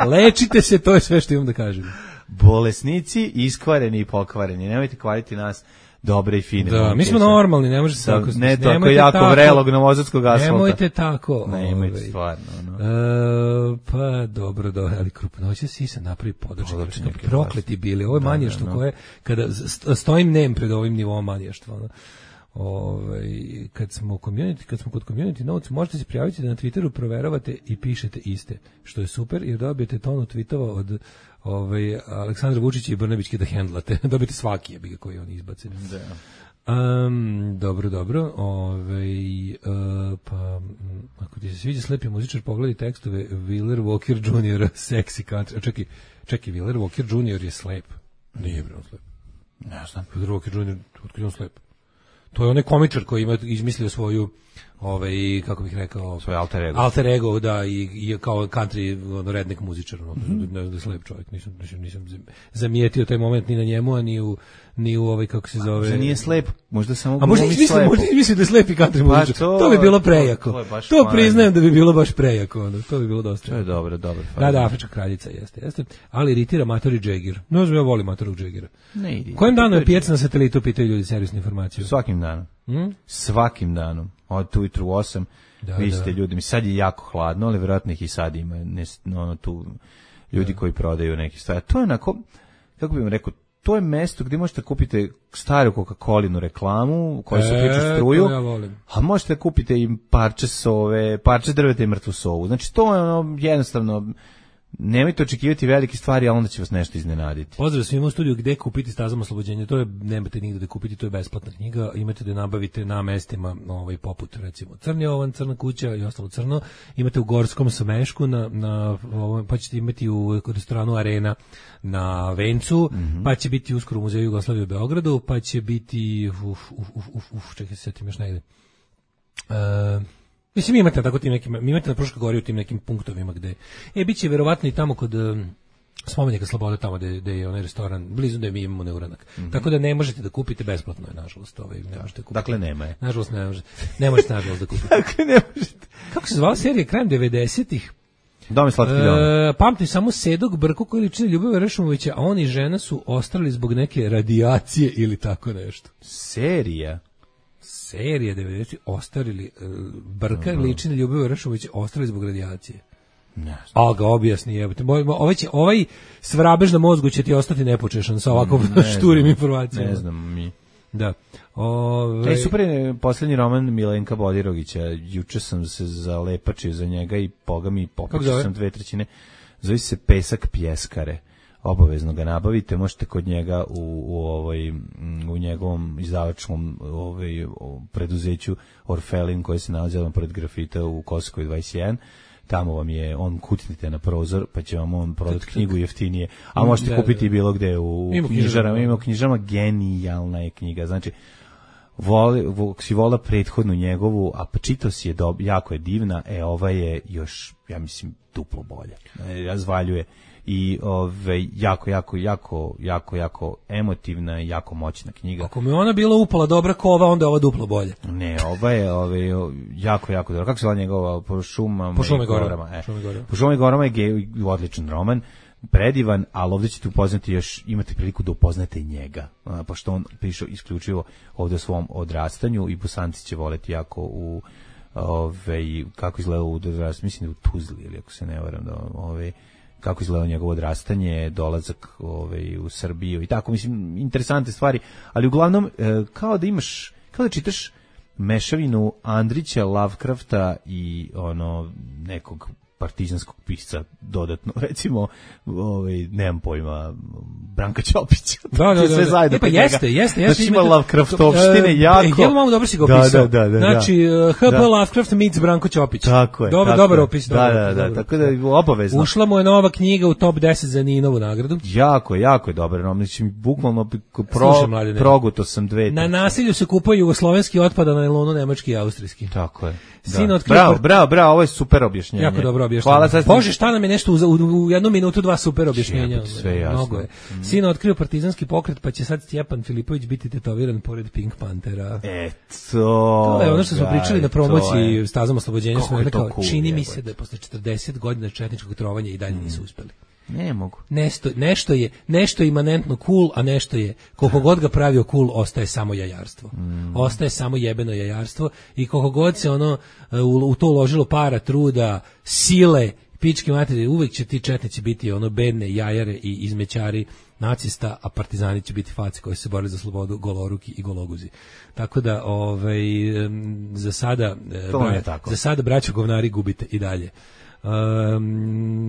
Lečite se, to je sve što imam da kažem. Bolesnici, iskvareni i pokvareni, nemojte kvariti nas dobre i fine. Da, mi smo normalni, ne može se tako. Ne tako jako vrelog novosadskog asfalta. Nemojte tako. Nemojte stvarno. Pa dobro, ali krupnoća sisa napravi područnjake. Prokleti bili. Ovo je manještvo koje, kada stojim nem pred ovim nivom manještva. Kad smo kod community notes, možete se prijaviti da na Twitteru proveravate i pišete iste, što je super, jer dobijete tonu tweetova od Aleksandra Vučića i Brnabićke da hendlate. Dobijete svaki jebiga koji on izbace. Dobro. Pa ako ti se sviđa slepi muzičar, pogledaj tekstove Wheeler Walker Jr. Sexy Country. Čekaj, Wheeler Walker Jr. je slep. Nije bre on slep. Ne znam. Wheeler Walker Jr. Otkud je on slep? To je onaj komičar koji ima izmislio svoju kako bih rekao, svoj alter ego, da, i kao country redneck muzičar, ne znam, slep čovjek, nisam zamijetio taj moment ni na njemu, a ni u kako se zove. Možda nije slep, možda samo a možda izmislio da je slep i country muzičar. To bi bilo prejako. To priznajem da bi bilo baš prejako, to bi bilo dosta. To je dobro. Da, afrička kraljica jeste. Ali iritira Matori Džegir. No, ja volim Matorog Džegira. Kojim danom je pijac na satelitu, pitaju ljudi servisnu informaciju? Svakim danom. Od ujutru 8, vi ste ljudi, sad je jako hladno, ali vjerojatno ih i sad ima tu ljudi koji prodaju neke stvari. To je onako, kako bih vam rekao, to je mesto gdje možete kupiti staru Coca-Colinu reklamu koja se priča struju, a možete kupiti i parče drveta i mrtvu sovu. Znači to je jednostavno, nemojte očekivati velike stvari, a onda će vas nešto iznenaditi. Pozdrav svima u studiju. Gde kupiti Stazom oslobođenja? To je, nemate nigde da kupiti, to je besplatna knjiga. Imate da nabavite na mestima poput recimo Crni ovan, Crna kuća i ostalo crno. Imate u Gorskom Samešku, pa ćete imati u restoranu Arena na Vencu, pa će biti uskoro u Muzeju Jugoslavije u Beogradu, pa će biti čekaj se setim još negde. Mislim, imate tako tim nekim, imate na Fruškoj gori u tim nekim punktovima gde biće verovatno i tamo kod spomenika Slobode, tamo gde je onaj restoran, blizu da mi imamo Neuranak. Tako da ne možete da kupite, besplatno je, nažalost, ne možete kupiti. Dakle, nema je. Nažalost, ne možete nažalost da kupite. Dakle, ne možete. Kako se zvala serija krajem 90-ih? Dom je slatki dom. Pamtim samo Sedog Brku koji liči na Ljubivoja Rešumovića, a on i žena su ostali zbog neke radijacije ili tako nešto. Serija 90 ostarili Brka liči na Ljubivoja Rešumovića, ostali zbog radijacije. A ga objasni, jebote. Ovaj svrabež na mozgu će ti ostati nepočešan sa ovako šturim informacijama. Ne znam mi. Da. Super je posljednji roman Milenka Bodirogića. Juče sam se zalepačio za njega i boga mi popičio sam 2/3. Zove se Pesak pjeskare. Obavezno ga nabavite, možete kod njega u njegovom izdavačkom preduzeću Orfelin koji se nalazi odmah pored grafita u Kosovskoj 21. Tamo vam je, kucnite na prozor, pa će vam on prodati knjigu jeftinije, a možete kupiti bilo gde u knjižarama. Ima u knjižarama, genijalna je knjiga, znači si vola prethodnu njegovu, a čitao si je jako je divna, ova je još, ja mislim, duplo bolje, razvaljuje i jako emotivna i jako moćna knjiga. Ako mi ona bila upala dobra kova, onda je ova duplo bolje. Ne, ova je jako dobro. Kako se zove njegova? Po šumama i gorama. Po šumama i gorama je odličan roman, predivan, ali ovdje ćete upoznati još, imate priliku da upoznate njega, pošto on piše isključivo ovdje o svom odrastanju i Bosanci će voleti jako u kako izgleda u odrastanju, mislim da u Tuzli, ili ako se ne varam, kako izgleda njegovo odrastanje, dolazak u Srbiju i tako, mislim, interesantne stvari, ali uglavnom kao da čitaš mešavinu Andrića, Lovecrafta i nekog partizanskog pisca dodatno, recimo, nemam pojma, Branka Ćopića. Da. Sve zajedno pa jeste. Znači ima Lovecraftovštine jako. Malo dobro si ga opisao. Da. Znači, H.P. Lovecraft meets Branko Ćopić. Tako je. Dobar opis. Da, tako da je obavezno. Ušla mu je nova knjiga u top 10 za Ninovu nagradu. Jako je dobro. Znači, bukvalno proguto sam dve. Na nasilju se kupaju jugoslovenski otpad, a na nailonu nemački i austrijski. Tako je. Bravo, ovo je super objašnjenje. Jako dobro objašnjenje. Hvala. Bože, šta nam je nešto u 1 minutu 2 super objašnjenja. Sve jasno. Mnogo je. Sin otkrio partizanski pokret, pa će sad Stjepan Filipović biti tetoviran pored Pink Panthera. To je ono što smo pričali na promociji Stazom oslobođenja. Smo rekao, čini mi se da posle 40 godina četničkog trovanja i dalje nisu uspeli. Ne mogu. Nešto je imanentno cool, a nešto je, koliko god ga pravio cool, ostaje samo jajarstvo. Ostaje samo jebeno jajarstvo i koliko god se u to uložilo para, truda, sile, pičke materije, uvek će ti četnici biti bedne jajare i izmećari nacista, a partizani će biti faci koji se bore za slobodu, goloruki i gologuzi. Tako da, za sada braćo govnari gubite i dalje.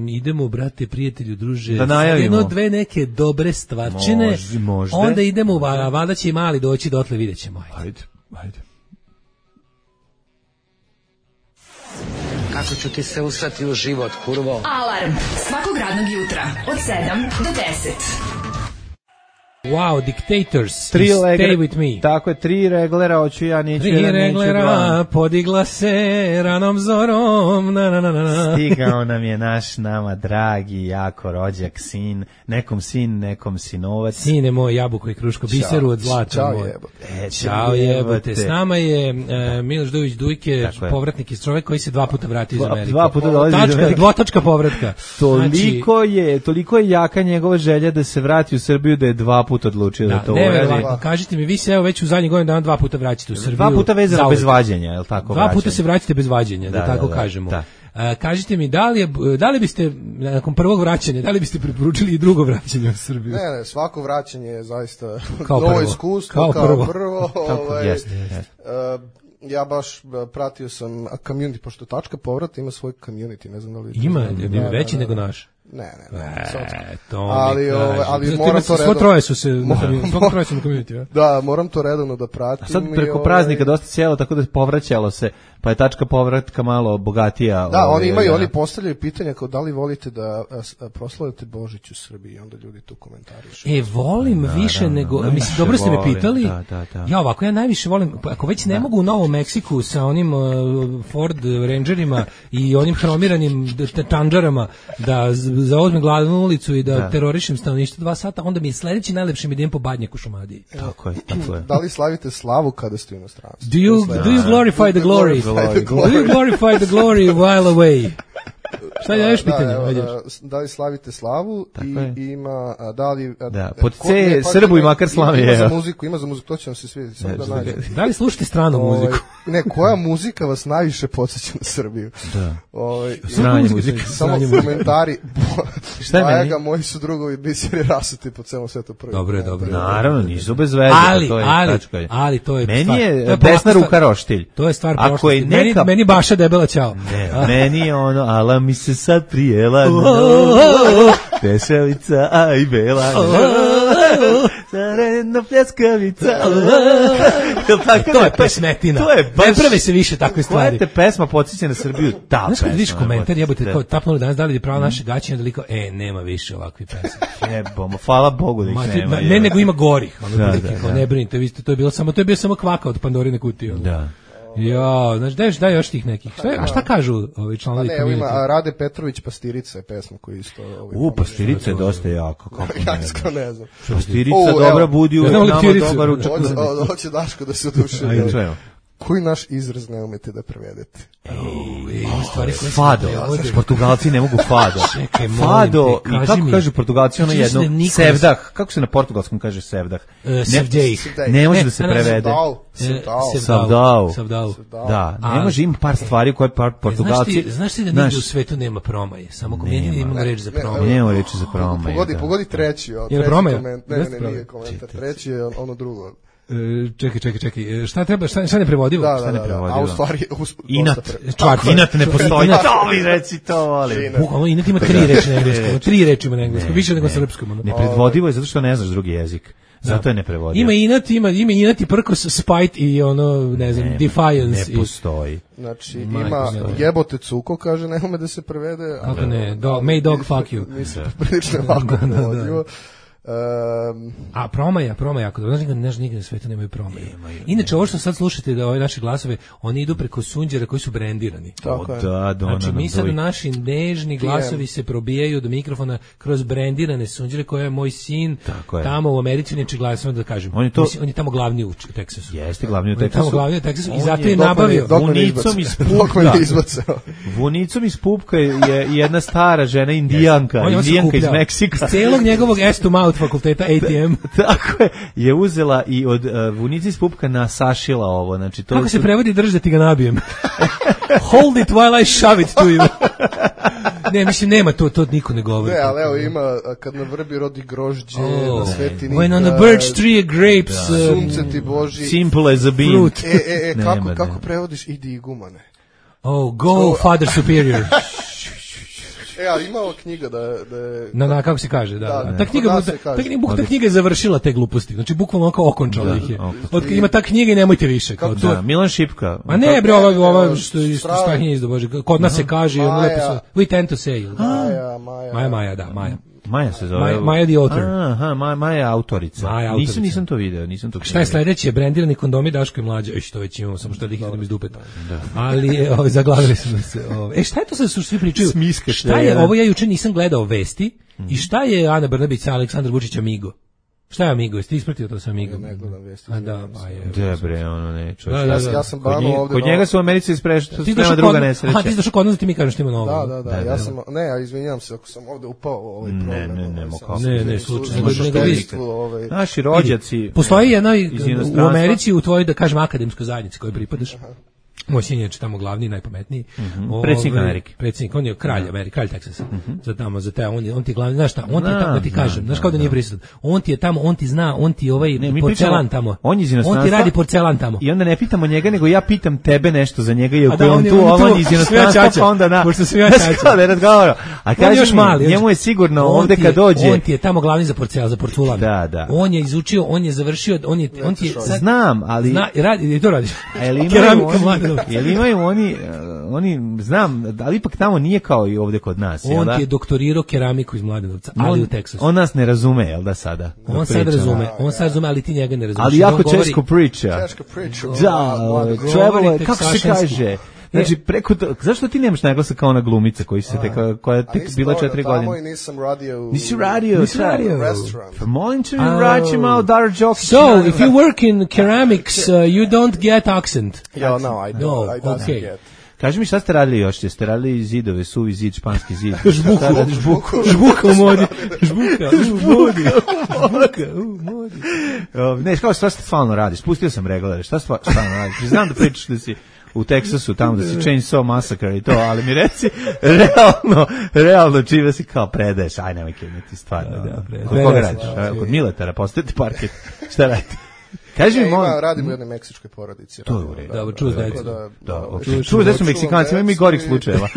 Idemo, brate, prijatelju, druže, da najavimo 1-2 neke dobre stvarčine, možda. Onda idemo, valjda će i mali doći dotle, vidjet ćemo. Ajde. Kako ću ti se usrati u život, kurvo? Alarm svakog radnog jutra od 7 do 10. Wow, Dictators, Stay With Me. Tako je, 3 reglera, hoću ja, neću 3 reglera, podigla se ranom zorom, Stigao nam je nama dragi, jako rođak sin, nekom sinovac. Sine moj, jabuko i kruško, biseru od zlata. Ćao jebote. S nama je Miloš Dujić Dujke, povratnik iz čovek koji se 2 puta vratio iz Amerike. 2 puta dolazi iz Amerike. Dvotačka povratka. Toliko je jaka njegova želja da se vrati u Srbiju da je 2 puta odlučio da to uradi. Kažite mi, vi se već u zadnjih godinu dana 2 puta vraćate u Srbiju. 2 puta vezano bez vađenja, je li tako? 2 puta se vraćate bez vađenja, da tako kažemo. Kažite mi, da li biste, nakon prvog vraćanja, da li biste preporučili i drugo vraćanje u Srbiju? Ne, svako vraćanje je zaista novo iskustvo, kao prvo. Ja baš pratio sam community, pošto Tačka povrat ima svoj community, ne znam da li... Ima, je veći nego naš. Ne. Ali moram to redovno... Svo troje su se na community. Da, moram to redovno da pratim. A sad preko praznika dosta cijelo, tako da povraćalo se, pa je Tačka povratka malo bogatija. Da, oni postavljaju pitanja kao da li volite da proslavite Božić u Srbiji, onda ljudi tu komentarišu. Volim više nego... Mislim, dobro ste me pitali. Ja ovako, ja najviše volim, ako već ne mogu u Novom Meksiku sa onim Ford Rangerima i onim hromiranim tandžarama da zauzmem glavnu ulicu i da terorišem stanovništvo 2 sata, onda mi je sledeći najlepši idem po Badnjaku u Šumadiji. Tako je. Da li slavite slavu kada ste u inostranstvu? Do you glorify the glory? Do you glorify the glory while away? Šta je još pitanje? Da li slavite slavu i ima, da li... pod C, Srbu i makar slavi. Ima za muziku, to će vam se svidjeti. Da li slušate stranu muziku? Ne, koja muzika vas najviše podsjeća na Srbiju? Stranje muzika. Samo komentari. šta je meni? Moji su drugovi biseri rasuti po celom svetu prvi. Dobro. Naravno, nisu bez veze. Ali to je meni stvar. je desna ruka roštilj. To je stvar Ako prošlosti. je neka... Meni baša debela ćao. Ne, meni je ono, ala mi se sad prijela, tešelica, aj bela, zaredna pljeskavica. To je pesmetina. Ne prave se više takve stvari. Koja te pesma podsjeća na Srbiju? Ta pesma. Znaš kad vidiš komentar, jebote, kao tapnulo danas, da li je pravo naše gaćenje, da liko, nema više ovakvih pesma. Jebomo, hvala Bogu da ih nema. Ne, nego ima gorih. Ne brinite, vi ste, to je bio samo kvaka od Pandorine kutije. Da. Ja, znaš, daj još tih nekih. Šta kažu ovi članovi community? Ima Rade Petrović Pastirica je pesma koju isto... Pastirica je dosta jako. Ja ne znam. Pastirica dobra budi uvek nama dobar učak. Hoće Daško da se oduši. Koji naš izraz ne umete da prevedete? Fado. Portugalci ne mogu fado. Fado, i kako kaže Portugalci ono jedno? Sevdah. Kako se na portugalskom kaže sevdah? Sevdej. Ne može da se prevede. Savdao. Da, ne može, ima par stvari koje Portugalci... Znaš ti da nigde u svetu nema promaje? Samo komedije imamo reč za promaje. Nemamo reči za promaje. Pogodi treći. Je li promaja? Ne, nije komentar. Treći je ono drugo. Čekaj, šta ne prevodivo? Da, a u stvari... Inat ne postoji, to mi reci, to volim. Bukvalno, inat ima 3 reči na engleskom, 3 reči ima na engleskom, više nego srpskom. Neprevodivo je zato što ne znaš drugi jezik. Zato je neprevodivo. Ima inat i prkos, spite i ono, ne znam, defiance. Ne postoji. Znači, ima jebote cuko, kaže, ne ume da se prevede. Kako ne, may dog fuck you. Mislim, prilično ovako prevodivo. A promaja, ako znaš nigde na svetu nemaju promaje. Inače, ovo što sad slušate da ove naše glasove, oni idu preko sunđera koji su brendirani. Znači, mi sad naši nežni glasovi se probijaju do mikrofona kroz brendirane sunđere koje je moj sin tamo u Americi, neče glasova da kažem. On je tamo glavni u Teksasu. Jeste glavni u Teksasu. I zato je nabavio Vunicom iz Pupka je jedna stara žena indijanka iz Meksika. Celog njegovog Estumau fakulteta ATM. Tako je uzela i od Vunici iz Pupka nasašila ovo. Znači, to kako se prevodi držati ga nabijem? Hold it while I shove it to you. Ne, mislim, nema to niko ne govori. Ne, ali evo ima, kad na vrbi rodi grožđe, na svetini... When on a birch tree grapes... Sunce ti Boži... Simple as a bean. Kako prevodiš idi i gumane? Go Father Superior. Ali ima ova knjiga da je... Na, kako se kaže, da. Ta knjiga je završila te gluposti, znači bukvalno kao okončala ih je. Ima ta knjiga i nemojte više. Milan Šipka. A ne, bre, ova što Stahinje izdo, Bože, kod nas se kaže, we tend to say. Maja. Maja se zove. Maja the author. Aha, Maja je autorica. Nisam to video, Šta je sledeće? Brendirani kondomi Daško i Mlađa. Što već imamo, samo što da ih idem iz dupeta. Ali zaglavili smo se. Šta je to sad što svi pričaju? Šta je, ovo ja juče nisam gledao vesti. I šta je Ana Brnabić sa Aleksandar Vučić Amigo? Šta je Amigo? Jeste ispratio to sa Amigo? Ne gledam vesti. Dobre, ono ne. Ja sam bano ovde. Kod njega su u Americi isprema druga nesreća. Ti došao kod nas ti mi kažeš što ima novo. Da, ja sam, ja izvinjavam se ako sam ovde upao ovaj problem. Ne, slučajno. Naši rođaci. Postoji jedna u Americi, u tvojoj, da kažem, akademskoj zajednici kojoj pripadaš. Moj sin je tamo glavni, najpametniji. Predsjednik Amerike. Predsjednik, on je kralj Amerike, kralj Teksasa. Za te, on ti glavni, znaš šta, on ti je tamo, da ti kažem, znaš kao da nije prisutan. On ti je tamo, on ti zna, on ti porcelan tamo. On ti radi porcelan tamo. I onda ne pitamo njega, nego ja pitam tebe nešto za njega, jer on tu, on iz inostranstva, pa onda na... Pošto sam ja čača. A kažeš mi, njemu je sigurno ovde kad dođe... On ti je tamo glavni za porculan. Da. On je izučio, on je završio, on ti je... Znam, ali... I to radiš. Jel imaju oni znam, ali ipak tamo nije kao i ovde kod nas. On ti je doktorirao keramiku iz Mladenovca, ali u Teksasu. On nas ne razume, jel da sada? On sad razume, ali ti njega ne razumeš. Ali jako češko priča. Da, trebalo, kako se kaže... Znači, zašto ti nemaš naglasa kao ona glumica koja je tek bila 4 godine? Tamo i nisam radio. Nisi radio. Restaurant. Pa molim te mi vraći malo Dara Đokić. So, if you work in ceramics, you don't get accent. Yeah, no, I don't. I don't get. Kaži mi šta ste radili još? Jeste radili zidove, suvi zid, španski zid? Žbuka u modi. Ne, kao šta stvarno radiš? Spustio sam reglare. Šta stvarno radiš? Znam da pričaš da si u Teksasu, tamo da si Chainsaw Massacre i to, ali mi reci, realno čime si kao predaješ, aj nemoj kemiti stvarno. Kod koga radiš? Kod Miletara, postojete parket, šta radite? Kaži mi, radimo u jednoj meksičkoj porodici. To je u redu. Dobro, čuo da čuo da su Meksikanci, ima i gorih slučajeva.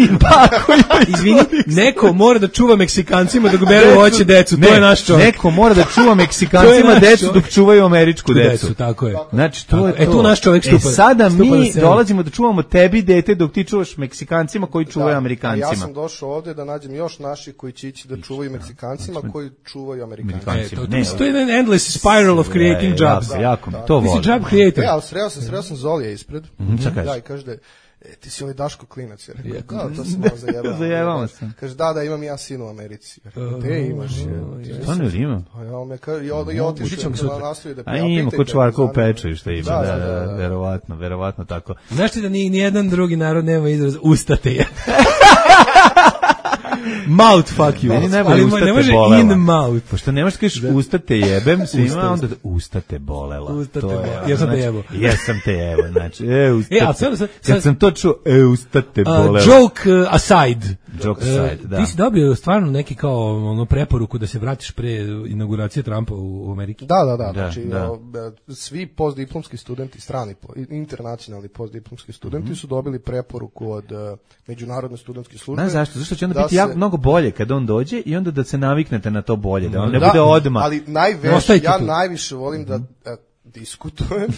Izvini, neko mora da čuva Meksikancima dok beru voće decu, to je naš čovjek. Neko mora da čuva Meksikancima decu dok čuvaju američku decu. Tako je. Znači, to je to. Tu naš čovjek stupa. Sada mi dolazimo da čuvamo tebi dete dok ti čuvaš Meksikancima koji čuvaju Amerikancima. Ja sam došao ovdje da nađem još naši koji će ići da čuvaju Meksikancima koji čuvaju Amerikancima. To je jedan endless spiral of creating jobs. To volim. Ti si job creator. Ja, sreo sam Zolija ispred. Da, i kaže da ti si ovaj Daško klinac. Ja rekao, to sam malo zajebao sam. Kaže, da, imam ja sin u Americi. Ja rekao, gde imaš? Stvarno li ima? Ja me kaže, i otišao na nastavi da pitate. A ima kod čvarka u peču što ima, da, verovatno tako. Znaš ti da nijedan drugi narod nema izraz ustate je. Mouth fuck you. Meni najbolje ustate bolela. In mouth. Pošto nemaš da kažeš ustate jebem, svima onda ustate bolela. Ustate bolela. Jesam te jebo. Jesam te jebo, znači, ustate. Kad sam to čuo, ustate bolela. Joke aside. Joke aside, da. Ti si dobio stvarno neki kao preporuku da se vratiš pre inauguracije Trumpa u Ameriki? Da. Znači, svi postdiplomski studenti, strani, internacionalni postdiplomski studenti su dobili preporuku od Međunarodne studentske službe. Znaš zašto? Zašto će onda biti mnogo bolje kad on dođe i onda da se naviknete na to bolje, da on ne bude odmah. Ali ja najviše volim da diskutujem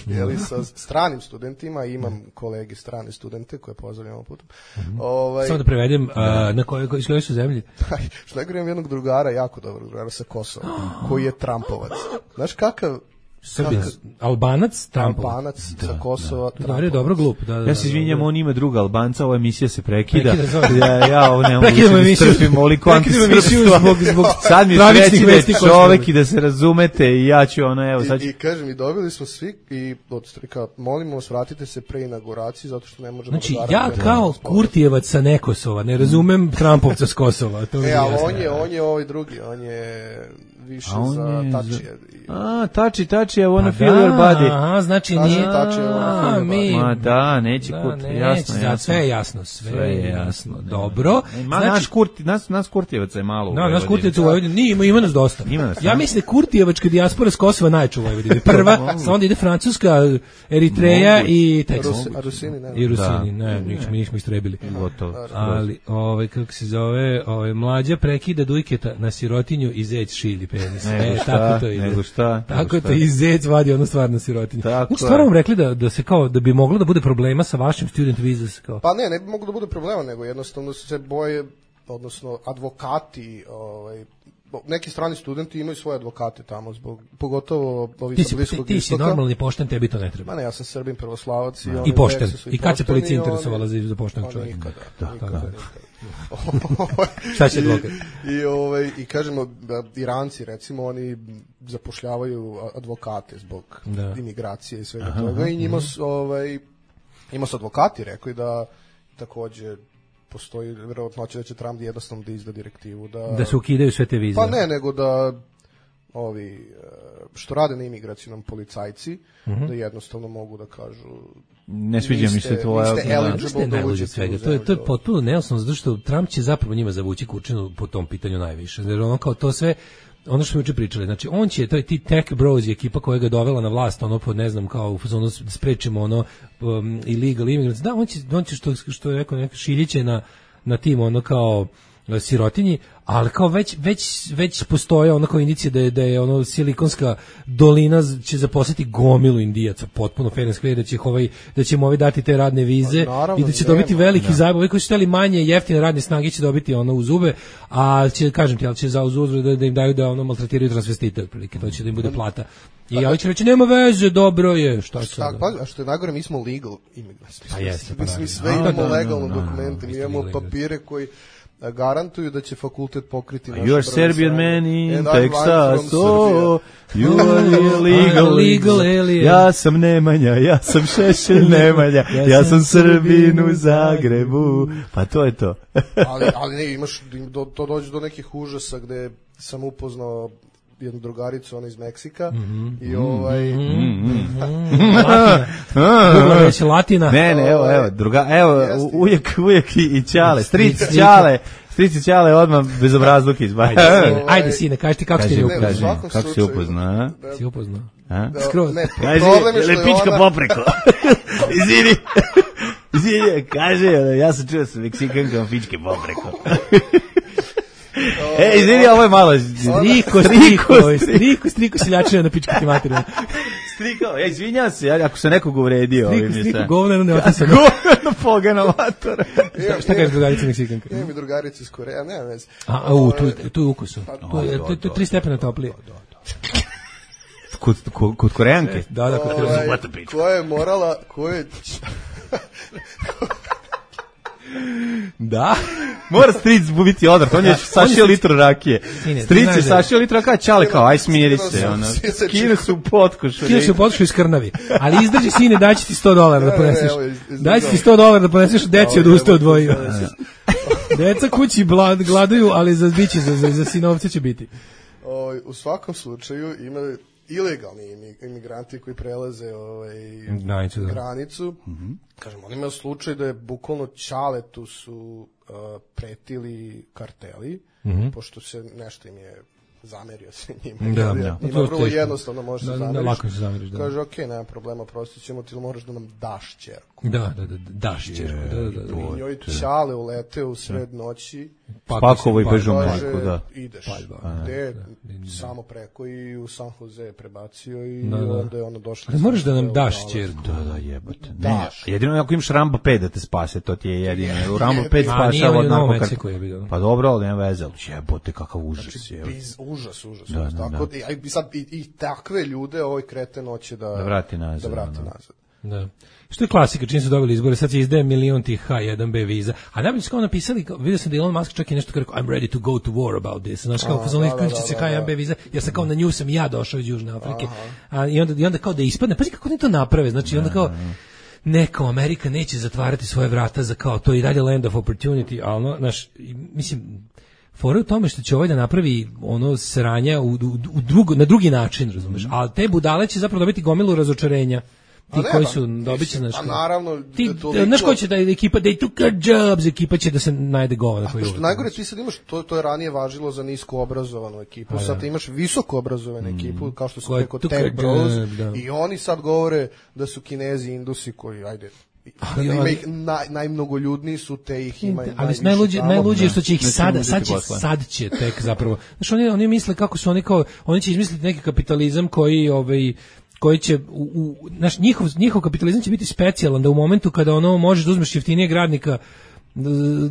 sa stranim studentima, imam kolege strane studente koje pozdravljam ovog puta. Samo da prevedem, iz koje su zemlje? Što ne govorim jednog drugara, jako dobrog drugara sa Kosova, koji je Trumpovac. Znaš kakav? Albanac, Albanac sa Kosova. Da, je dobro glup. Ja se izvinjam, on ima druga Albanca, ova emisija se prekida. Ja ovo ne mogu da strpim ovoliko antistrpstva. Sad mi reći da je čovek i da se razumete i ja ću evo sad. I kažem, i dobili smo svi i od strika, molimo vas, vratite se pre inauguracije zato što ne možemo. Znači, ja kao Kurtijevac sa Nekosova, ne razumem Trumpovca s Kosova. Ali on je ovaj drugi, on je više za Tačija. Tači, I wanna feel your body. Aha, znači nije. Ma da, neće Kurti, jasno. Sve je jasno, sve je jasno. Dobro. Naš Kurtijevaca je malo. Naš Kurtijevaca u Vojvodini, ima nas dosta. Ja mislim da Kurtijevačka dijaspora s Kosova najču u Vojvodini. Prva, onda ide Francuska, Eritreja i Teksas. I Rusini, ne, mi smo istrebili. Ali, kako se zove, mlađa prekida Dujketa na sirotinju i zec šilji penis. Tako to ide. Nego šta? Tako to i zec vadi ono stvarno sirotinju. Stvarno vam rekli da se kao, da bi moglo da bude problema sa vašim student visas kao. Pa ne bi moglo da bude problema, nego jednostavno se boje, odnosno advokati, neki strani studenti imaju svoje advokate tamo, pogotovo ovi sa Bliskog Istoka. Ti si normalni pošten, tebi to ne treba. Ma ne, ja sam Srbin, pravoslavac. I pošten. I kad se policija interesovala za poštenog čovjeka? Nikada. Šta će advokat? I kažemo, Iranci recimo, oni zapošljavaju advokate zbog imigracije i svega toga i njima su advokati rekli da također postoji vjerovatnoća da će Trump jednostavno da izda direktivu da se ukidaju sve te vize. Pa ne, nego da ovi što rade na imigracijnom policajci da jednostavno mogu da kažu ne sviđa mi se tvoja to je potpuno neosnovno, zato što Trump će zapravo njima zavući kurčinu po tom pitanju najviše, jer ono kao to sve ono što smo juče pričali, znači on će, to je ti tech bros i ekipa koja ga dovela na vlast, pod ne znam kao da sprečimo illegal immigrants, da on će što je rekao neka šiljiće na tim kao sirotinji, ali kao već postoje ono kao indicije da je ono Silikonska dolina će zaposliti gomilu Indijaca, potpuno fair and square, da će mu dati te radne vize i da će dobiti veliki zajeb, ovi koji su htjeli manje jeftine radne snage će dobiti u zube, a će, kažem ti, ali će za uzvrat da im daju da maltretiraju transvestite, otprilike, to će da im bude plata. I ja ću reći, nema veze, dobro je, šta će sada? A što je najgore, mi smo legal immigrants. Mi sve imamo legalno dokumente, mi imamo papire koji garantuju da će fakultet pokriti naš You are Serbian man in Texas, oh, you are legal alien. Ja sam Nemanja, ja sam Šešelj Nemanja, ja sam Srbin u Zagrebu. Pa to je to. ali ne, imaš, to dođe do nekih užasa gde sam upoznao jednu drugaricu, ona iz Meksika, i već Latina. Ne, evo, ujak i Ćale, strici Ćale odmah bez obrazluka izbaci. Ajde, sine, kaži ti kako ti kako si upoznao, Si upoznao? Skroz. Problem je što je pička popreko. Izvini, kaže, ja sam čuo sa Meksikankama pičke popreko. Izvini, ovo je malo... Striko seljačina na pičku ti materiju. Striko, izvinjam se, ako sam nekog uvredio. Striko, govneno ne otasano. Govneno pogano matora. Šta kažeš drugarica Meksikanka? Imam i drugarica iz Koreja, nema veze. Tu je ukusu. To je 3 stepena toplije. Kod Korejanke? Da, kod Korejanke. Koja je morala, Da. Mora stric biti odvrat, on je sašio litru rakije. Stric je sašio litru rakije, Ćale kao, aj smiri se. Skine se u potkošu. Iz krnavi. Ali izdrži, sine, daći ti $100 da poneseš. Daći ti $100 da poneseš, deci od usta odvojio. Deca kući gladuju, ali za biće, za sinovce će biti. U svakom slučaju ima ilegalni imigranti koji prelaze granicu. Kažem, oni imaju slučaj da je bukvalno Ćaletu su pretili karteli, pošto se nešto im je zamerio se njima. Ima vrlo jednostavno može se zameriš. Kaže, ok, nema problema, prostit ćemo ti, moraš da nam daš ćerku. Daš ćerku. I njoj Ćale uleteo u sred noći. Pakovo i bežu majku, da. Ideš. Gde? Samo preko i u San Jose prebacio i onda je ono došlo. Ali moraš da nam daš ćerku. Da, jebote. Jedino ako imaš Rambo 5 da te spase, to ti je jedino. U Rambo 5 spašava od narkokartela. Pa dobro, ali nema veze. Jebote, kakav užas. Užas. Tako i takve ljude ovaj kreten hoće da vrati nazad. Da. Što je klasika, čim su dobili izbore, sad se izdaje milion tih H1B viza. A najbolje su kao napisali, vidio sam da Elon Musk čak i nešto kao rekao, I'm ready to go to war about this. Znaš, kao sam isključit će se H1B viza, jer sam kao na nju sam i ja došao iz Južne Afrike. I onda kao da ispadne, pazi kako oni to naprave, znači onda kao, neko Amerika neće zatvarati svoje vrata za kao to i dalje land of opportunity, ali znaš, mislim, fora u tome što će ovaj da napravi ono sranja na drugi način, razumeš, ali te budale će zapravo dobiti gomilu razočarenja. Ti koji su dobiće, znaš, naravno, znaš ko će da ekipa, they took our jobs, ekipa će da se najde govana. A što najgore, ti sad imaš, to je ranije važilo za nisko obrazovanu ekipu, sad imaš visoko obrazovanu ekipu, kao što su preko Tech Bros, i oni sad govore da su Kinezi, Indusi koji, ajde, ima ih najmnogoljudniji su, te ih ima ali najluđe što će ih sad će tek zapravo, znaš, oni misle kako su oni će izmisliti neki kapitalizam koji će naš njihov kapitalizam će biti specijalan, da u momentu kada ono možeš da uzmeš jeftinijeg radnika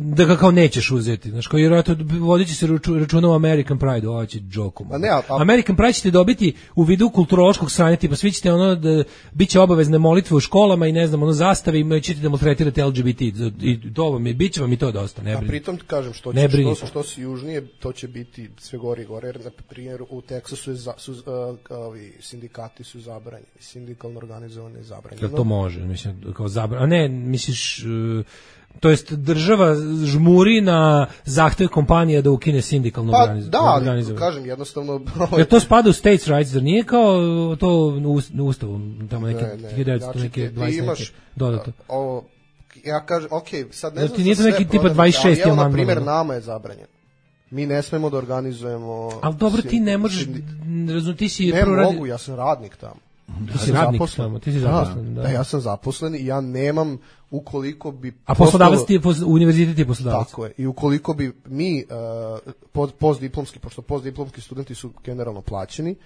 da ga kao nećeš uzeti, znaš, koji vjerojatno vodit će se računa u American Pride, ovo će džokom. American Pride ćete dobiti u vidu kulturološkog sranja, tipa svi ćete ono da biće obavezne molitve u školama i ne znam, ono zastave i ćete da maltretirate LGBT i to vam je, bit će vam i to dosta, ne brini. A pritom ti kažem, što si južnije, to će biti sve gore i gore, jer na primjer u Teksasu sindikati su zabranjeni, sindikalno organizovane je zabranjeno. Jel to može, mislim, kao zabranjeno, a ne, misliš... To jest država žmuri na zahtev kompanija da ukine sindikalno organizovanje. Da, kažem, jednostavno... Jer to spada u states rights, da nije kao to u ustavu, tamo neke 19 dodato. Ja kažem, sad ne znam ti nije to neki tipa 26. ali na primjer nama je zabranjen. Mi ne smemo da organizujemo... Ali dobro, ti ne možeš, ti si... Ne mogu, ja sam radnik tamo. Ti si radnik tamo, ti si zaposlen. Da, ja sam zaposlen i ja nemam, ukoliko bi... A poslodavac ti je, univerzitet je poslodavac. Tako je, i ukoliko bi mi postdiplomski, pošto postdiplomski studenti su generalno plaćeni,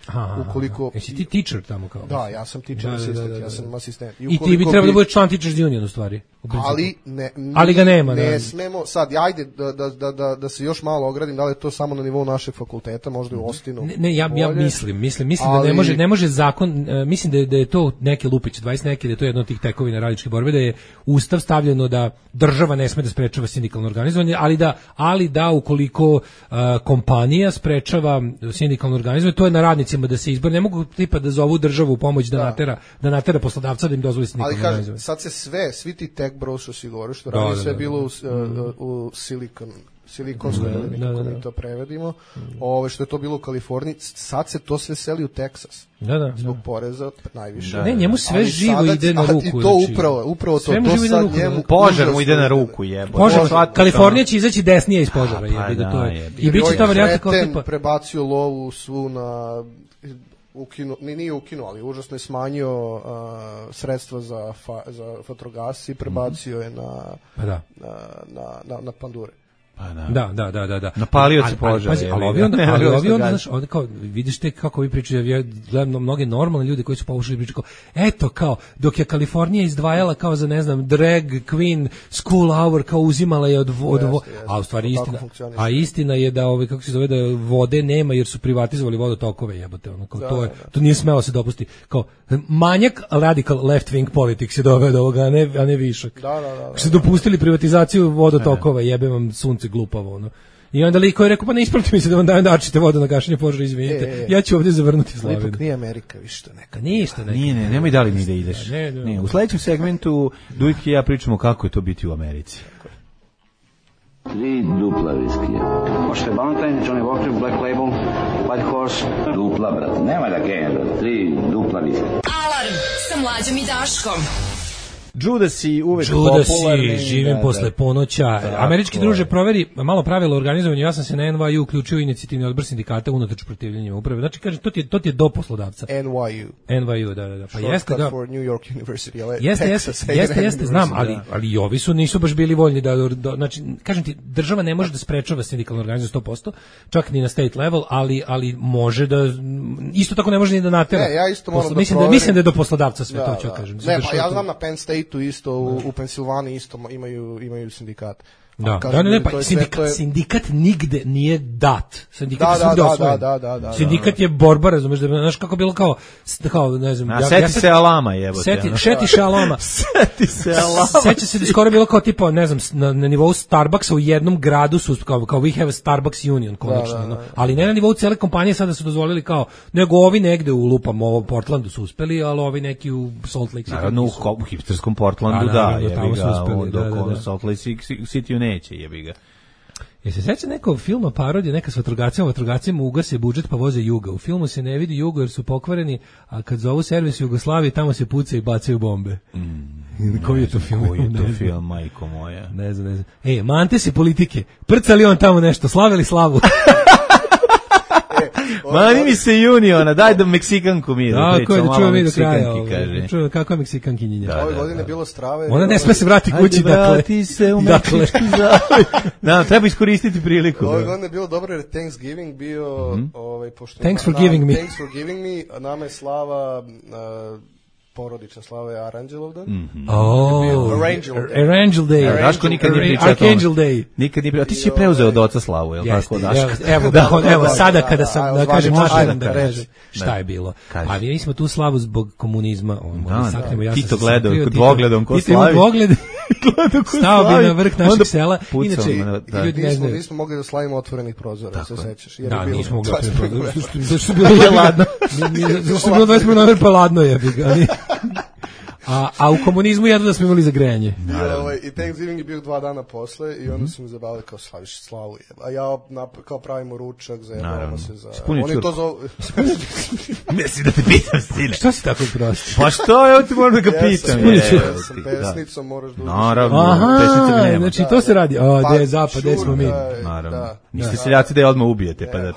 ukoliko... Jesi ti teacher tamo kao? Da, ja sam teacher asistent, ja sam asistent. I ti bi trebalo da budeš član Teachers Union u stvari. Ali ga nema. Ne smemo, sad, ajde da se još malo ogradim, da li je to samo na nivou našeg fakulteta, možda u Ostinu. Ne, ja mislim da ne može zakon, mislim da je to neke lupiće, 20 neke, da je to jedno od tih tekovina radničke borbe, da je Ustav stavljeno da država ne sme da sprečava sindikalno organizovanje, ali da ukoliko kompanija sprečava sindikalno organizovanje, to je na radnicima da se izbor, ne mogu tipa da zovu državu u pomoć da natera poslodavca da im dozvoli sindikalno organizovanje. Sad se svi ti tech bros što si govorio, što radi sve bilo u Silicon Silikonskoj dolini, kako mi to prevedimo, što je to bilo u Kaliforniji, sad se to sve seli u Teksas. Zbog poreza najviše. Ne, njemu sve živo ide na ruku. I to upravo to sad njemu... Požar mu ide na ruku, jebote. Kalifornija će izaći desnije iz požara, jebi ga to je. I biće ta varijanta kao tipa... prebacio lovu svu na... nije ukinuo, ali užasno je smanjio sredstva za fotogas i prebacio je na pandure. Da. Napalio se požar. Ali ovi onda, znaš, ovdje kao, vidiš te kako vi pričaju, ja gledam mnoge normalne ljude koji su pokušali pričati kao, eto kao, dok je Kalifornija izdvajala kao za, ne znam, drag queen school hour, kao uzimala je a u stvari istina je da, kako se zove, da vode nema jer su privatizovali vodotokove, jebote, ono, kao, to nije smelo se dopusti, kao, manjak radical left wing politics je doveo do ovoga, a ne višak. Da. Što su dopustili privatizaciju vodotokova, jebe vam sunce glupavo, ono. I onda liko je rekao, pa ne isprati mi se da vam dajem dačite vodu na gašenje požara, izvinite. Ja ću ovdje zavrnuti Slavinu. Ipak nije Amerika, više to neka. Ništa. Nije, nemoj da li ni da ideš. Ne. U sledećem segmentu Dujk i ja pričamo kako je to biti u Americi. 3 dupla viskija. Možete Valentine, Johnny Walker, Black Label, White Horse. Dupla, brate. Nema da genja, brate. 3 dupla viskija. Alarm sa Mlađom i Daškom. Judasi uvek popularni. Živim posle ponoća. Američki druže, proveri malo pravilo organizovanja. Ja sam se na NYU uključio inicijativni odbor sindikata unatoč protivljenjima uprave. Znači, kaže, to ti je do poslodavca. NYU, da. Pa jeste, da. For New York University, jeste, znam, ali i ovi nisu baš bili voljni da, znači, kažem ti, država ne može da sprečava sindikalnu organizaciju 100%, čak ni na state level, ali može da, isto tako ne može ni da natera. Ne, ja isto moram da proverim. Mislim da je do poslodavca sve to, ću kažem. Ne, pa ja znam na Penn State isto, u Pensilvaniji isto imaju sindikat. Sindikat nigde nije dat. Sindikat je svugde osvojen. Sindikat je borba, razumeš, da znaš kako bilo kao ne znam. Seti se Alama, jebote. Šeti se Alama. Seća se da skoro bilo kao tipa, ne znam, na nivou Starbucksa u jednom gradu su kao we have a Starbucks union, konačno. Ali ne na nivou cele kompanije sada su dozvolili kao, nego ovi negde u lupam, ovo Portlandu su uspeli, ali ovi neki u Salt Lake City. Naravno, u hipsterskom Portlandu, da, jebi ga, dok Salt Lake City neće, jebi ga. Se seća nekog filma parodija, neka s vatrogascima ugase budžet pa voze Juga. U filmu se ne vidi Jugo jer su pokvareni, a kad zovu servis Jugoslavije, tamo se pucaju i bacaju bombe. Koji je to film? Koji je to film, majko moja? Ne znam. Mante se politike. Prcali on tamo nešto, slavili slavu. Mani mi se Uniona, daj da Meksikanku mi da pričamo malo Meksikanki, kaže. Čujem kako je Meksikankinjenja. Ove godine je bilo strave. Ona ne sme se vrati kući, dakle. Vrati se u Meksički zavoj. Da, treba iskoristiti priliku. Ove godine je bilo dobro jer Thanksgiving bio... Thanks for giving me. Thanks for giving me. Nama je slava... porodična slava je Aranđelovdan. Arangel Day. Daško nikad nije pričao o tome. Archangel Day. Nikad nije pričao. Ti si je preuzeo od oca slavu, je li tako, Daško? Evo, sada kada sam, da kažem, da kažem šta je bilo. Ali mi smo tu slavu zbog komunizma. Tito gledao, dvogledom ko slavi. Stao bi na vrh našeg sela. Inače, ljudi nismo mogli da slavimo otvorenih prozora, se sećaš. Da, nismo mogli otvorenih prozora. Zašto je bilo ladno? Zašto je bilo 21. novembar pa ladno je. A u komunizmu jedno da smo imali za grejanje. I Thanksgiving je bio 2 dana posle i onda su mi zabavili kao slaviš slavu. A ja kao pravimo ručak, zajebavamo se za... Oni to zovu... Mislim da te pitam, sine. Što si tako prosti? Pa što, evo ti moram da ga pitam. Sa pesnicom moraš da... Naravno, pesnica nema. Znači to se radi. Gde je zapad, gde smo mi. Naravno. Niste seljaci da je odmah ubijete, pa da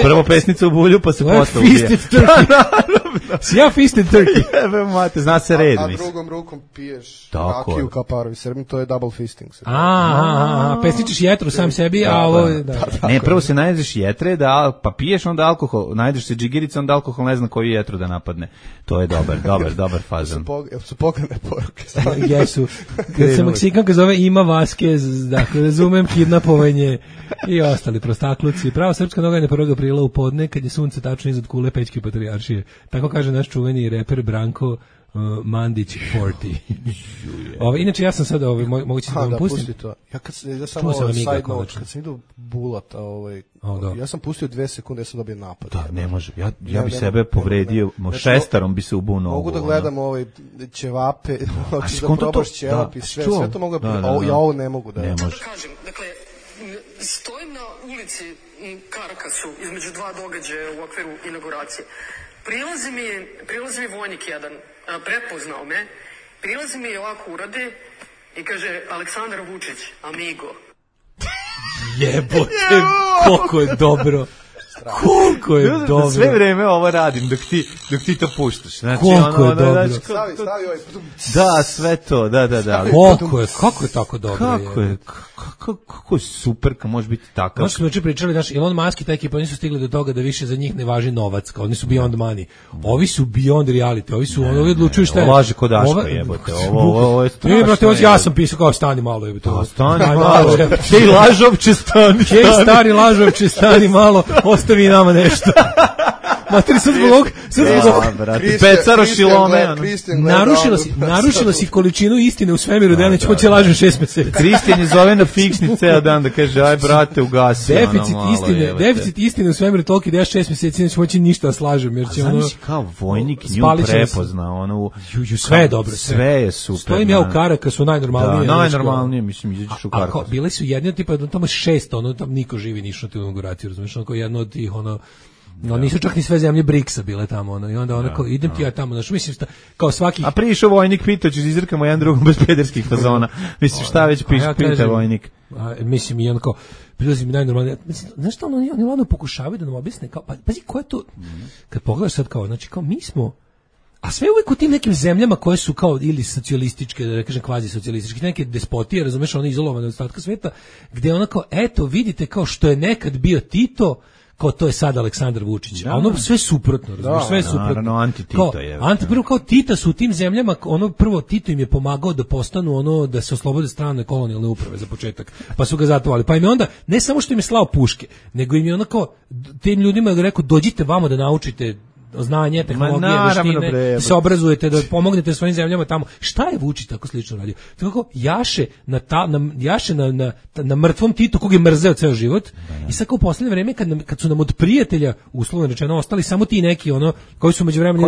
prvo pesnica u bulju, pa se posle ubije. Fisted turkey. Si ja fisted turkey. Evo mate, zna se red. A drugom rukom piješ rakiju kao parovi Srbi, to je double fisting. Pesničeš jetru sam sebi, a ovo... Ne, prvo se najedeš jetre, pa piješ onda alkohol, najedeš se džigirica, onda alkohol ne zna koju jetru da napadne. To je dobar fazan. Su pogledne poruke. Jesu. Kad se Meksikanka zove Ima Vasquez, dakle, razumem kidnapovanje i ostali prostakluci. Prava srpska noga je na 1. aprila u podne, kad je sunce tačno iznad kule Pećke patrijaršije. Tako kaže naš čuveni reper Branko Mandić 40. Inače ja sam sad moguće da vam pustim. Pusti to. Ja samo side note, kad sam idu Bulata, ja sam pustio 2 sekunde, ja sam dobio napad. Da, ne može. Ja bi sebe povredio, šestarom bi se ubuo nogu. Mogu da gledam ćevape, da probaš ćevap i sve to mogu da... Ja ovo ne mogu da... Ne može. Dakle, Stojim na ulici Karakasu između dva događaja u okviru inauguracije. Prilazi mi vojnik jedan, prepoznao me, prilazi mi i ovako urade i kaže Aleksandar Vučić, amigo. Jebote, koliko je dobro. Koliko je dobro. Sve vreme ovo radim dok ti to puštaš. Znači, koliko je dobro. Stavi ovaj. Da, sve to, da. Kako je tako dobro? Kako je super, kad može biti takav. Znači smo juče pričali, Elon Musk i ta ekipa nisu stigli do toga da više za njih ne važi novac, kao oni su beyond money. Ovi su beyond reality, ovi odlučuju šta je. Laže kod Daška, jebote. Ovo je strašno. Brate, ja sam pisao kao stani malo, jebote. Stani malo. Hej, lažovče, stani. Hej, stari lažovče, stani malo, ostavi nama nešto. Materi, sad zbog Pecaro Šilome. Narušila si količinu istine u svemiru, da ja neću moći lažem 6 meseci. Kristijan je zove na fiksni ceo dan da kaže, aj brate, ugasi. Deficit istine u svemiru toliki da ja 6 meseci neću moći ništa da slažem. Jer će znaš kao vojnik nju prepozna. Sve je dobro. Sve je super. Stojim ja u Karakasu, najnormalnije. Da, najnormalnije, mislim, izađeš u Karakasu. Bili su jedni tipa, tamo 600, tam niko živi ništa na tu inauguraciju, razumiješ, jedno od tih, nisu čak ni sve zemlje BRICS-a bile tamo, i onda kao, idem ti ja tamo, mislim, kao svaki... A prišao vojnik, pitao ću, izrkamo jedan drugom bez pederskih fazona. Mislim, šta već pita vojnik? Mislim, i on kao, prilazim mi najnormalnije. Znaš što, oni ladno pokušavaju da nam objasne, kao, pazi, ko je to, kad pogledaš sad kao, znači, kao, mi smo, a sve uvijek u tim nekim zemljama koje su kao ili socijalističke, da ne kažem kvazi socijalističke, neke despotije, razumeš, one izolovane od ostatka sveta, gde ona kao, eto, vidite kao što je nekad bio Tito, kao to je sad Aleksandar Vučić. A ono sve suprotno, razumiješ, sve suprotno. Naravno, anti-Tito je. Prvo kao Tita su u tim zemljama, prvo Tito im je pomagao da postanu da se oslobode strane kolonijalne uprave za početak, pa su ga zatovali. Pa im je onda, ne samo što im je slao puške, nego im je onako, tim ljudima je rekao, dođite vamo da naučite znanje, tehnologije, veštine, da se obrazujete, da pomognete svojim zemljama tamo. Šta je Vučić tako slično radio? Tako jaše na mrtvom Titu kog je mrzeo ceo život. I sad kao u poslednje vreme kad su nam od prijatelja uslovno rečeno ostali samo ti neki koji su međuvremenu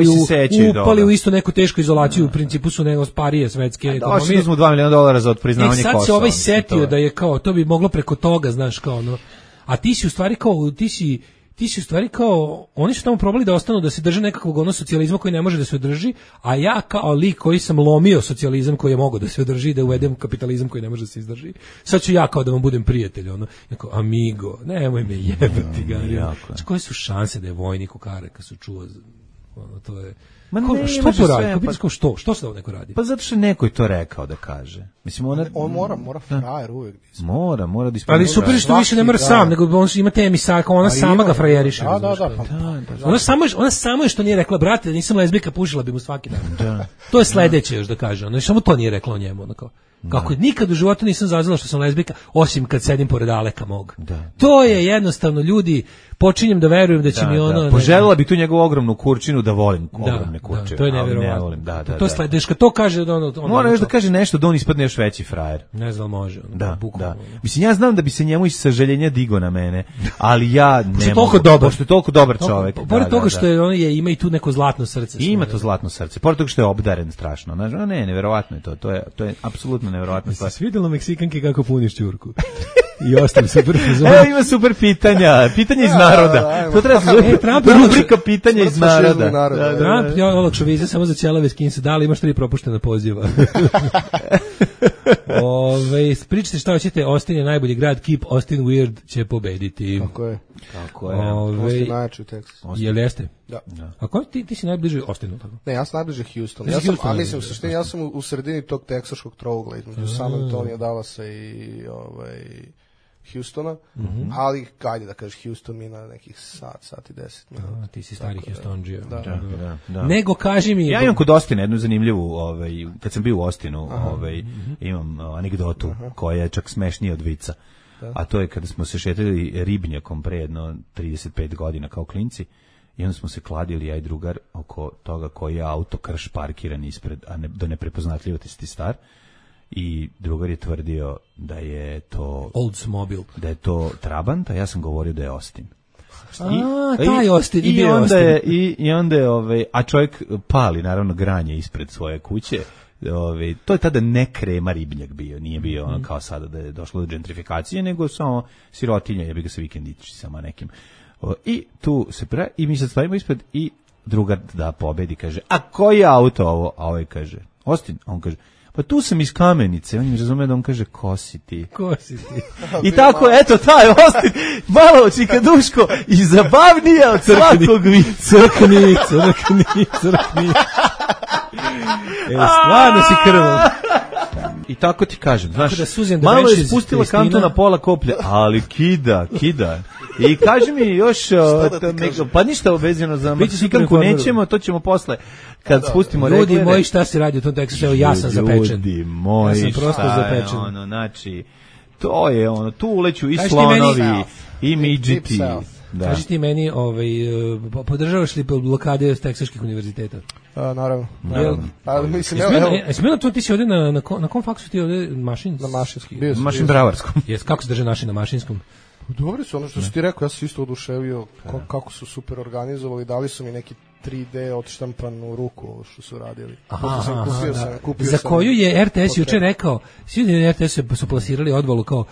upali u isto neku tešku izolaciju, u principu su nego sparije svetske ekonomije. Došli smo $2 miliona za otpriznavanje Kosova. Sad se ovaj setio da je kao to bi moglo preko toga, znaš, kao a ti si u stvari kao, oni su tamo probali da ostanu, da se drže nekakvog socijalizma koji ne može da se održi, a ja kao lik koji sam lomio socijalizam koji je mogao da se održi, da uvedem kapitalizam koji ne može da se izdrži. Sad ću ja kao da vam budem prijatelj, jako, amigo, nemoj me jebati ga. Znači, koje su šanse da je vojnik u Karakasu čuo, to je... Što to radi? Što se da neko radi? Pa zato što neko je to rekao da kaže. Mislim, on mora frajer uvijek. Mora da ispuniti. Ali super što više ne mora sam, nego on ima te emisarka, ona sama ga frajeriše. Ona samo je što nije rekla, brate, da nisam lezbijka, pušila bi mu svaki dan. To je sledeće još da kaže. Ona samo to nije rekla o njemu. Kako nikad u životu nisam zazvala što sam lezbijka, osim kad sedim pored Aleka mog. To je jednostavno, ljudi, počinjem da verujem da će mi ono... Poželjela bi tu njegovu ogromnu kurčinu da volim ogromne kurčine. To je nevjerovatno. To je sledeće, kad to kaže... Mora još da kaže nešto da on ispadne još veći frajer. Ne znam, može. Da. Mislim, ja znam da bi se njemu iz sažaljenja digo na mene, ali ja ne mogu. Pošto je toliko dobar čovjek. Pored toga što ima i tu neko zlatno srce. Ima to zlatno srce. Pored toga što je obdaren strašno. Ne, nevjerovatno je to. To je apsolutno nevjerovatno. Svidjelo Meksikanke kako puniš ćurku. I ostali super. Evo ima super pitanja. Pitanja iz naroda. To treba rubrika pitanja iz naroda. Trump je olakšao vize samo za ćelave skinse. Da li imaš 3 propuštena poziva? Pričajte šta hoćete. Austin je najbolji grad. Keep Austin weird će pobediti. Tako je. Austin najjači u Teksasu. Jel jeste? Da. A ko ti si najbliži Austinu? Ne, ja sam najbliži Houstonu. Mislim, u suštini, ja sam u sredini tog teksaškog trougla između San Antonija, Dallasa i Houstona, ali ajde da kažeš Houston mi na nekih sat i 10 minuta. Ti si stari Houstonđija. Da. Nego kaži mi... Ja imam kod Austina jednu zanimljivu, kad sam bio u Austinu, imam anegdotu koja je čak smešnija od vica. A to je kada smo se šetali ribnjakom pre jedno 35 godina kao klinci, i onda smo se kladili, ja i drugar, oko toga koji je auto krš parkiran ispred, a do neprepoznatljivosti star. I drugar je tvrdio da je to Oldsmobile, da je to Trabant, a ja sam govorio da je Austin. Taj Austin I onda je a čovjek pali naravno granje ispred svoje kuće. to je tada ne krema ribnjak bio, nije bio ono kao sada da je došlo do gentrifikacije, nego samo sirotinja, jebi ga sa vikendicama nekim. I tu se i mi sad stavimo ispred i drugar da pobedi, kaže, a koji je auto ovo? A ovaj kaže, Austin, a on kaže, pa tu sam iz Kamenice, on mi razume da on kaže, ko si ti? Ko si ti? I tako, eto, taj Austin, malo čikaduško i zabavnije od svakog vica. Crkni. Stvarno si krvav. I tako ti kažem, znaš, da malo je spustila kantu na pola koplja, ali kida. I kaži mi još, pa ništa obezirano za Meksikanku nećemo, to ćemo posle. Kad spustimo reglede. Ljudi moji, šta se radi u tom tekstu? Evo, ja sam zapečen. Ljudi moji, ja sam prosto zapečen. Znači, to je ono, tu uleću i slonovi, i midžiti. Da. Kaži ti meni, podržavaš li blokade teksaških univerziteta? Naravno. Mislim, evo to ti si ovdje na kom faksu ti ovdje mašinski? Na mašinski. Mašin bravarskom. Kako se drže naši na mašinskom? Dobri su, ono što si ti rekao, ja sam isto oduševio kako su super organizovali, dali su mi neki 3D odštampanu ruku ovo što su radili. Kupio za koju je RTS juče rekao, svi na RTS su plasirali odvalu kao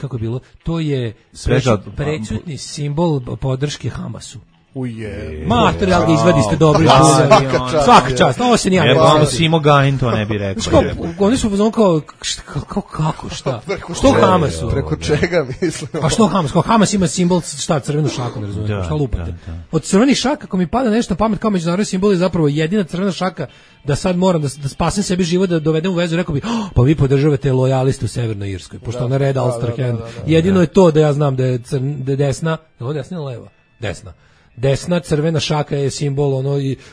kako je bilo, to je prećutni simbol podrške Hamasu. Mater, ali ga izvadiste dobro. Svaka čast, ovo se nije. Simo Gajin to ne bi rekao. Oni su pozvali kao, kako, šta? Što Hamasu? Preko čega mislim? A što Hamas? Kao Hamas ima simbol, šta, crvenu šaku, ne razumijem, šta lupate? Od crvenih šaka, ako mi pada nešto na pamet kao međunarodni simbol, je zapravo jedina crvena šaka da sad moram da spasem sebi život, da dovedem u vezu, rekao bi, pa vi podržavate lojaliste u Severnoj Irskoj, pošto ona Red Ulster Hand. Jedino je to da ja znam da je desna, ovo desna ili leva? Desna crvena šaka je simbol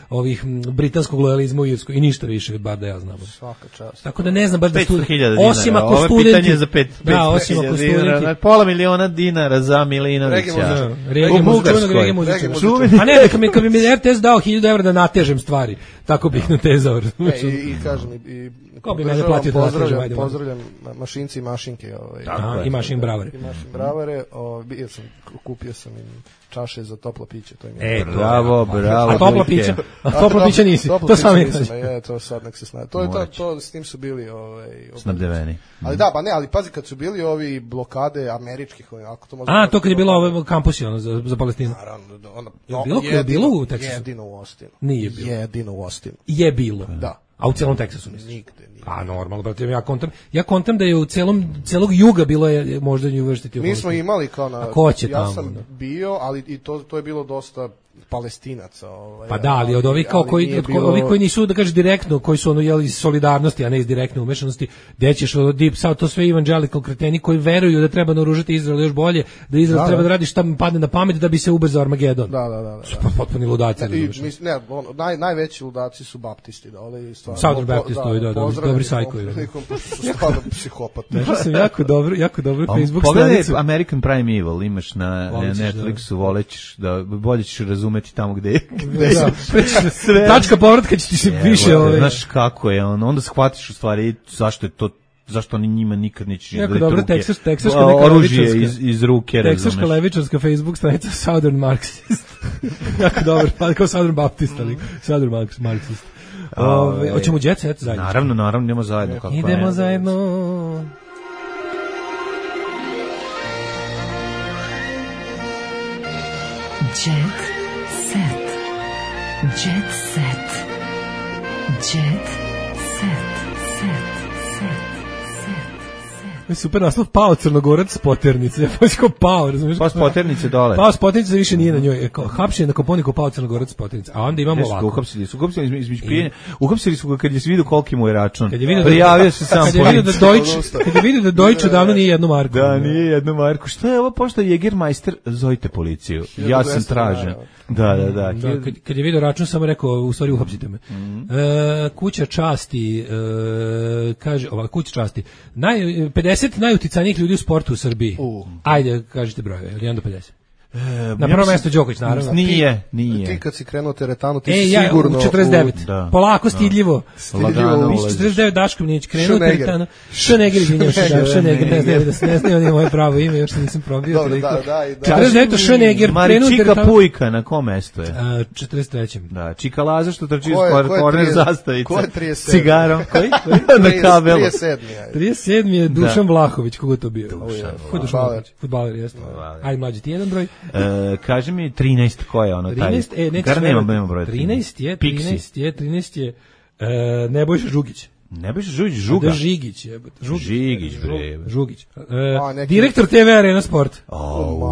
ovih britanskog lojalizma u Irskoj i ništa više, bar da ja znam. Svaka čast. Tako da ne znam baš da studenti, osim ako studenti, pitanje za 500 dinara, pola miliona dinara za Milinovića. U Bugarskoj. A ne, kad bi mi RTS dao 1000 evra da natežem stvari, tako bih natezao. I kažem, ko bi mene platio da natežem? Pozdravljam mašinci i mašinke. I mašin bravare. Kupio sam im čaše za toplo piće, to im je. Bravo. A toplo piće nisi. To sam je. To sad nek se snaje. To s tim su bili snabdeveni. Ali da, ali pazi kad su bili ovi blokade američkih, ako to može. To kad je bilo kampusi za Palestinu. Naravno. Je bilo u Teksasu. Jedino u Austinu. Nije bilo. Jedino u Austinu. Je bilo. Da. A u celom Teksasu misliš? Nigde. A normalno, brate, ja kontam da je u celog juga bilo je možda nju uvrstiti. Mi smo imali kao na... A ko će ja tamo? Sam bio, ali i to je bilo dosta Palestinaca. Pa da, ali od ovih kao koji nisu, da kažeš, direktno, koji su iz solidarnosti, a ne iz direktne umešanosti, gde ćeš od Deep South, to sve evangelical kreteni koji veruju da treba naoružati Izrael još bolje, da Izrael treba da radi šta mu padne na pamet da bi se ubrzao Armagedon. Da. Potpuni ludaci. Najveći ludaci su baptisti. Southern Baptist, dobri sajkovi. Su stvarno psihopati. Našao sam jako dobro Facebook stranicu. Pogledaj American Prime Evil, imaš na Netflixu, volećeš da bolje ćeš razumeti tamo gde sve. Tačka povratka će ti se više. Znaš kako je, onda shvatiš u stvari zašto oni njima nikad neće jako dobro, oružje iz ruke, razumeš. Teksaška levičarska Facebook stranica Southern Marxist. Jako dobro, pa kao Southern Baptist, ali Southern Marxist. Hoćemo Jet Set zajedno? Naravno, idemo zajedno. Idemo zajedno. Jet Set. Jet Set. Jet Set. Super naslov, pao Crnogorac s poternice. Pao, razumiješ? Pao s poternice dole. Pao s poternice više nije na njoj. Hapšen na Koponiku, pao Crnogorac s poternice. A onda imamo ovako. Uhapsili su ga kad je vidio koliki mu je račun. Prijavio se sam policiju. Kad je vidio da Deutsche davno nije jednu marku. Da, nije jednu marku. Šta je ovo pošta Jägermeister? Zovite policiju. Ja sam tražen. Da. Kad je vidio račun, samo rekao, u stvari uhapsite me. Kuća časti, kaže, kuća časti. 50 najuticajnijih ljudi u sportu u Srbiji. Ajde, kažite brojeve, 1 do 50. Na prvo mesto Đoković, naravno. Nije. Ti kad si krenuo teretanu, ti si ja, sigurno... 49. Polako, stidljivo. Stidljivo. 49 Daško Minić, krenuo teretanu. Šoneger, izvinjam se, Šoneger, ne znaju oni moje pravo ime, još nisam probio. Dobro, da. 49. Šoneger, krenuo teretanu. Čika Pujka, na kom mestu je? 43. Da, Čika Laza što trči iz korner zastavice. Ko je 37? Cigarom. Koji? Na kabelu. 37 je Dušan Vlahović, kogo to bio? Fudbaler, jeste. Ajde, mlađi ti jedan broj. Kaži mi 13, ko je ono taj? 13, nema broja. 13 je Nebojša Žugić. Nebojša Žugić, Žuga. Da, Žigić. Žugić. Direktor TV Arena Sport.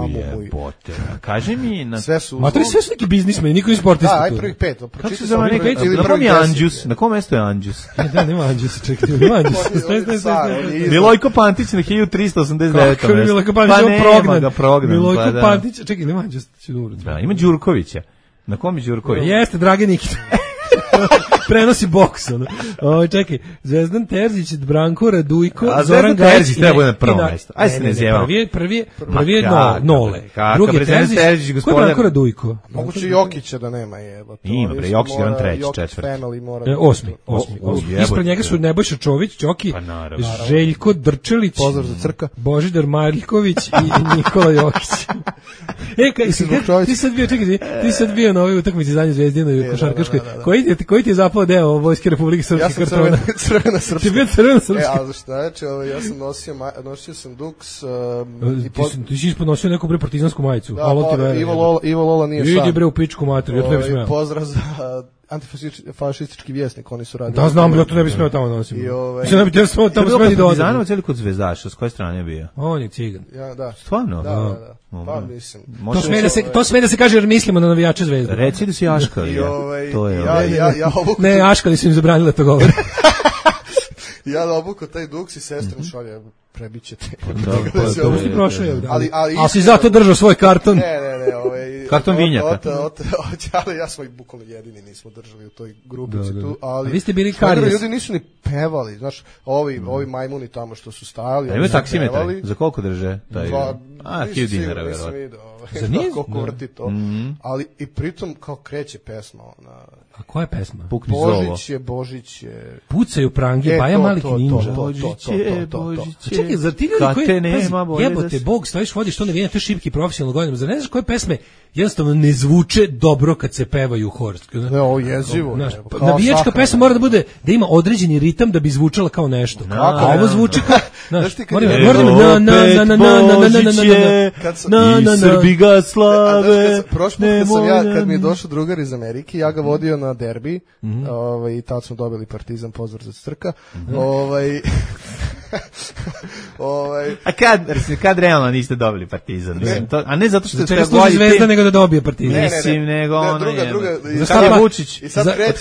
Jebote. Kaži mi... Sve su neki biznismeni, niko iz sportista. Da, aj prvih 5. Kako se zove neki? Na kom je Anđus? Na kom mesto je Anđus? Da, nema Anđus, čekajte, nema Anđus. Milojko Pantić na 1389. Kako je Milojko Pantić prognan? Milojko Pantić, čekaj, nema Anđus. Da, ima Đurkovića. Na kom je Đurković? Jeste, Drage Nikita. Prenosi boks. Čekaj, Zvezdan Terzić, Branko Radujko, Zoran Gajić. Terzić treba na prvo mesto. Ajde se ne zjevamo. Prvi je Nole. Drugi je Terzić. Ko je Branko Radujko? Moguće Jokića da nema jeba. Ima, bre, Jokić je on treći, četvrti. Osmi. Ispred njega su Nebojša Čović, Ćoki, Željko Drčelić, pozdrav za Crka, Božidar Maljković i Nikola Jokić. Ti sad bio na ovoj utakmici zadnje Zvezdinoj košarkaškoj. Koji ti je zapao deo Vojske Republike Srpske kartona? Ja sam crvena srpska. Ti je bio crvena srpska. Ali šta je, ja sam nosio sam duks. Ti si isponosio neku bre partizansku majicu. Da, Ivo Lola nije sam. Idi bre u pičku materiju, ja to ne bi smeo. Pozdrav za antifašistički vjesnik, oni su radili. Da, znam, ja to ne bi smeo tamo nosim. Mislim, ne bi tjera tamo smeo ni dođe. Partizanovac ili kod Zvezdaša, s koje strane je bio? On je cigan. Ja, da. Stvarno? Da. Pa mislim. To sme da se kaže jer mislimo na navijače Zvezde. Reci da si Aškali. To je ne, Aškali su im zabranili to govore. Ja obuko taj duks i sestram šalje, prebićete. Ali si zato držao svoj karton. Ne, karton vinjaka. Ali ja smo ih bukvalno jedini nismo držali u toj grupici tu, ali vi ste bili Karijes. Ljudi nisu ni pevali, znaš, ovi majmuni tamo što su stajali. Ima taksimetre, za koliko drže? 1000 dinara, verovatno. Za niz? Koliko vrti to. Ali i pritom kao kreće pesma. A koja je pesma? Pukni zovo. Božić je... Pucaju prange, Baja Malik Ninja. Božić je. Čekaj, zar ti ljudi koji... Jebote, Bog, stojiš, vodiš to navijanje, to je šipki profesionalno godinama. Zar ne znaš koje pesme jednostavno ne zvuče dobro kad se pevaju u hor? Ne, ovo jezivo. Navijačka pesma mora da bude, da ima određeni ritam da bi zvučala kao nešto. A ovo zvuči kao... I Srbi ga slave. Prošli kad mi je došao drugar iz Amerike, ja ga vodio na derbi, i tad smo dobili Partizan, pozdrav za Crka. A kad realno niste dobili Partizan? A ne zato što ste služi Zvezda nego da dobije Partizan. Mislim, nego ono je. Kad je Vučić?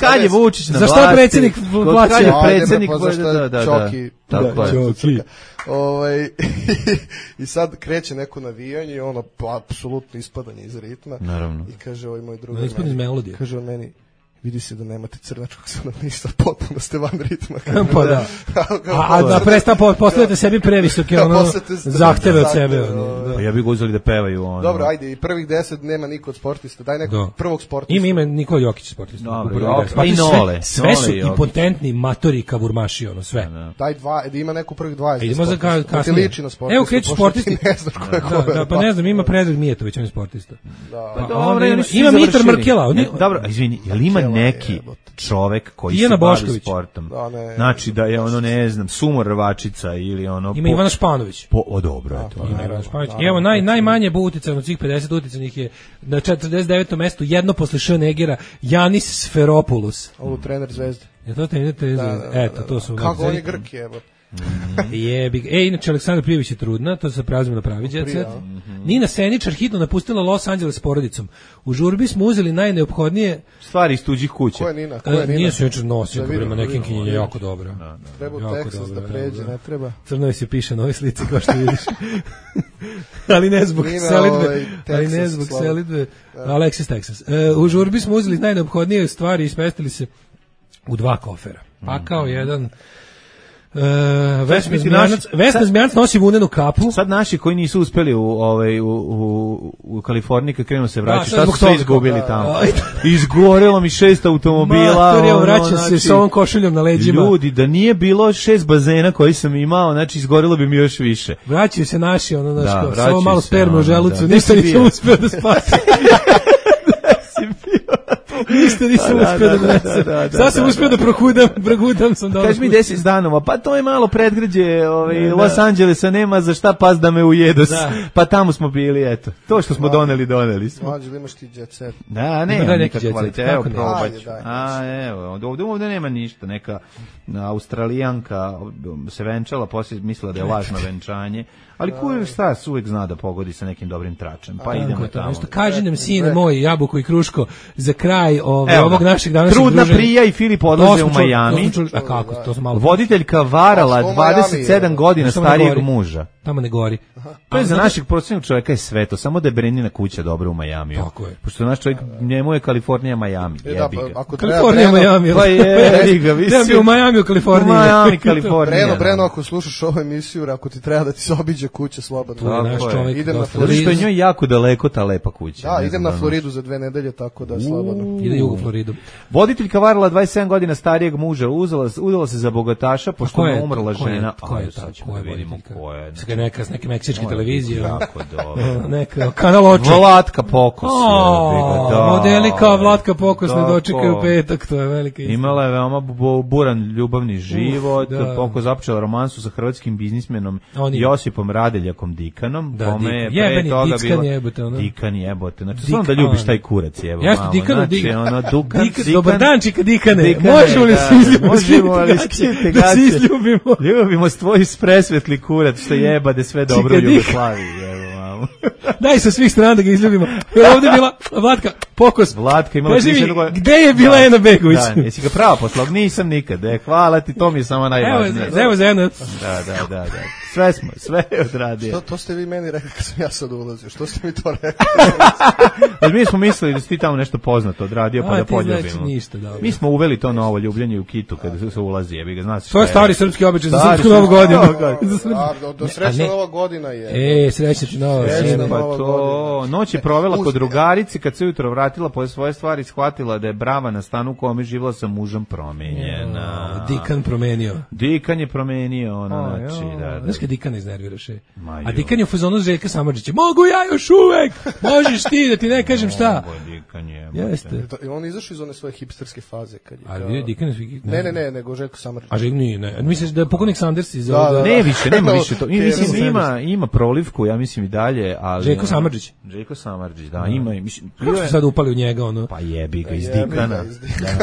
Kad je Vučić na vlasti? Zašto predsjednik plaća? Kad je predsjednik? Čoki. Čoki. I sad kreće neko navijanje i ono apsolutno ispadanje iz ritma. Naravno. I kaže ovaj moj drugar, kaže on meni, vidi se da nemate crnačkog stanovništva, potpuno ste van ritma. Pa da. A da postavljate sebi previsoke zahteve od sebe. Pa ja bih ga uzeli da pevaju. Dobro, ajde, i prvih 10 nema niko od sportista. Daj nekog prvog sportista. Ima Nikola Jokić sportista. Dobro, pa i Nole. Sve su impotentni matori kavurmaši, ono sve. Daj dva, ima neku prvih 20. Idemo za kasnije. Evo kreću sportisti. Ne znaš ko je ko. Da, pa ne znam, ima Predrag Mijetović, on je sportista. Ima Mitar Mrkela. Dobro, izvini, jel ima neki čovek koji se bavi sportom? Znači da je ono, ne znam, Sumor Rvačica ili ono... Ima Ivana Španović. Dobro je to. Ima Ivana Španović. I evo, najmanje butica od svih 50 uticanih je na 49. mestu, jedno posle Schönegera, Janis Sferopoulos. Ovo trener Zvezde. Je to trener Zvezde? Eto, to su... Kako on je Grk je, evo. Inače Aleksandra Prijević je trudna, to se prelazimo na pravi djecet. Nina Seničar hitno napustila Los Angeles s porodicom. U žurbi smo uzeli najneophodnije stvari iz tuđih kuća. Ko je Nina? Nina Seničar nosi prema nekim kinjenje jako dobro. Treba u Texas da pređe, ne treba. Crno se piše na ovoj slici kao što vidiš. Ali ne zbog selidbe. Alexis Texas. U žurbi smo uzeli najneophodnije stvari i smestili se u 2 kofera. Pakao jedan Vesna Zmijanac nosi vunenu kapu. Sad naši koji nisu uspeli u Kaliforniji kad krenu se vraćati, šta su sve izgubili tamo? Izgorelo mi 6 automobila. Mater, vraćam se s ovom košuljom na leđima. Ljudi, da nije bilo 6 bazena koji sam imao, znači izgorelo bi mi još više. Vraćaju se naši, samo malo sperme u želucu, ništa nisam uspio da spasi. Ništa nisam uspio da donesem. Sad sam uspio da progudam sam dobro. Kaži mi 10 danova, pa to je malo predgrađe Los Angelesa, nema za šta pas da me ujedu. Pa tamo smo bili, eto. To što smo doneli smo. Mlađe, imaš ti jet set. Da, nema nikakva kvaliteta. Evo, probat ću. Ovdje nema ništa. Neka Australijanka se venčala, poslije mislila da je lažno venčanje. Ali kurir Stars uvijek zna da pogodi sa nekim dobrim tračem. Pa idemo tamo. Kaži nam, sine moj, Jabuko i Kruško, za kraj ovog našeg današnjeg druženja. Trudna Prija i Filip odlaze u Miami. A kako? To su malo... Voditeljka varala 27 godina starijeg muža. Tamo ne gori. To je za našeg prosječnog čovjeka je sveto, samo da je Brenina kuća dobra u Majamiju. Tako je. Pošto naš čovjek, njemu je Kalifornija Majami. Kalifornija Majami. Pa je, ga, Treba bi u Majamiju, Kaliforniji. U Majami, Kalifornija. Breno, ako slušaš ovu emisiju, ako ti treba da ti se obiđe kuća slobodno. Naš čovjek. Idem na Floridu. Što je njoj jako daleko ta lepa kuća. Da, idem na Floridu za 2 nedelje, tako da slobodno. Ide jugo Floridu. Voditeljka varala 27 godina starijeg muža, udala se za bogataša, pošto je umrla žena. Ko je ta? Ko je, vidimo ko je. Neke meksičke televizije. Jako dobro. Neka kanal oče. Vlatka Pokos. Modeli kao Vlatka Pokos ne dočekaju petak, to je velika istina. Imala je veoma buran ljubavni život, Pokos započela romansu sa hrvatskim biznismenom Josipom Radeljakom Dikanom, kome je pre toga bilo Dikan jebote. Znači, samo da ljubiš taj kurac, evo. Jeste, Dikan, Dikan. Dobar dan, čika Dikane. Možemo li se izljubiti? Da se izljubimo. Ljubimo s tvoj presvetli kurac, što jebade sve dobro u Jugoslaviji, evo, mamo. Daj sa svih strana da ga izljubimo. Jer ovdje je bila Vlatka Pokos. Vlatka imala gde je bila Ena Begović? Da, jesi ga pravo poslao? Nisam nikad. Hvala ti, to mi je samo najvažnije. Evo za jedno. Da. Sve je odradio. To ste vi meni rekli kad sam ja sad ulazio. Što ste mi to rekli? Mi smo mislili da si ti tamo nešto poznato odradio pa da poljubimo. Znači ništa, dobro. Mi smo uveli to novo ljubljenje u Kitu kada se ulazi. Jebi ga, znaš. To je stari srpski običaj za srpsku novu godinu. Do srećna nova godina je. Srećna nova. Pa to, noć je provela kod drugarici, kad se ujutro vratila po svoje stvari, shvatila da je brava na stanu u kome živjela sa mužem promenjena. Dikan je promenio, znači, da. Znaš kad Dikan iznerviraš je? A Dikan je u fazonu Željka Samardžića. Mogu ja još uvek! Možeš ti da ti ne kažem šta? Dikan je. Jeste. On izašao iz one svoje hipsterske faze. Ali Dikan je... Ne, nego Željko Samardžić. A Željko nije, ne. Misliš da je pokojnik Sanders iz... Ne više, nema više to. Mislim, ima prolivku, ja mislim i dalje, ali... Željko Samardžić, da, ima. Kako su sad upali u njega, ono? Pa jebi ga, iz Dikana.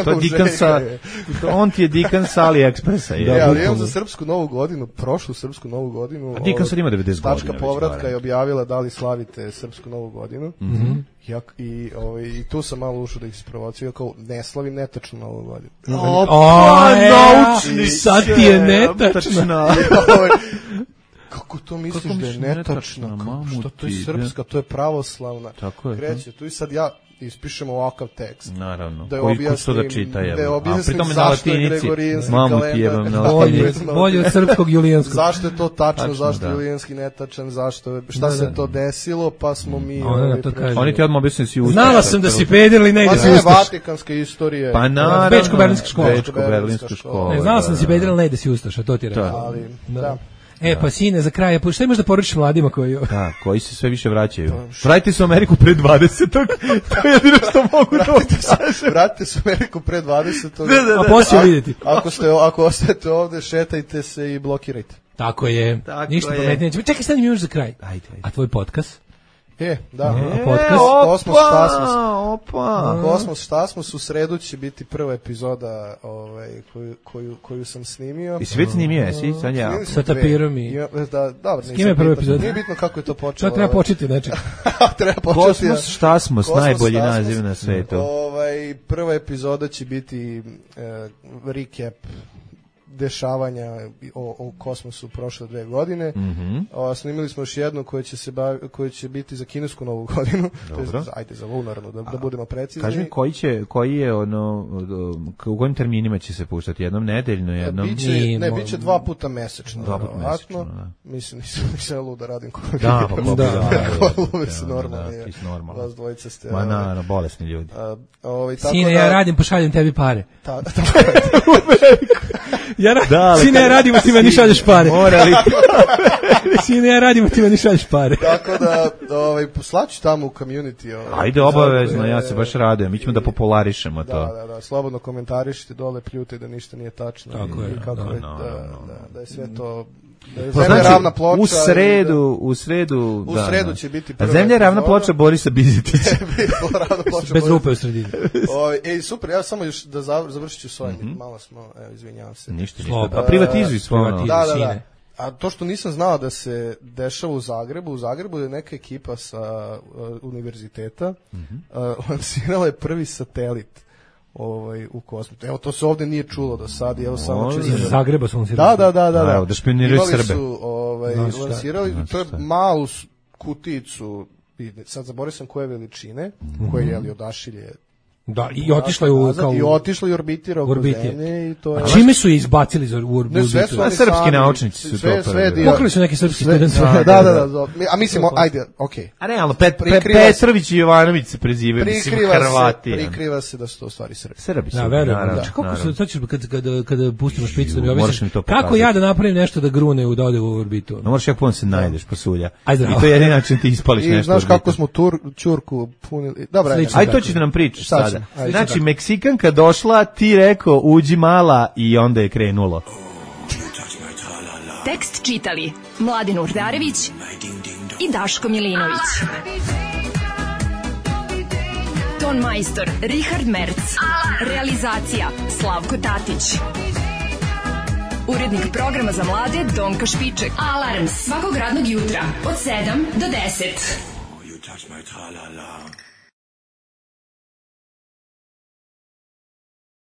To je Dikan sa... On ti je Dikan sa AliExpressa. Ali imam za srpsku novu godinu, prošlu srpsku novu godinu. A Dikan sad ima 90 godina. Tačka povratka je objavila da li slavite srpsku novu godinu. I tu sam malo ušao da ih sprovociju, kao ne slavim netačno novu godinu. Naučni sad ti je netačna. Kako to misliš da je netačna? Što to je srpska, to je pravoslavna. Kreće, tu i sad ja ispišem ovakav tekst. Naravno. Da objasnim zašto je Gregorijanski kalendar. Bolje od srpskog julijanskog. Zašto je to tačno, zašto je julijanski netačan, šta se to desilo, pa smo mi... Oni ti odmah objasnili si ustaš. Znala sam da si peder ili ne da si ustaš. Pa ne, vatikanska istorija. Pa naravno. Bečko-berlinska škola. Znala sam da si peder ili ne da si ustaš, a to ti rekao. Da. Pa sine, za kraj, šta imaš da poručiš mladima koji se sve više vraćaju? Vratite se u Ameriku pre 20. To je jedino što mogu da kažem. Vratite se u Ameriku pre 20. A poslije vidjeti. Ako ostajete ovde, šetajte se i blokirajte. Tako je. Ništa pametnije. Čekaj, stani mi još za kraj. A tvoj podcast? Da. Podcast? Kosmos šta smo, u sredu će biti prva epizoda koju sam snimio. I si već snimio, jesi? Sa tapirom i... S kim je prva epizoda? Nije bitno kako je to počelo. Šta treba početi, nečeg? Kosmos šta smo, najbolji naziv na svetu. Prva epizoda će biti recap dešavanja o kosmosu prošle 2 godine. Snimili smo još jednu koja će biti za kinesku novu godinu. To je, ajde, za lunarnu, da budemo precizni. Kaži mi, koji je u kojim terminima će se puštati? Jednom nedeljno, jednom... Biće 2 puta mesečno. 2 puta mesečno, da. Mislim, nisam lud da radim koliko. Da, normalno. Vas dvojica ste... Ma na, bolesni ljudi. Sine, ja radim, pošaljem tebi pare. Sine, ja radim, ti meni šalješ pare. Sine, ja radim, ti meni šalješ pare. Tako da, poslaću tamo u community. Ajde, obavezno, ja se baš radujem. Mi ćemo da popularišemo to. Da, slobodno komentarišite dole, pljute da ništa nije tačno. Tako je. Da je sve to... Zemlja ravna ploča. U sredu će biti prva. Zemlja ravna ploča Borisa Bizetića. Bez rupe u sredini. Super, ja samo još da završit ću svoje. Malo smo, izvinjavam se. Ništa. Pa privatizuj svoje. Da. A to što nisam znao da se dešava u Zagrebu je neka ekipa sa univerziteta lansirala je prvi satelit u kosmosu. Evo, to se ovde nije čulo do sad. Evo, samo ću... Iz Zagreba su lansirali. Da. Da špioniraju Srbe. Imali su lansirali, to je malu kuticu, sad zaboravio sam koje veličine, koje je odašilje. Da, i otišla je i orbitira oko Zemlje i to je... A čime su je izbacili za orbitu? Srpski naučnici su to prvi. Pokrili su neki srpski studenti. Da. A mislim, ajde, okej. A realno, Petrović i Jovanović se prezivaju, mislim, Hrvati. Prikriva se da su to u stvari Srbi. Srbi su, naravno. Kako se, sad ćeš, kada pustimo špicu da mi objasniš, kako ja da napravim nešto da grune da ode u orbitu? No, moraš jako puno se najdeš, pasulja. I to je jedin način ti ispališ nešto. I znaš kako smo Ćurku punili. Dobro, aj to ćeš da nam pričaš sada. Znači, Meksikanka došla, ti rekao, uđi mala i onda je krenulo. Tekst čitali Mladin Urdarević i Daško Milinović. Ton majstor Richard Merc. Realizacija Slavko Tatić. Urednik programa za mlade Donka Špiček. Alarms svakog radnog jutra od 7 do 10.